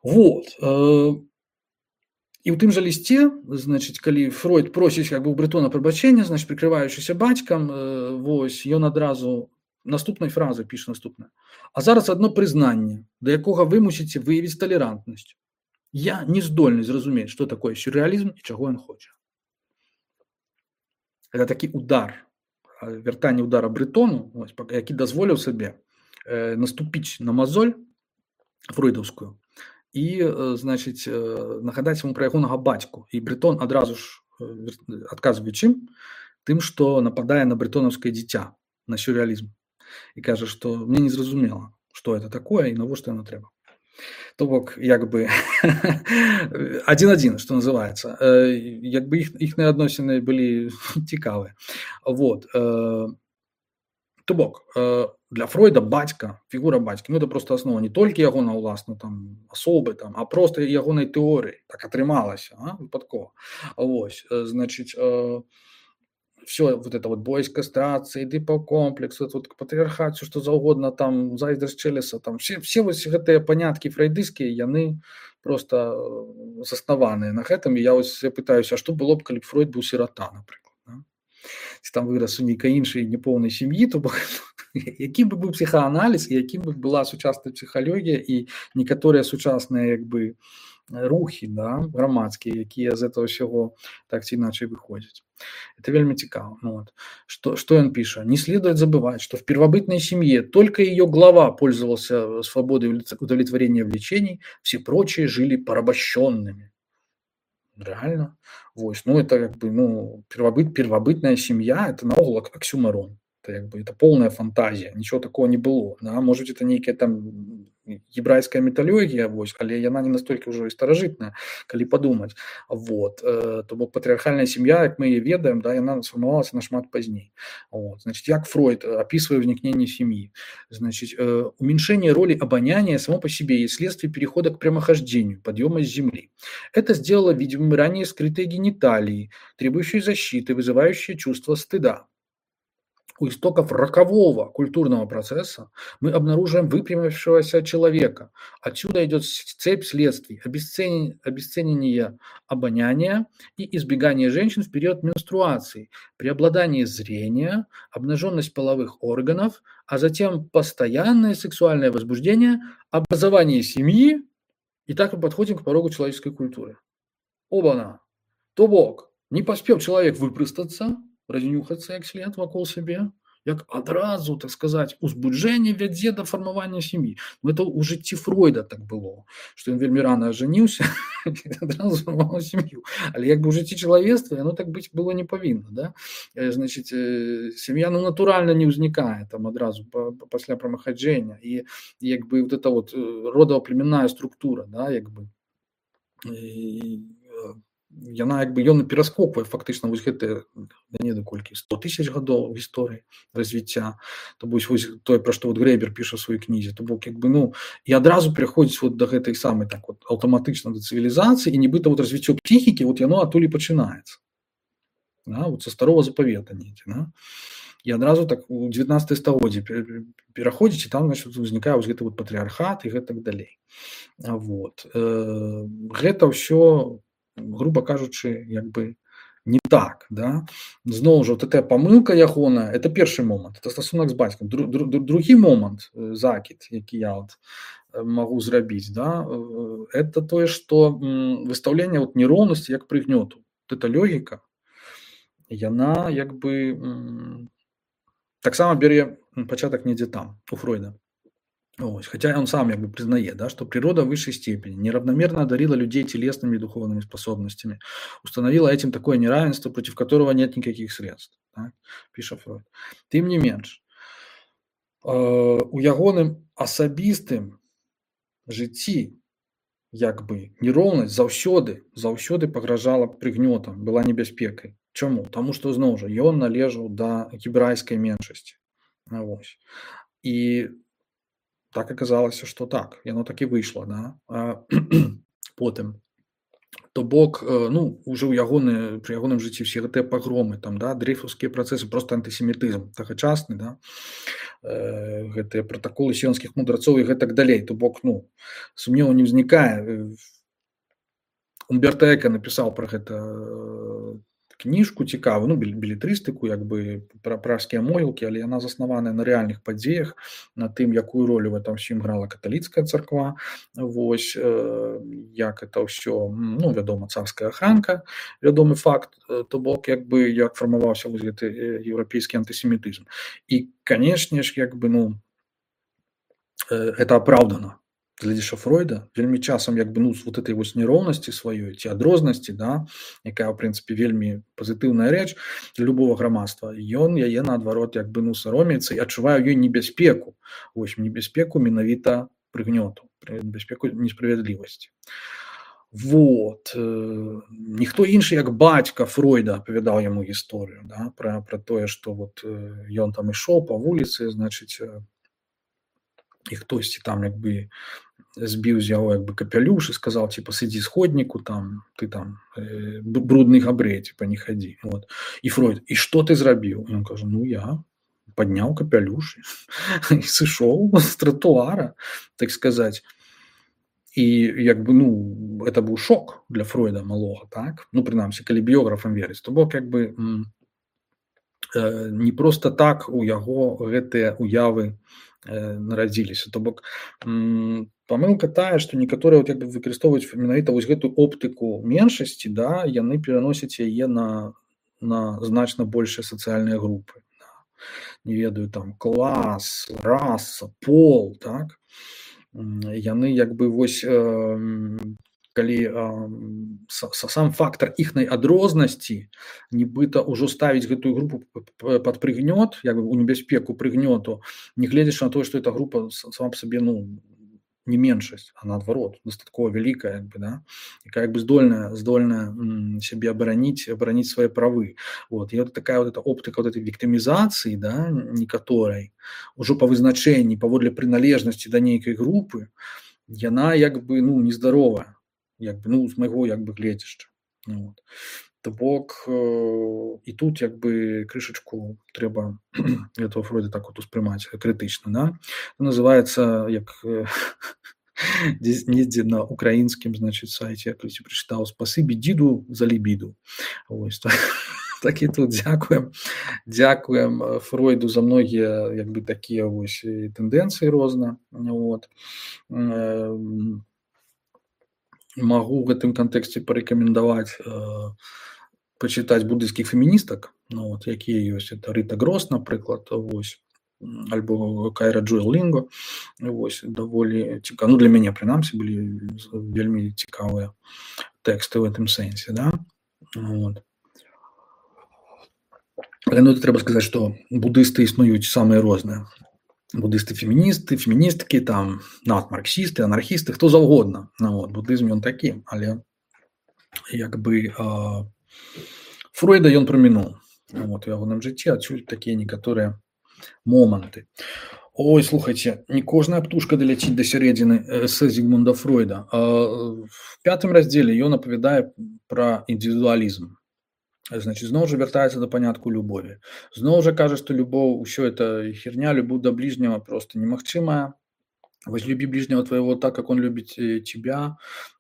Speaker 1: Вот. І ў тым жа лісце, значыць, калі Фройд просіць як бы у Брэтона прабачэння, значыць, прыкрываючыся бацькам, вось, ён адразу наступнай фразы піша наступнае. А зараз адно прызнанне, да якога вы мусіце выявіць талерантнасць. Я не здольны зразумець, што такое сюррэалізм і чаго ён хоча. Это такі удар, вяртанне удара Брэтону, ось, які дазволіў сабе э, наступіць на мазоль фройдаўскую і, э, значыць, э, нагадаць яму пра ягонага бацьку. І Брэтон адразу ж э, адказвае чым? тым, што нападае на брэтонаўскае дзіця, на сюррэалізм, і кажа, што мне незразумела, што это такое і навошта яно трэба. То бок як бы адзін-адзін, што называецца, як бы іх іхныя адносіны былі цікавыя. Вот. То бок для Фройда бацька, фігура бацькі, ну это просто аснова не толькі ягона ўласна там асобы там, а просто ягонай тэорыі. Так атрымалася, а? Выпадкова. Вось, значыць, все вот это вот бой с кастрацией, дипокомплекс, вот, вот патриархат, все что заўгодна, там, зайздрасць Челлеса, там, все, все вот гэтыя паняткі фрейдыйскія, яны просто заснаваныя на гэтым, і я ось пытаюся, а што было б, калі б Фройд быў сірата, напрыклад, да? Ці там вырас у нейкай іншай непоўнай сям'і, то бок, якім бы быў псіхааналіз, і якім бы была сучасная псіхалогія і некаторыя сучасныя, як бы, рухи, да, громадские, якія з этого всего так ці иначе выходят. Это вельми цікаво. Ну, вот. Что, что он пишет? Не следует забывать, что в первобытной семье только ее глава пользовался свободой удовлетворения влечений, все прочие жили порабощенными. Реально. Вот. Ну, это как бы, ну, первобыт, первобытная семья, это наогул оксюмарон. Это, как бы, это полная фантазия, ничего такого не было. Да? Может быть, это некая там ебрайская міталогія, вось, але яна не настолькі ўжо і старажытная, калі падумаць. Вот. То бок патрыархальная сям'я, як мы яе ведаем, да, яна сфармавалася нашмат пазней. Вот. Значит, як Фройд описывает возникновение семьи? Значит, уменьшение роли обоняния само по себе есть следствие перехода к прямохождению, подъема с земли. Это сделало видимым ранее скрытые гениталии, требующие защиты, вызывающие чувство стыда. У истоков рокового культурного процесса мы обнаруживаем выпрямившегося человека. Отсюда идет цепь следствий, обесценивание, обесценивание обоняния и избегание женщин в период менструации, преобладание зрения, обнаженность половых органов, а затем постоянное сексуальное возбуждение, образование семьи, и так мы подходим к порогу человеческой культуры. Оба-на! То бок, не поспел человек выпростаться, разнюхаться як след вакол сябе, як адразу, так сказаць, узбуджэнне вядзе да фармавання сям'і. Это ў жыцці Фройда так было, што ён вельмі рана ажаніўся і адразу фармаваў сям'ю. Але як бы ў жыцці чалавецтва яно так быць было не павінна. Да? Значыць, сям'я ну, натуральна не ўзнікае там адразу пасля прамахаджэння. І як бы вот эта вот родава-племянная структура, да, як бы, і, яна як бы ён пераскоквае фактычна вось гэтыя да не да колькі сто тысяч гадоў гісторыі развіцця, то вось вось тое, пра што вот Грэйбер піша ў сваёй кнізе, то бок як бы ну і адразу прыходзіць вот да гэтай самай так вот аўтаматычна да цывілізацыі, і нібыта вот развіццё псіхікі вот яно адтуль і пачынаецца, да, вот са старого запавета недзе, да? І адразу так у дзевятнаццатае стагоддзе пераходзіць, і там значит узнікае вось гэты вот патрыархат і гэтак далей. Вот. Гэта ўсё, грубо кажучы, як бы не так, да? Зноў жа, вот эта памылка ягоная, это першы момант, это стасунак з бацькам. Дру, дру, другі момант, закід, які я вот магу зрабіць, да? Это тое, што выстаўленне вот нероўнасці як прыгнёту. Вот эта логіка, яна як бы таксама бярэ пачатак недзе там, у Фройда. Ось, хотя он сам как бы признает, да, что природа в высшей степени неравномерно одарила людей телесными и духовными способностями, установила этим такое неравенство, против которого нет никаких средств, так, пишет Фройд. Тем не менш, э, у ягоным асабістым жыцці як бы нероўнасць заўсёды заўсёды пагражала прыгнётам, была небяспекай. Чаму? Таму што зноў жа ён належаў да гебрайскай меншасці. Вось. І так аказалася, што так, яно так і выйшла, да? А, потым, то бок, ну, уже ў ягоны, пры ягоным жыцці все гэтыя пагромы, там, да, дрейфаўскія працэсы, просто антысемітызм тагачасны, да, э, гэтыя пратаколы сіёнскіх мудрацоў і гэтак далей, то бок, ну, сумневу не ўзнікае. Умберто Эко напісаў пра гэта кніжку цікавую, ну, белетрыстыку, як бы пра пражскія могілкі, але яна заснаваная на рэальных падзеях, на тым, якую ролю в этом всім грала каталіцкая царква, вось, э, як это ўсё, ну, вядома, царская ахранка, вядомы факт, то бок, як бы, як фармаваўся вось гэты еўрапейскі антысемітызм. І, канешне ж, як бы, ну, э, это апраўдана. глядзіш Фройда вельмі часам як бы ну з вот этой вось нероўнасці сваёй ці адрознасці, да, якая ў прынцыпе вельмі пазітыўная рэч для любого грамадства, ён яе наадварот як бы ну саромеецца і адчувае ёй небяспеку, вось небяспеку менавіта прыгнёту, небяспеку несправядлівасці. Вот э, ніхто іншы як бацька Фройда апавядаў яму гісторыю, да, пра, пра тое, што вот э, ён там ішоў па вуліцы, значыць э, і хтосьці там як бы збіў з яго як бы капялюш і сказаў типа сыдзі сходніку там ты там э, брудны габрэй типа не хадзі, вот. І Фройд, і што ты зрабіў? Ён кажа, ну я падняў капялюш і сышоў з тратуара, так сказаць. І як бы ну это быў шок для Фройда малога, так, ну прынамсі калі біёграфам верыць, то бок як бы э, не просто так у яго гэтыя уявы э, нарадзіліся, то бок памылка тая, што некаторыя вот, як бы выкарыстоўваюць менавіта вось гэтую оптыку меншасці, да, яны пераносяць яе на, на значна большыя сацыяльныя групы, да. Не ведаю там клас, раса, пол, так. Яны як бы вось э, калі э, сам фактор іхнай адрознасці нібыта ўжо ставіць гэтую групу пад прыгнёт, як бы у небяспеку прыгнёту, не гледзячы на тое, што эта група сама па сабе ну не меншасць, а наадварот дастаткова вялікая, як бы, да, якая як бы здольная здольная сябе абараніць абараніць свае правы. Вот. І вот такая вот эта оптыка вот этой віктымізацыі, да, некаторай ужо па вызначэнні паводле прыналежнасці да нейкай групы, яна як бы ну нездаровая, як бы ну з майго як бы гледзяшча. Вот. То бок э, і тут як бы крышачку трэба этого Фройда так вот успрымаць крытычна, да. Называецца як э, недзе на украінскім значыць сайце, я калісьці прачытаў спасыбі дзіду за лібіду. Вось так, так і тут дзякуем дзякуем Фройду за многія як бы такія вось тэндэнцыі розна. Вот. Э, магу в гэтым кантэксце парэкамендаваць э, пачытаць буддыйскіх феміністак, ну, вот, якія ёсць, это Рыта Грос, напрыклад, вось, альбо Кайра Джоэл Лінго, вось, даволі цікава, ну, для мяне, прынамсі, былі вельмі цікавыя тэксты ў гэтым сэнсе, да, вот. Але, ну, трэба сказаць, што буддысты існуюць самыя розныя. Буддысты феміністы, феміністкі, там, надмарксісты, анархісты, хто заўгодна. Ну, вот, буддызм ён такі, але як бы э, Фройда ён прамінуў. Вот, у ягоным жыцці адсюль такія некаторыя моманты. Ой, слухайце, не кожная птушка даляціць да сярэдзіны эсэ Зігмунда Фройда. Э, в пятым раздзеле ён апавядае пра індывідуалізм. Значит, зноў жа вяртаецца да панятку любові. Зноў жа кажа, што любоў, усё это херня, любоў да ближнего просто немагчымая. Возлюби ближнего твоего так, как он любит тебя.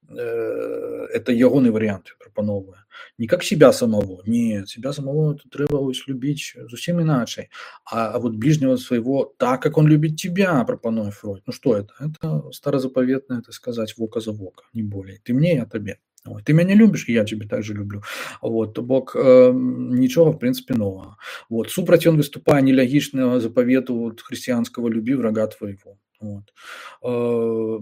Speaker 1: Это ягоны вариант прапановвае. Не как себя самого. Нет, себя самого трэба любіць зусім іначай. А, а вот ближнего своего так, как он любит тебя, прапануе Фройд. Ну что это? Это старозаповетное, это сказать вока за вока, не более. Ты мне, я тебе. Вот. Ты меня любишь, и я тебя также люблю. Вот. То бок э, нічога, в принципе, нового. Вот. Супраць ён выступае нелягічнага заповету вот, христианского «люби врага твоего». Вот. Э,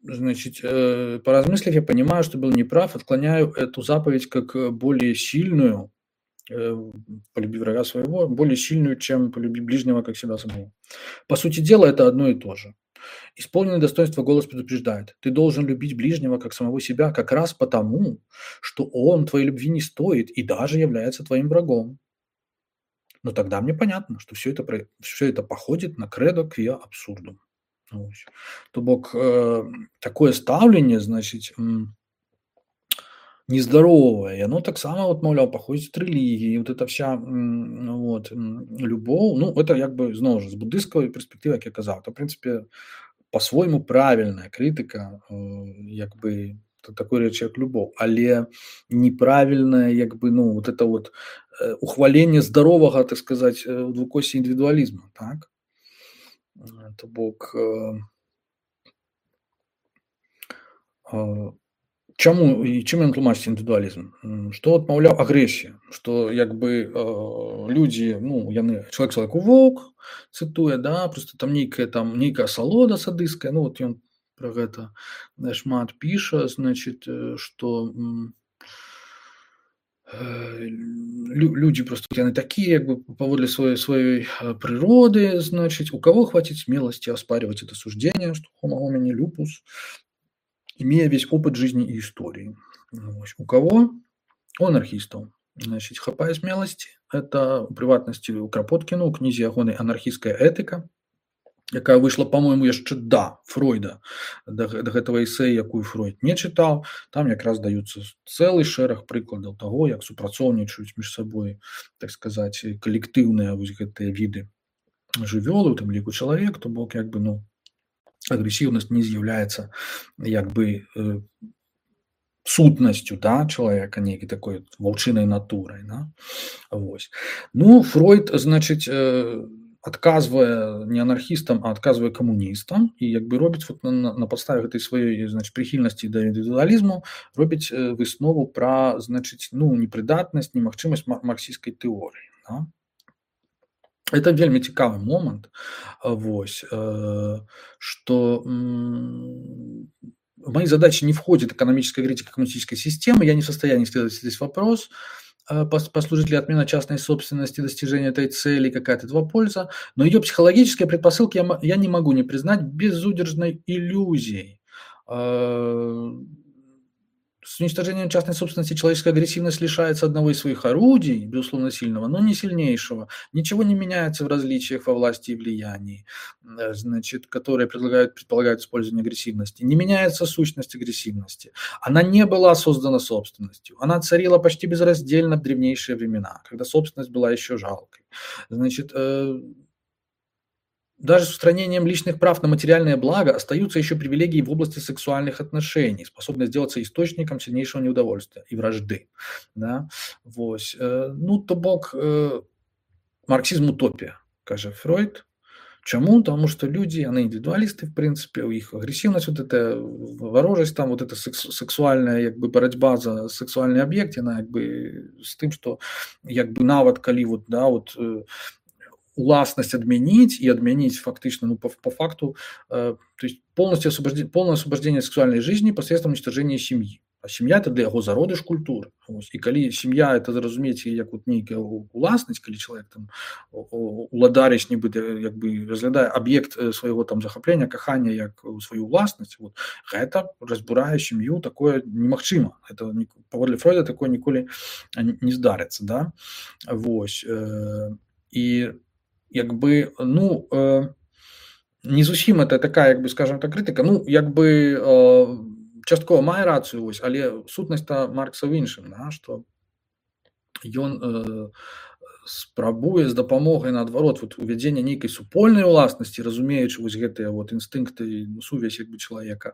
Speaker 1: значит, э, поразмыслив, я понимаю, что был неправ, отклоняю эту заповедь как более сильную, э, «полюби врага своего», более сильную, чем «полюби ближнего, как себя самого». По сути дела, это одно и то же. Исполненное достоинство голос предупреждает. Ты должен любить ближнего, как самого себя, как раз потому, что он твоей любви не стоит и даже является твоим врагом. Но тогда мне понятно, что все это, все это походит на кредо квиа абсурдум. То бок э, такое ставленне, значит, нездоровое, и оно так само, вот, мовляв, походит от религии, вот эта вся вот, любовь, ну, это как бы, знову ж, з буддистської перспективи, як я казав, то, в принципі, по-своєму правильна критика, як би, такої речі, як любов, але неправильне, як би, ну, вот это вот ухвалення здорового, так сказати, двокосі індивідуалізму, так? То бок, чаму і чым ён тлумачыць індывідуалізм? Што адмаўляў агрэсія, што як бы э, людзі, ну, яны чалавек чалавеку воўк, цытуе, да, просто там нейкая там нейкая асалода садысцкая, ну, вот ён пра гэта шмат піша, значит, што люди просто яны такие, как бы паводле своей своей природы, значит, у кого хватит смелости оспаривать это суждение, что homo homini lupus, имея весь опыт жизни и истории. У кого? У анархистов. Значит, хапае смелости. Это у прыватнасці у Крапоткіна, у кнізе ягонай анархістская этыка, якая выйшла, по-моему, яшчэ да Фройда, да, да гэтага эсэ, якую Фройд не чытаў. Там якраз даюцца цэлы шэраг прыкладаў таго, як супрацоўнічаюць між сабой, так сказаць, калектыўныя вось гэтыя віды жывёлы, у тым ліку чалавек, то бок як бы, ну, агрэсіўнасць не з'яўляецца як бы э, сутнасцю, да, чалавека, нейкай такой ваўчынай натурай, да? Вось. Ну, Фройд, значыць, э, адказвае не анархістам, а адказвае камуністам і як бы робіць вот на, на падставе гэтай сваёй, значыць, прыхільнасці да індывідуалізму, робіць выснову пра, значыць, ну, непрыдатнасць, немагчымасць марксісцкай тэорыі, да? Это вельмі цікавы момант, вось, э, што м- в мои задачи не входит экономическая критика коммунистической системы, я не в состоянии исследовать здесь вопрос, послужит ли отмена частной собственности достижению этой цели, какая-то этого польза, но ее психологические предпосылки я, я не могу не признать безудержной иллюзией. С уничтожением частной собственности человеческая агрессивность лишается одного из своих орудий, безусловно сильного, но не сильнейшего. Ничего не меняется в различиях во власти и влиянии, значит, которые предлагают, предполагают использование агрессивности. Не меняется сущность агрессивности. Она не была создана собственностью. Она царила почти безраздельно в древнейшие времена, когда собственность была еще жалкой. Значит, даже с устранением личных прав на материальное благо остаются еще привилегии в области сексуальных отношений, способные сделаться источником сильнейшего неудовольствия и вражды. Да? Вот. Ну, то бок, марксизм утопия, каже Фройд. Чему? Потому что люди, они индивидуалисты, в принципе, у них агрессивность, вот эта ворожесть, там вот эта сексуальная, как бы, борьба за сексуальный объект, она, как бы, с тем, что, как бы, навод, коли, вот, да, вот, уласнасць адмяніць і адмяніць фактычна, ну, по, по факту, э, то есть полностью освобождение, полное освобождение сексуальной жизни посредством уничтожения семьи. А сем'я это для яго зародыш культуры. Ось. І калі сім'я это зразумець як вот нейкая уласнасць, калі чалавек там уладарыць нібыта як бы разглядае аб'ект свайго там захаплення, кахання як сваю уласнасць, вот, гэта разбурае сям'ю, такое немагчыма. Это паводле Фройда такое ніколі не здарыцца, да? Вось. І як бы, ну, не зусім это такая, як бы, скажем так, крытыка, ну, як бы часткова мае рацыю, вось, але сутнасць-то Маркса ў іншым, да, што ён э, спрабуе з дапамогай, наадварот, вот, увядзення нейкай супольнай уласнасці, разумеючы вось гэтыя вот інстынкты, сувязь як бы чалавека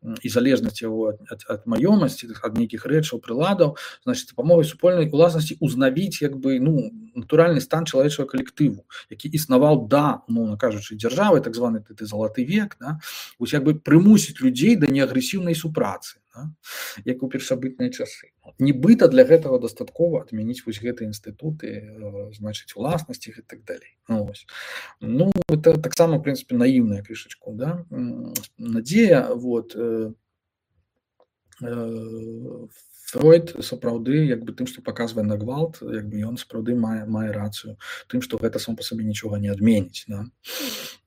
Speaker 1: і залежнасць яго ад, ад, ад маёмасці, ад нейкіх рэчаў, прыладаў, значыць, дапамогай супольнай уласнасці узнавіць як бы, ну, натуральны стан чалавечага калектыву, які існаваў да, умоўна кажучы, дзяржавы, так званы ты залаты век, да, вось як бы прымусіць людзей да неагрэсіўнай супрацы, да, як у першабытныя часы. Нібыта для гэтага дастаткова адмяніць вось гэтыя інстытуты, значыць, уласнасці і так далей. Ну, вось. Ну, это таксама, в прынцыпе, наіўная крышачку, да, надзея, вот, э, э, Фройд сапраўды як бы тым, што паказвае на гвалт, як бы ён сапраўды мае, мае рацыю тым, што гэта сам па сабе нічога не адменіць, да.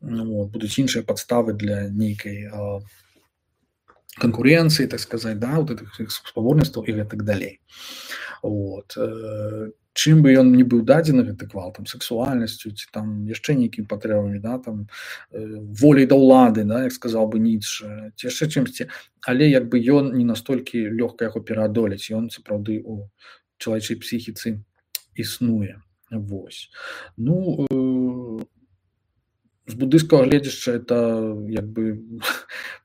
Speaker 1: Ну, вот, будуць іншыя падставы для нейкай э, конкуренции, так сказать, да, вот этих спаборніцтваў і гэтак далей. Вот. Чым бы ён не быў дадзены гэты гвалт, там, сексуальнасцю, ці там яшчэ нейкімі патрэбамі, да, там, воляй да ўлады, да, як сказаў бы Ніцше, ці яшчэ чымсьці, але як бы ён не настолькі лёгка яго пераадолець, ён сапраўды у чалавечай псіхіцы існуе. Вось. Ну, э, з буддыйскага гледзяшча это як бы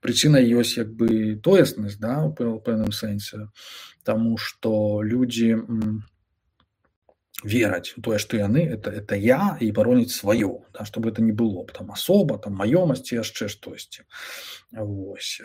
Speaker 1: прычына ёсць як бы тоеснасць, да, у пэўным сэнсе, таму што людзі м, вераць у тое, што яны это, это я і бароніць сваё, да, чтобы это не было там асоба, там маёмасць ці яшчэ штосьці. Вось.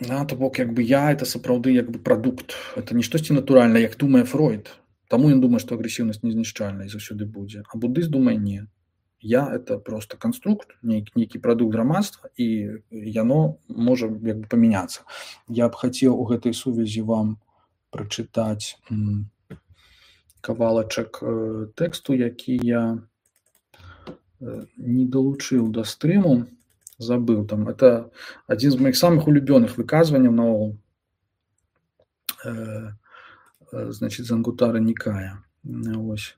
Speaker 1: Да, то бок як бы я это сапраўды як бы прадукт, это не штосьці натуральна, як думае Фройд. Таму ён думае, што агрэсіўнасць незнішчальная і заўсёды будзе. А буддыст думае, не. Я это просто конструкт, нейкі, нейкі прадукт грамадства, і яно можа як бы памяняцца. Я б хацеў у гэтай сувязі вам прачытаць м, кавалачак э, тэксту, які я э, не далучыў да стрыму, забыў там. Это адзін з моих самых улюбёных выказванняў наогул. Э, э, значит, Зангутара Никая. Ось.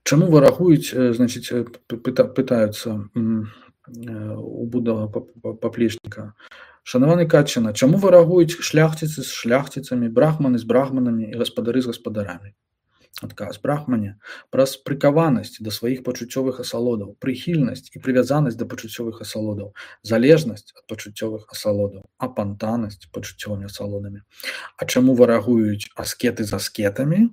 Speaker 1: Чаму варагуюць, значит, пытаюцца у Буддага паплечніка? Шанаваны Катчана, чаму варагуюць шляхціцы з шляхціцамі, брахманы з брахманамі і гаспадары з гаспадарамі? Адказ. Брахмане праз прыкаванасць да сваіх пачуццёвых асалодаў, прыхільнасць і прывязанасць да пачуццёвых асалодаў, залежнасць ад пачуццёвых асалодаў, апантанасць пачуццёвымі асалодамі. А чаму варагуюць аскеты з аскетамі?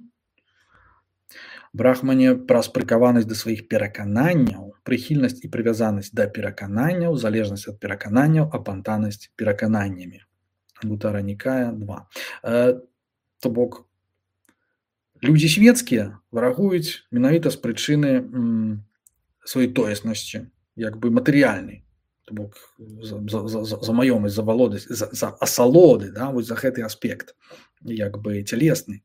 Speaker 1: Брахмане праз прыкаванасць да сваіх перакананняў, прыхільнасць і прывязанасць да перакананняў, залежнасць ад перакананняў, апантанасць перакананнямі. Ангутара Никая два. Э, то бок, людзі свецкія варагуюць менавіта з прычыны м, сваёй тоеснасці, як бы матэрыяльнай. То бок, за, за, за, за маёмасць, за валодасць, за, за асалоды, да, вось за гэты аспект, як бы цялесны.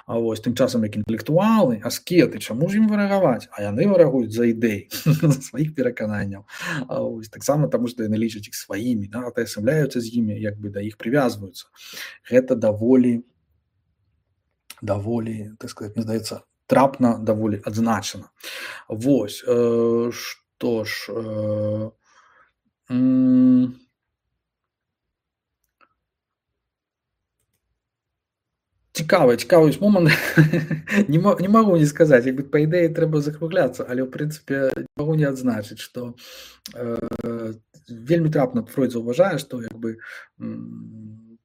Speaker 1: А вось тым часам, як інтэлектуалы, аскеты, чаму ж ім варагаваць? А яны варагуюць за ідэй, за сваіх перакананняў. А вось таксама таму, што яны лічаць іх сваімі, да, атаясамляюцца з імі, як бы да іх прывязваюцца. Гэта даволі, даволі, так сказаць, мне здаецца, трапна, даволі адзначана. Вось, э, што ж, э, м- Цікавы, цікавы момант. не, не магу не сказаць, як бы па ідэі трэба закругляцца, але ў прынцыпе не магу не адзначыць, што э, вельмі трапна Фройд заўважае, што як бы м,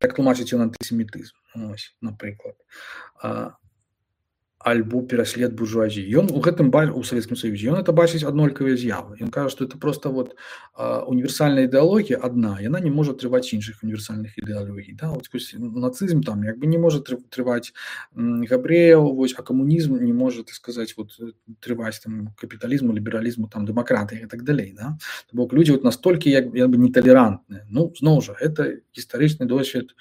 Speaker 1: так тлумачыць ён антысемітызм, ось, напрыклад. А, альбо пераслед буржуазіі. Ён у гэтым у Савецкім Саюзе, ён это бачыць аднолькавыя з'явы. Ён кажа, што это просто вот а, універсальная ідэалогія адна, яна не можа трываць іншых універсальных ідэалогій. Да? Вот, нацызм там як бы не можа трываць габрэяў, вось, а камунізм не можа, так сказаць, вот, трываць там капіталізму, лібералізму, там дэмакратыі і так далей. Да? То бок людзі вот настолькі як, як бы неталерантныя. Ну, зноў жа, гэта гістарычны досвед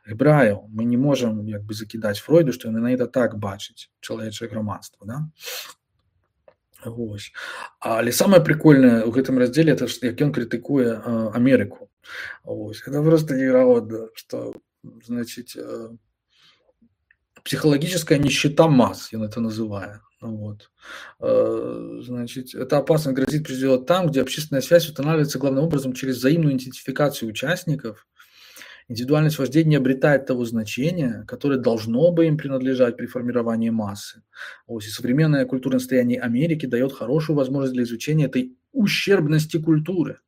Speaker 1: гебраяў. Мы не можам як бы закідаць Фройду, што яны на гэта так бачыць чалавечае грамадства, да? Вось. Але самае прикольнае ў гэтым раздзеле, это як ён крытыкуе э, Амерыку. Вось. Это просто невероятно, что, значит, э, психологическая нищета масс, он это называет. Вот. Э, значит, эта опасность грозит прежде всего там, где общественная связь устанавливается главным образом через взаимную идентификацию участников. Индивидуальность вождения не обретает того значения, которое должно бы им принадлежать при формировании массы. Вот. И современное культурное состояние Америки дает хорошую возможность для изучения этой ущербности культуры.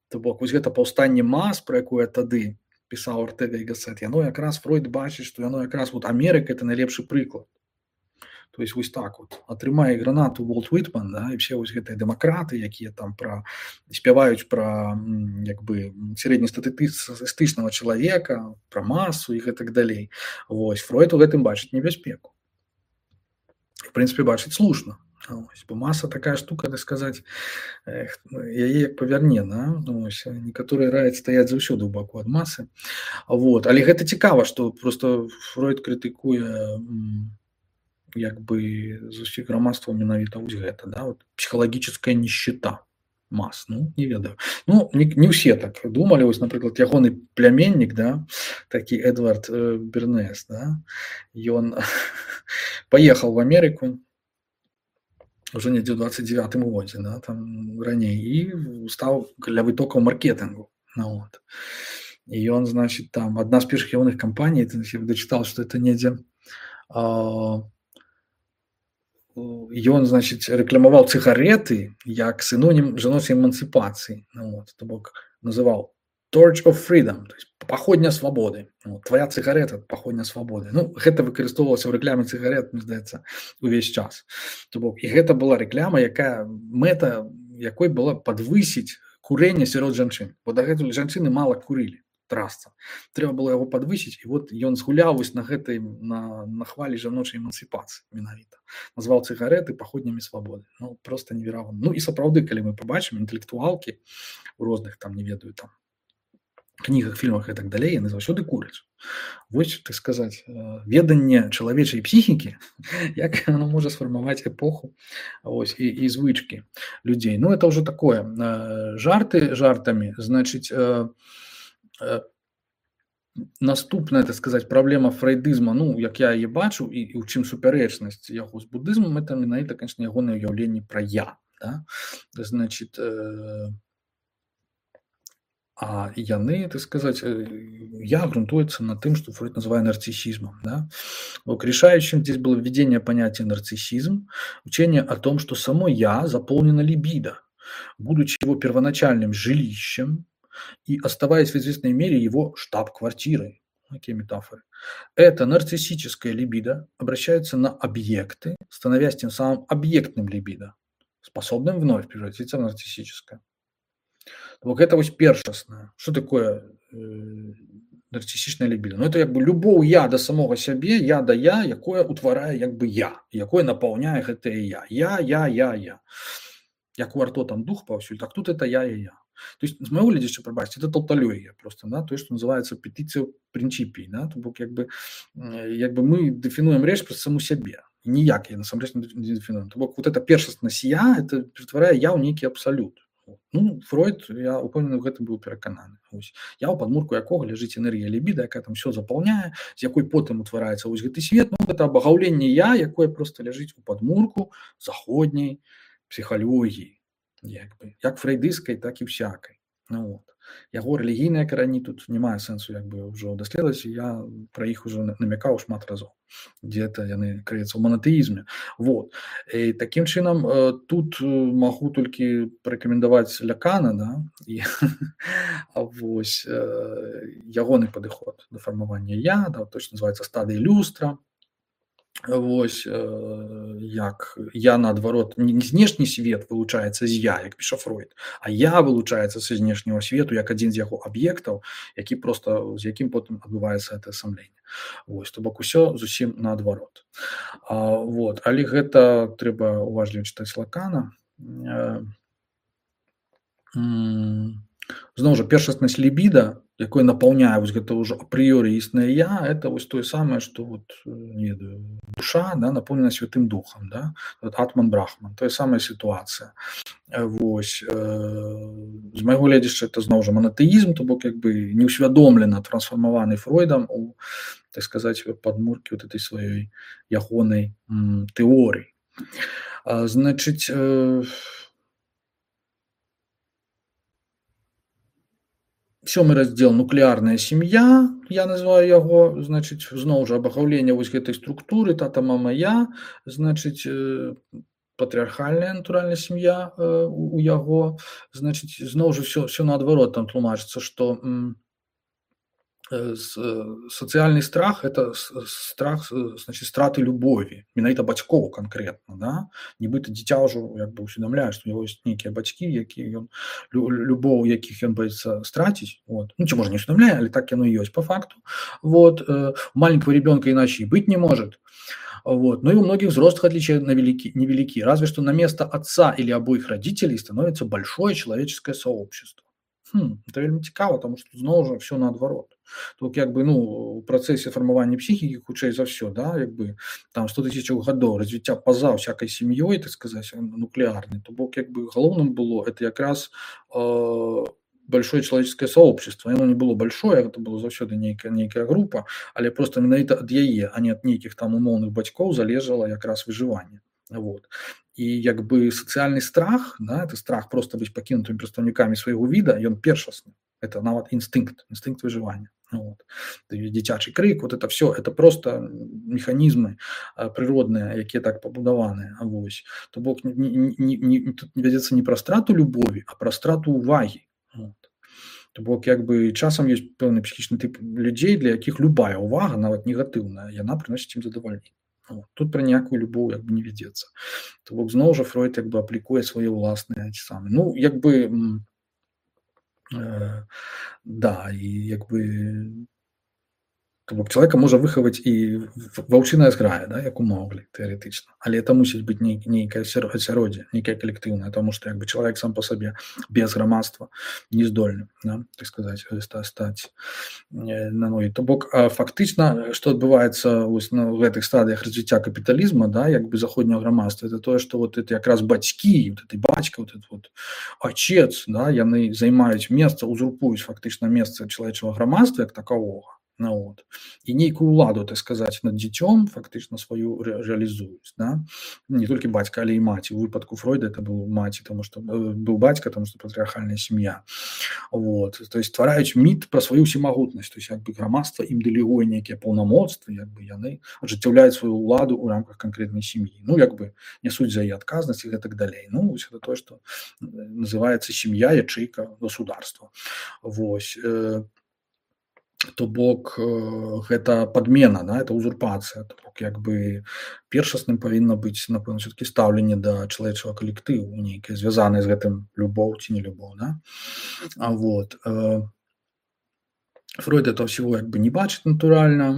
Speaker 1: То бок, вось гэта паўстанне мас, про якое тады пісаў Ортега і Гассет, яно якраз Фройд бачыць, што яно якраз вот Америка это найлепшы прыклад. То есть вось так вот атрымае гранату Волт Уитман, да, і все вось гэтыя дэмакраты, якія там пра спяваюць пра як бы сярэднестатыстычнага чалавека, пра масу і гэтак далей. Вось Фройд у гэтым бачыць небяспеку. В прынцыпе, бачыць слушна. Ось, бо маса такая штука, так сказаць, эх, яе як павярне, да? Ось, некаторыя раяць стаяць заўсёды ў баку ад масы. Вот. Але гэта цікава, што просто Фройд крытыкуе як бы з усіх грамадстваў менавіта вось гэта, да, вот псіхалагічная нищета мас, ну, не ведаю. Ну, не, не ўсе так думалі, вось, напрыклад, ягоны пляменнік, да, такі Эдвард э, Бернес, да, ён паехаў в Амерыку уже недзе ў дваццаць дзевятым годзе, да, там раней, і стаў каля вытокаў маркетынгу, ну, вот. І ён, значит, там, адна з першых ягоных кампаній, я дачытаў, што это недзе а, ён, значит, рэкламаваў цыгареты як синонім жаночай эмансіпацыі. Ну, вот, то бок называў Torch of Freedom, то есть паходня свабоды. Вот, твоя цыгарета – паходня свабоды. Ну, гэта выкарыстоўвалася ў рэкляме цыгарет, мне здаецца, увесь час. То бок, і гэта была рэкляма, якая мэта якой была падвысіць курэнне сярод жанчын. Бо дагэтуль жанчыны мала курылі. трасца. Трэба было яго падвысіць, і вот ён згуляў вось на гэтай на, на хвалі жаночай эмансіпацыі менавіта. Назваў цыгарэты паходнямі свабоды. Ну, просто неверагодна. Ну і сапраўды, калі мы пабачым інтэлектуалкі у розных там, не ведаю, там кнігах, фільмах і так далей, яны заўсёды куряць. Вось, так сказаць, веданне чалавечай псіхікі, як оно можа сфармаваць эпоху, ось, і, і звычкі людзей. Ну, это ўжо такое. Жарты жартамі, значыць, наступная, так сказаць, праблема фрейдызма, ну, як я яе бачу, і, і ў чым супярэчнасць яго з будызмам, это менавіта, конечно, ягонае ўяўленне пра я. Да? Значыць, а яны, так сказать, я грунтуется на тым, что Фройд называет нарциссизмом. Да? Решающим здесь было введение понятия нарциссизм, учение о том, что само «я» заполнено либидо, будучи его первоначальным жилищем и оставаясь в известной мере его штаб-квартирой. Такие метафоры. Это нарциссическое либидо обращается на объекты, становясь тем самым объектным либидо, способным вновь превратиться в нарциссическое. Вот это вот першасна. Что такое э, нарциссичная либидо? Ну, это как бы любоў я до самого сябе, я да я, якое утварае як бы я, якое напаўняе гэтае я. Я, я, я, я. Як у арто там дух паўсюль, так тут это я, я, я. То есть, з майго гледзяча, прабачце, это таўталёгія просто, да, то, что называется петиция принципий, да, то бок, як бы, як бы мы дэфінуем рэч праз саму сябе. Ніяк я насамрэч не дэфінуем. То бок, вот это першаснасць я, это ператварае я ў нейкі абсалют. Ну, Фройд, я упэўнены, ў гэтым быў перакананы. Ось. Я ў падмурку якога ляжыць энергія лібіда, якая там все запаўняе, з якой потым утвараецца вось гэты свет. Ну, гэта абагаўленне я, якое просто ляжыць у падмурку заходняй псіхалогіі, як бы, як фрэйдыскай, так і всякай. Ну, вот. Яго рэлігійныя карані тут не мае сэнсу як бы ўжо даследаваць, я пра іх ужо намякаў шмат разоў, дзе-то яны крыюцца ў монатэізме. Вот. І такім чынам тут магу толькі парэкамендаваць Лякана, да, і вось ягоны падыход да фармавання я, да, точно называецца стадыя люстра. Вось, як я, наадварот, не знешні свет вылучаецца з я, як піша Фройд, а я вылучаецца са знешняго свету як адзін з яго аб'ектаў, які просто, з якім потым адбываецца гэта самленне. Вось, то бок усё зусім наадварот. А, вот, але гэта трэба уважліва чытаць Лакана. Зноў жа, першаснасць лібіда, якое напаўняе вось гэта ўжо апрыёры існае я, это вось тое самае, што вот, не ведаю, душа, да, напоўнена святым духам, да, вот атман брахман, тая самая сітуацыя. Вось, э, з майго гледзяча, это зноў жа монатэізм, то бок як бы неўсвядомлена трансфармаваны Фройдам у, так сказаць, падмуркі вот этой сваёй ягонай тэорыі. А, значыць, э, сёмы раздзел нуклеарная сям'я, я называю яго, значыць, зноў жа абагаўленне вось гэтай структуры тата, мама, я, значыць, патрыархальная натуральная сям'я у яго, значыць, зноў жа всё всё наадварот там тлумачыцца, што сацыяльны страх это страх, значит, страты любові, менавіта бацькоў канкрэтна, да, нібыта дзіця ўжо як бы усведамляе, што у яго ёсць нейкія бацькі, якія ён любоў, якіх ён боіцца страціць, вот. Ну, ці можа не усведамляе, але так яно і ёсць по факту. Вот, у маленького ребенка иначе и быть не может. Вот. Ну и у многих взрослых отличия невелики, невелики, разве что на место отца или обоих родителей становится большое человеческое сообщество. Хм, это вельмі цікава, тому што зноў жа все наадварот. Тут як бы, ну, у працэсе фармавання псіхікі хутчэй за ўсё, да, як бы там сто тысяч гадоў развіцця па-за всякай сям'ёй, так сказаць, нуклеарнай, то бок як бы галоўным было это якраз э, большое человеческое сообщество. Оно не было большое, это было заўсёды нейкая нейкая група, але просто менавіта ад яе, а не ад нейкіх там умоўных бацькоў залежала якраз выжыванне. Вот. І як бы сацыяльны страх, да, это страх просто быць пакінутымі прадстаўнікамі свайго віда, ён першасны. Это нават інстынкт, інстынкт выжывання. Вот. Дзіцячы крык, вот это все, это просто механізмы прыродныя, якія так пабудаваныя. Вось. То бок не, не, не, тут не вядзецца не пра страту любові, а пра страту увагі. Вот. То бок як бы часам ёсць пэўны псіхічны тып людзей, для якіх любая ўвага, нават негатыўная, яна прыносіць ім задавальненне. Вот. Тут пра ніякую любоў як бы не вядзецца. То бок зноў жа Фройд як бы аплікуе свае ўласныя ці самі. Ну, як бы Э, да, і як бы То бок чалавека можа выхаваць і ваўчыная зграя, да, як у Маўглі тэарэтычна, але это мусіць быць ней, нейкае асяроддзе, нейкае калектыўнае, таму што як бы чалавек сам па сабе без грамадства не здольны, да, так сказаць, стаць на ногі. То бок фактычна, што адбываецца вось на гэтых стадыях развіцця капіталізма, да, як бы заходняга грамадства, это тое, што вот это якраз бацькі, вот этой бацька, вот этот вот отец, да, яны займаюць месца, узурпуюць фактычна месца чалавечага грамадства як такавога. Ну, вот. І нейкую ўладу, так сказаць, над дзіцём фактычна сваю ре рэалізуюць, да? Не толькі бацька, але і маці. У выпадку Фройда это быў маці, таму што быў бацька, таму што патрыархальная сям'я. Вот. То есть ствараюць міт пра сваю ўсемагутнасць, то есть як бы грамадства ім дэлегуе нейкія паўнамоцтвы, як бы яны ажыццяўляюць сваю ўладу ў рамках канкрэтнай сям'і. Ну, як бы нясуць за яе адказнасць і гэтак далей. Ну, вось гэта тое, што называецца сям'я, ячэйка государства. Вось. То бок гэта падмена, да, это узурпацыя, то бок як бы першасным павінна быць, напэўна, все-таки стаўленне да чалавечага калектыву, нейкае звязанае з гэтым любоў ці не любоў, да? А вот Фройд этого всего як бы не бачыць натуральна,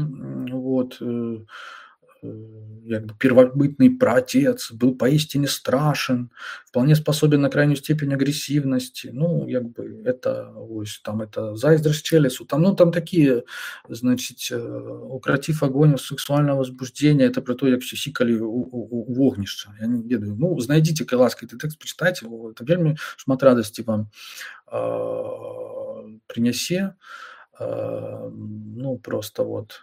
Speaker 1: вот, як бы первобытный праотец был поистине страшен, вполне способен на крайнюю степень агрессивности. Ну, як бы это, ось, там это зайздрость Челесу, там, ну, там такие, значит, укротив огонь сексуального возбуждения, это про то, як все сикали у, у, у вогнища. Я не ведаю. Ну, знайдите, кай ласка, этот текст, почитайте его, это вельми шмат радости вам э, принесе. Э, ну, просто вот...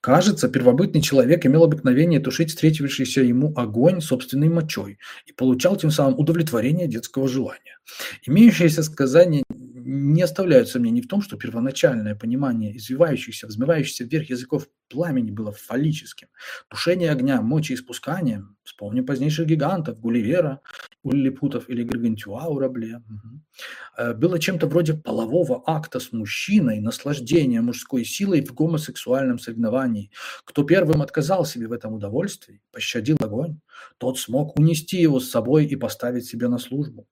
Speaker 1: Кажется, первобытный человек имел обыкновение тушить встретившийся ему огонь собственной мочой и получал тем самым удовлетворение детского желания. Имеющиеся сказания не оставляют сомнений в том, что первоначальное понимание извивающихся, взмывающихся вверх языков пламени было фаллическим. Тушение огня мочеиспусканием, вспомним позднейших гигантов Гулливера, Лилипутов или Гаргантюа у Рабле, угу. было чем-то вроде полового акта с мужчиной, наслаждения мужской силой в гомосексуальном соревновании. Кто первым отказал себе в этом удовольствии, пощадил огонь, тот смог унести его с собой и поставить себе на службу.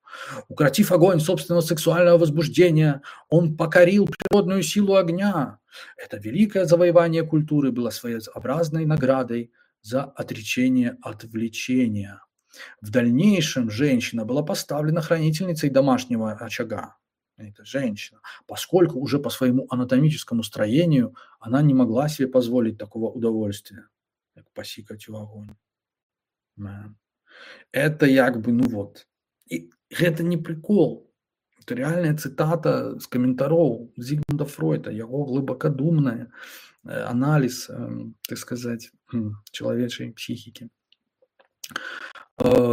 Speaker 1: Укротив огонь собственного сексуального возбуждения, он покорил природную силу огня. Это великое завоевание культуры было своеобразной наградой за отречение от влечения. В дальнейшем женщина была поставлена хранительницей домашнего очага. Это женщина, поскольку уже по своему анатомическому строению она не могла себе позволить такого удовольствия, как посикать в огонь. Это як бы, ну вот. И это не прикол. Это реальная цитата з каментароў Зігмунда Фройда, яго глыбакадумны аналіз, так сказать, чалавечай псіхікі.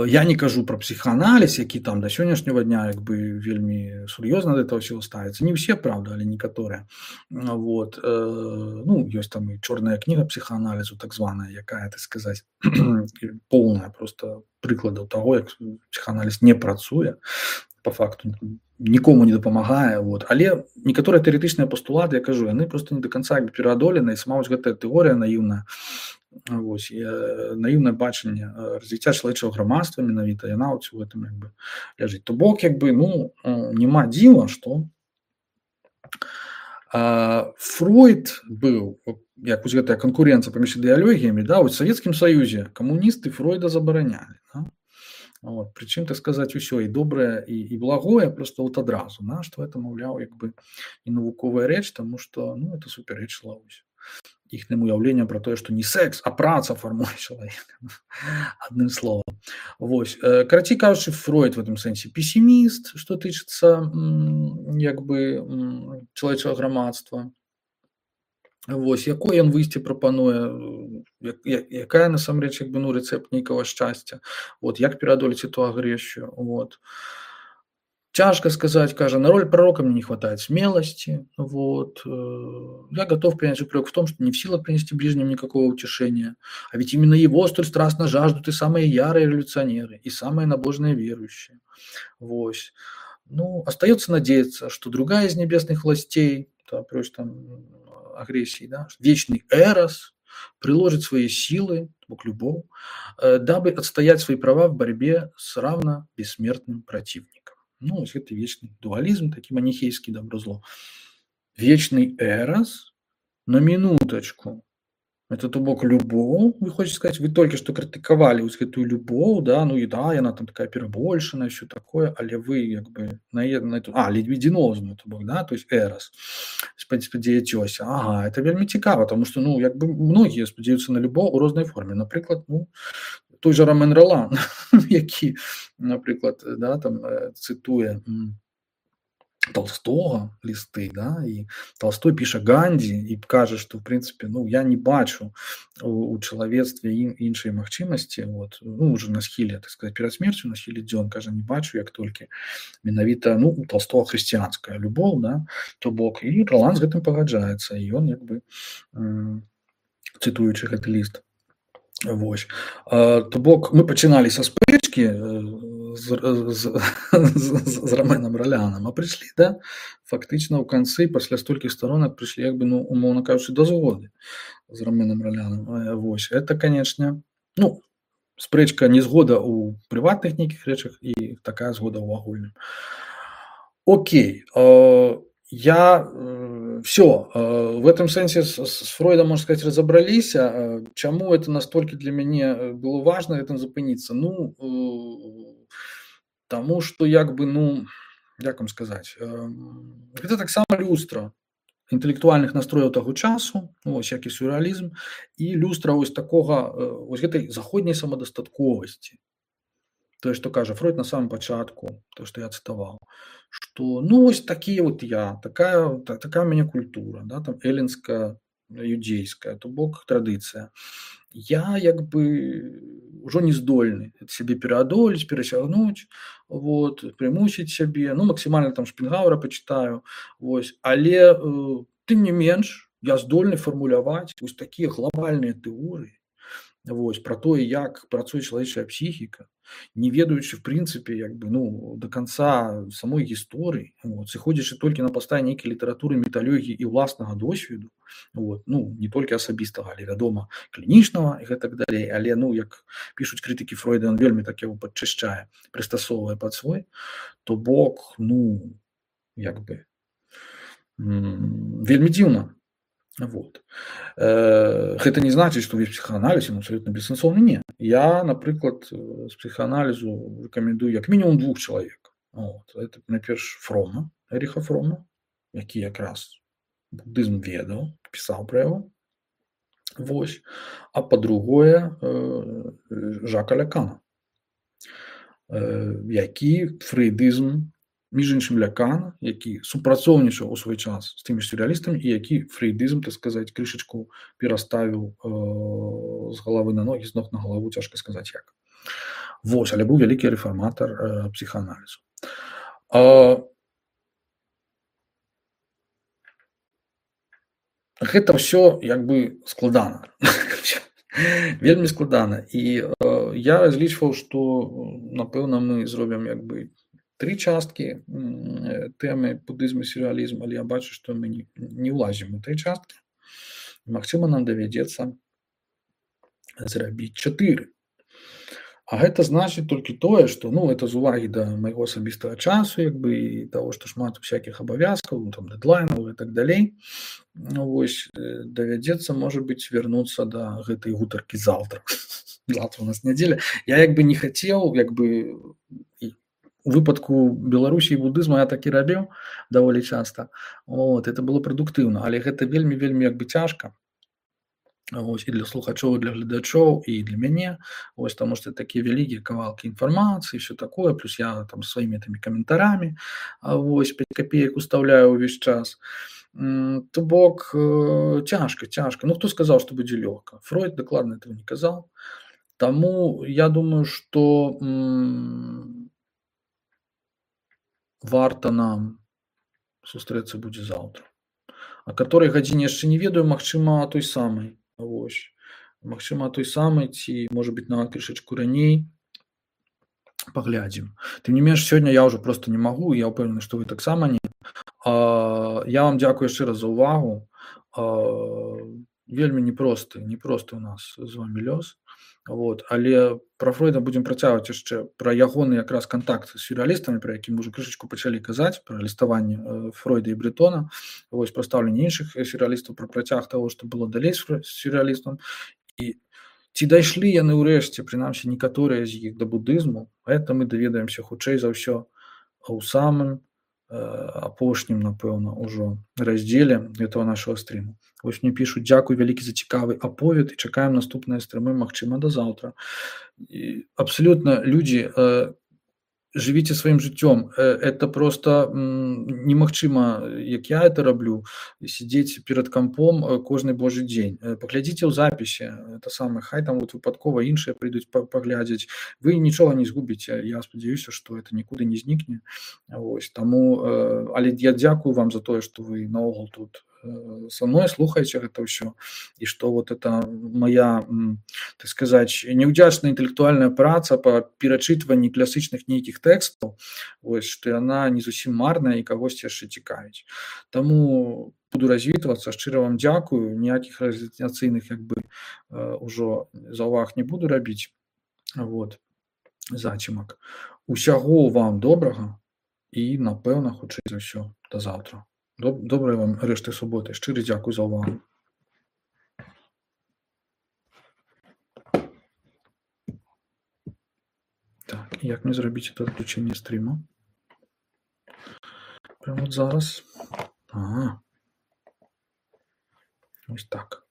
Speaker 1: Я не кажу про психоанализ, які там до сённяшняга дня як бы вельмі сур'ёзна да этого всего ставіцца. Не ўсе, правда, але некаторыя. Вот. Ну, ёсць там і чорная кніга психоаналізу, так званая, якая, так сказаць, поўная просто прыкладаў таго, як психоанализ не працуе, по факту нікому не дапамагае. Вот. Але некаторыя тэарэтычныя пастулаты, я кажу, яны просто не до конца пераадолены, і сама вось гэтая тэорыя наіўная, вось, наіўнае бачанне развіцця чалавечага грамадства менавіта, яна ў гэтым як бы ляжыць. То бок, як бы, ну, няма дзіва, што Фройд быў, як вось гэтая канкурэнцыя паміж ідэалогіямі, да, вось у Савецкім Саюзе камуністы Фройда забаранялі, да? Вот, прычым, так сказаць, усё і добрае і, і благое просто вот адразу, да, што это, маўляў, як бы і навуковая рэч, таму што, ну, это супярэчліва іхнім уяўленням про тое, што не секс, а праца фармуе чалавека. Адным словам. Вось. Карацей кажучы, Фройд в этом сэнсе пессіміст, што тычыцца як бы чалавечага грамадства. Вось, якое ён выйсце прапануе, як, якая насамрэч як бы, ну, рэцэпт нейкага шчасця. Вот, як пераадолець эту агрэсію. Вот. Тяжко сказать, кажется, на роль пророка мне не хватает смелости. Вот. Я готов принять упрек в том, что не в силах принести ближним никакого утешения. А ведь именно его столь страстно жаждут и самые ярые революционеры, и самые набожные верующие. Вот. Ну, остается надеяться, что другая из небесных властей, да, прочь там агрессии, да, вечный Эрос приложит свои силы, Бог любовь, дабы отстоять свои права в борьбе с равно бессмертным противником. Ну, вось гэты вечны дуалізм, такі маніхейскі добро-зло. Вечный эрас, на минуточку. Это, то бок, любоў, вы хочаце сказаць, вы толькі што крытыкавалі вось гэтую любоў, да, ну і да, яна там такая перабольшаная, ўсё такое, але вы як бы на е на эту а, ледведзінозную, то бок, да, то есть эрас, спад спадзеяцёся. Ага, это вельмі цікава, таму што, ну, як бы многія спадзяюцца на любоў у рознай форме. Напрыклад, ну, той жа Ромен Ролан, які, напрыклад, да, там, э, цытуе, м, Толстого, лісты, да, і Толстой піша Гандзі і кажа, што, в прынцыпе, ну, я не бачу у, у чалавецтве ін, іншай магчымасці, вот, ну, уже на схіле, так сказать, перад смерцю, на схіле дзён, кажа, не бачу, як толькі менавіта, ну, у Толстого хрысціянская любоў, да, то бок, і Ролан з гэтым пагаджаецца, і ён, як бы, м, цытуючы гэты ліст. Вось. А, то бок, мы пачыналі са спрэчкі з, з, з, з Роменам Роляном, а прыйшлі, да, фактычна ў канцы, пасля столькіх сторонак прыйшлі, як бы, ну, умоўна кажучы, да згоды з Роменам Роляном. Вось, это, канечне, ну, спрэчка не згода ў прыватных нейкіх рэчах і такая згода ў агульным. Окей, а, я э, все, э, в этом сенсе с, с Фройдом, можно сказать, разобрались. Э, чему это настолько для меня было важно этим запыниться? Ну, э, тому, что, як бы, ну, як вам сказать, э, это так само люстра інтэлектуальных настрояў таго часу, ну, вось, як і сюррэалізм, і люстра вось такога, э, вось гэтай заходняй самадастатковасці. То, что кажа Фройд на самом початку, то, что я цитовал, что, ну, вот такие вот я, такая, такая у меня культура, да, там, эллинская, юдейская, то бок традиция. Я, як бы, уже не здольны себе переодолеть, пересягнуть, вот, примусить себе, ну, максимально там Шпенгауэра почитаю, вот, але, э, тым не менш, я здольны формуляваць вось такие глобальные теории, вот, про то, як працуе чалавечая психика, не ведаючы, в прынцыпе, як бы, ну, до конца самой гісторыі, вот, сыходзячы толькі на падставе нейкай літаратуры, металогіі і ўласнага досведу, вот, ну, не толькі асабістага, але, вядома, клінічнага і гэтак далей, але, ну, як пішуць крытыкі Фройда, ён вельмі так яго падчышчае, прыстасоўвае пад свой, то бок, ну, як бы, м, вельмі дзіўна. Вот. Гэта не значыць, што ўвесь псіхааналіз ён абсалютна бессэнсоўны, не. Я, напрыклад, з псіхааналізу рэкамендую як мінімум двух чалавек. Вот. Это, найперш, Фрома, Эріха Фрома, які якраз будызм ведаў, пісаў пра яго. Вось. А па-другое, Жака Лякана, які фрэйдызм, між іншым Лякан, які супрацоўнічаў у свой час з тымі сюррэалістамі і які фрэйдызм, так сказаць, крышачку пераставіў э, з галавы на ногі, з ног на галаву, цяжка сказаць як. Вось, але быў вялікі рэфарматар э, псіхааналізу. А, гэта ўсё як бы складана. Вельмі складана. І э, я разлічваў, што, напэўна, мы зробім як бы три часткі тэмы будызму і сюррэалізму, але я бачу, што мы не, не ўлазім у тры часткі. Магчыма, нам давядзецца зрабіць чатыры. А гэта значыць толькі тое, што, ну, это з увагі да майго асабістага часу, як бы, і таго, што шмат всякіх абавязкаў, ну, там, дэдлайнаў і так далей. Ну, вось, давядзецца, можа быць, вярнуцца да гэтай гутаркі заўтра. Завтра у нас нядзеля. Я як бы не хацеў, як бы, у выпадку Беларусі і будызму я так і рабіў даволі часта. Вот, это было прадуктыўна, але гэта вельмі вельмі як бы цяжка. Вось, і для слухачоў, і для гледачоў, і для мяне. Вось, таму што такія вялікія кавалкі інфармацыі, все такое, плюс я там сваімі тымі каментарамі, вось, пяць капеек устаўляю ўвесь час. То бок, цяжка, цяжка. Ну, хто сказаў, што будзе лёгка? Фройд дакладна этого не казаў. Таму я думаю, што м- варта нам сустрэцца будзе заўтра. А каторай гадзіне яшчэ не ведаю, магчыма, той самай. Вось. Магчыма, той самай, ці, можа быць, нават крышачку раней. Паглядзім. Тым не менш, сёння я ўжо проста не магу, я ўпэўнены, што вы таксама не. А, я вам дзякую яшчэ раз за ўвагу. А, вельмі непросты, непросты у нас з вамі лёс. Вот. Але пра Фройда будзем працягваць яшчэ, пра ягоны якраз кантакт з сюррэалістамі, пра які мы ўжо крышачку пачалі казаць, пра ліставанне э, Фройда і Брэтона, вось пра стаўленне іншых сюррэалістаў, пра працяг таго, што было далей з фрэ- з сюррэалістам. І ці дайшлі яны ўрэшце, прынамсі некаторыя з іх, да будызму, гэта мы даведаемся хутчэй за ўсё ў самым э, апошнім, напэўна, ужо раздзеле гэтага нашага стрыму. Вось мне пішуць: дзякуй вялікі за цікавы аповед і чакаем наступныя стрымы, магчыма, да заўтра. І абсалютна, людзі, э, жывіце сваім жыццём. Э, это просто м, немагчыма, як я это раблю, сидзець перад кампом э, кожны божы дзень. Э, Паглядзіце ў запісе, это самае, хай там вот выпадкова іншыя прыйдуць па- паглядзець. Вы нічога не згубіце. Я спадзяюся, што это нікуды не знікне. Вось, таму, э, але я дзякую вам за тое, што вы наогул тут э, са мной слухаеце гэта ўсё, і што вот это моя, м, так сказаць, неўдзячная інтэлектуальная праца па перачытванні класычных нейкіх тэкстаў, вось, што яна не зусім марная і кагосьці яшчэ цікавіць. Таму буду развітвацца, шчыра вам дзякую, ніякіх раз'яцыйных як бы э, ужо заўваг не буду рабіць. Вот, зацімак. Усяго вам добрага і, напэўна, хутчэй за ўсё, да заўтра. Доб- Добрай вам рэшты суботы. Шчыры дзякуй за ўвагу. Так, і як мне зрабіць это адключэнне стрыма? Прямо от зараз. Ага. Ось так.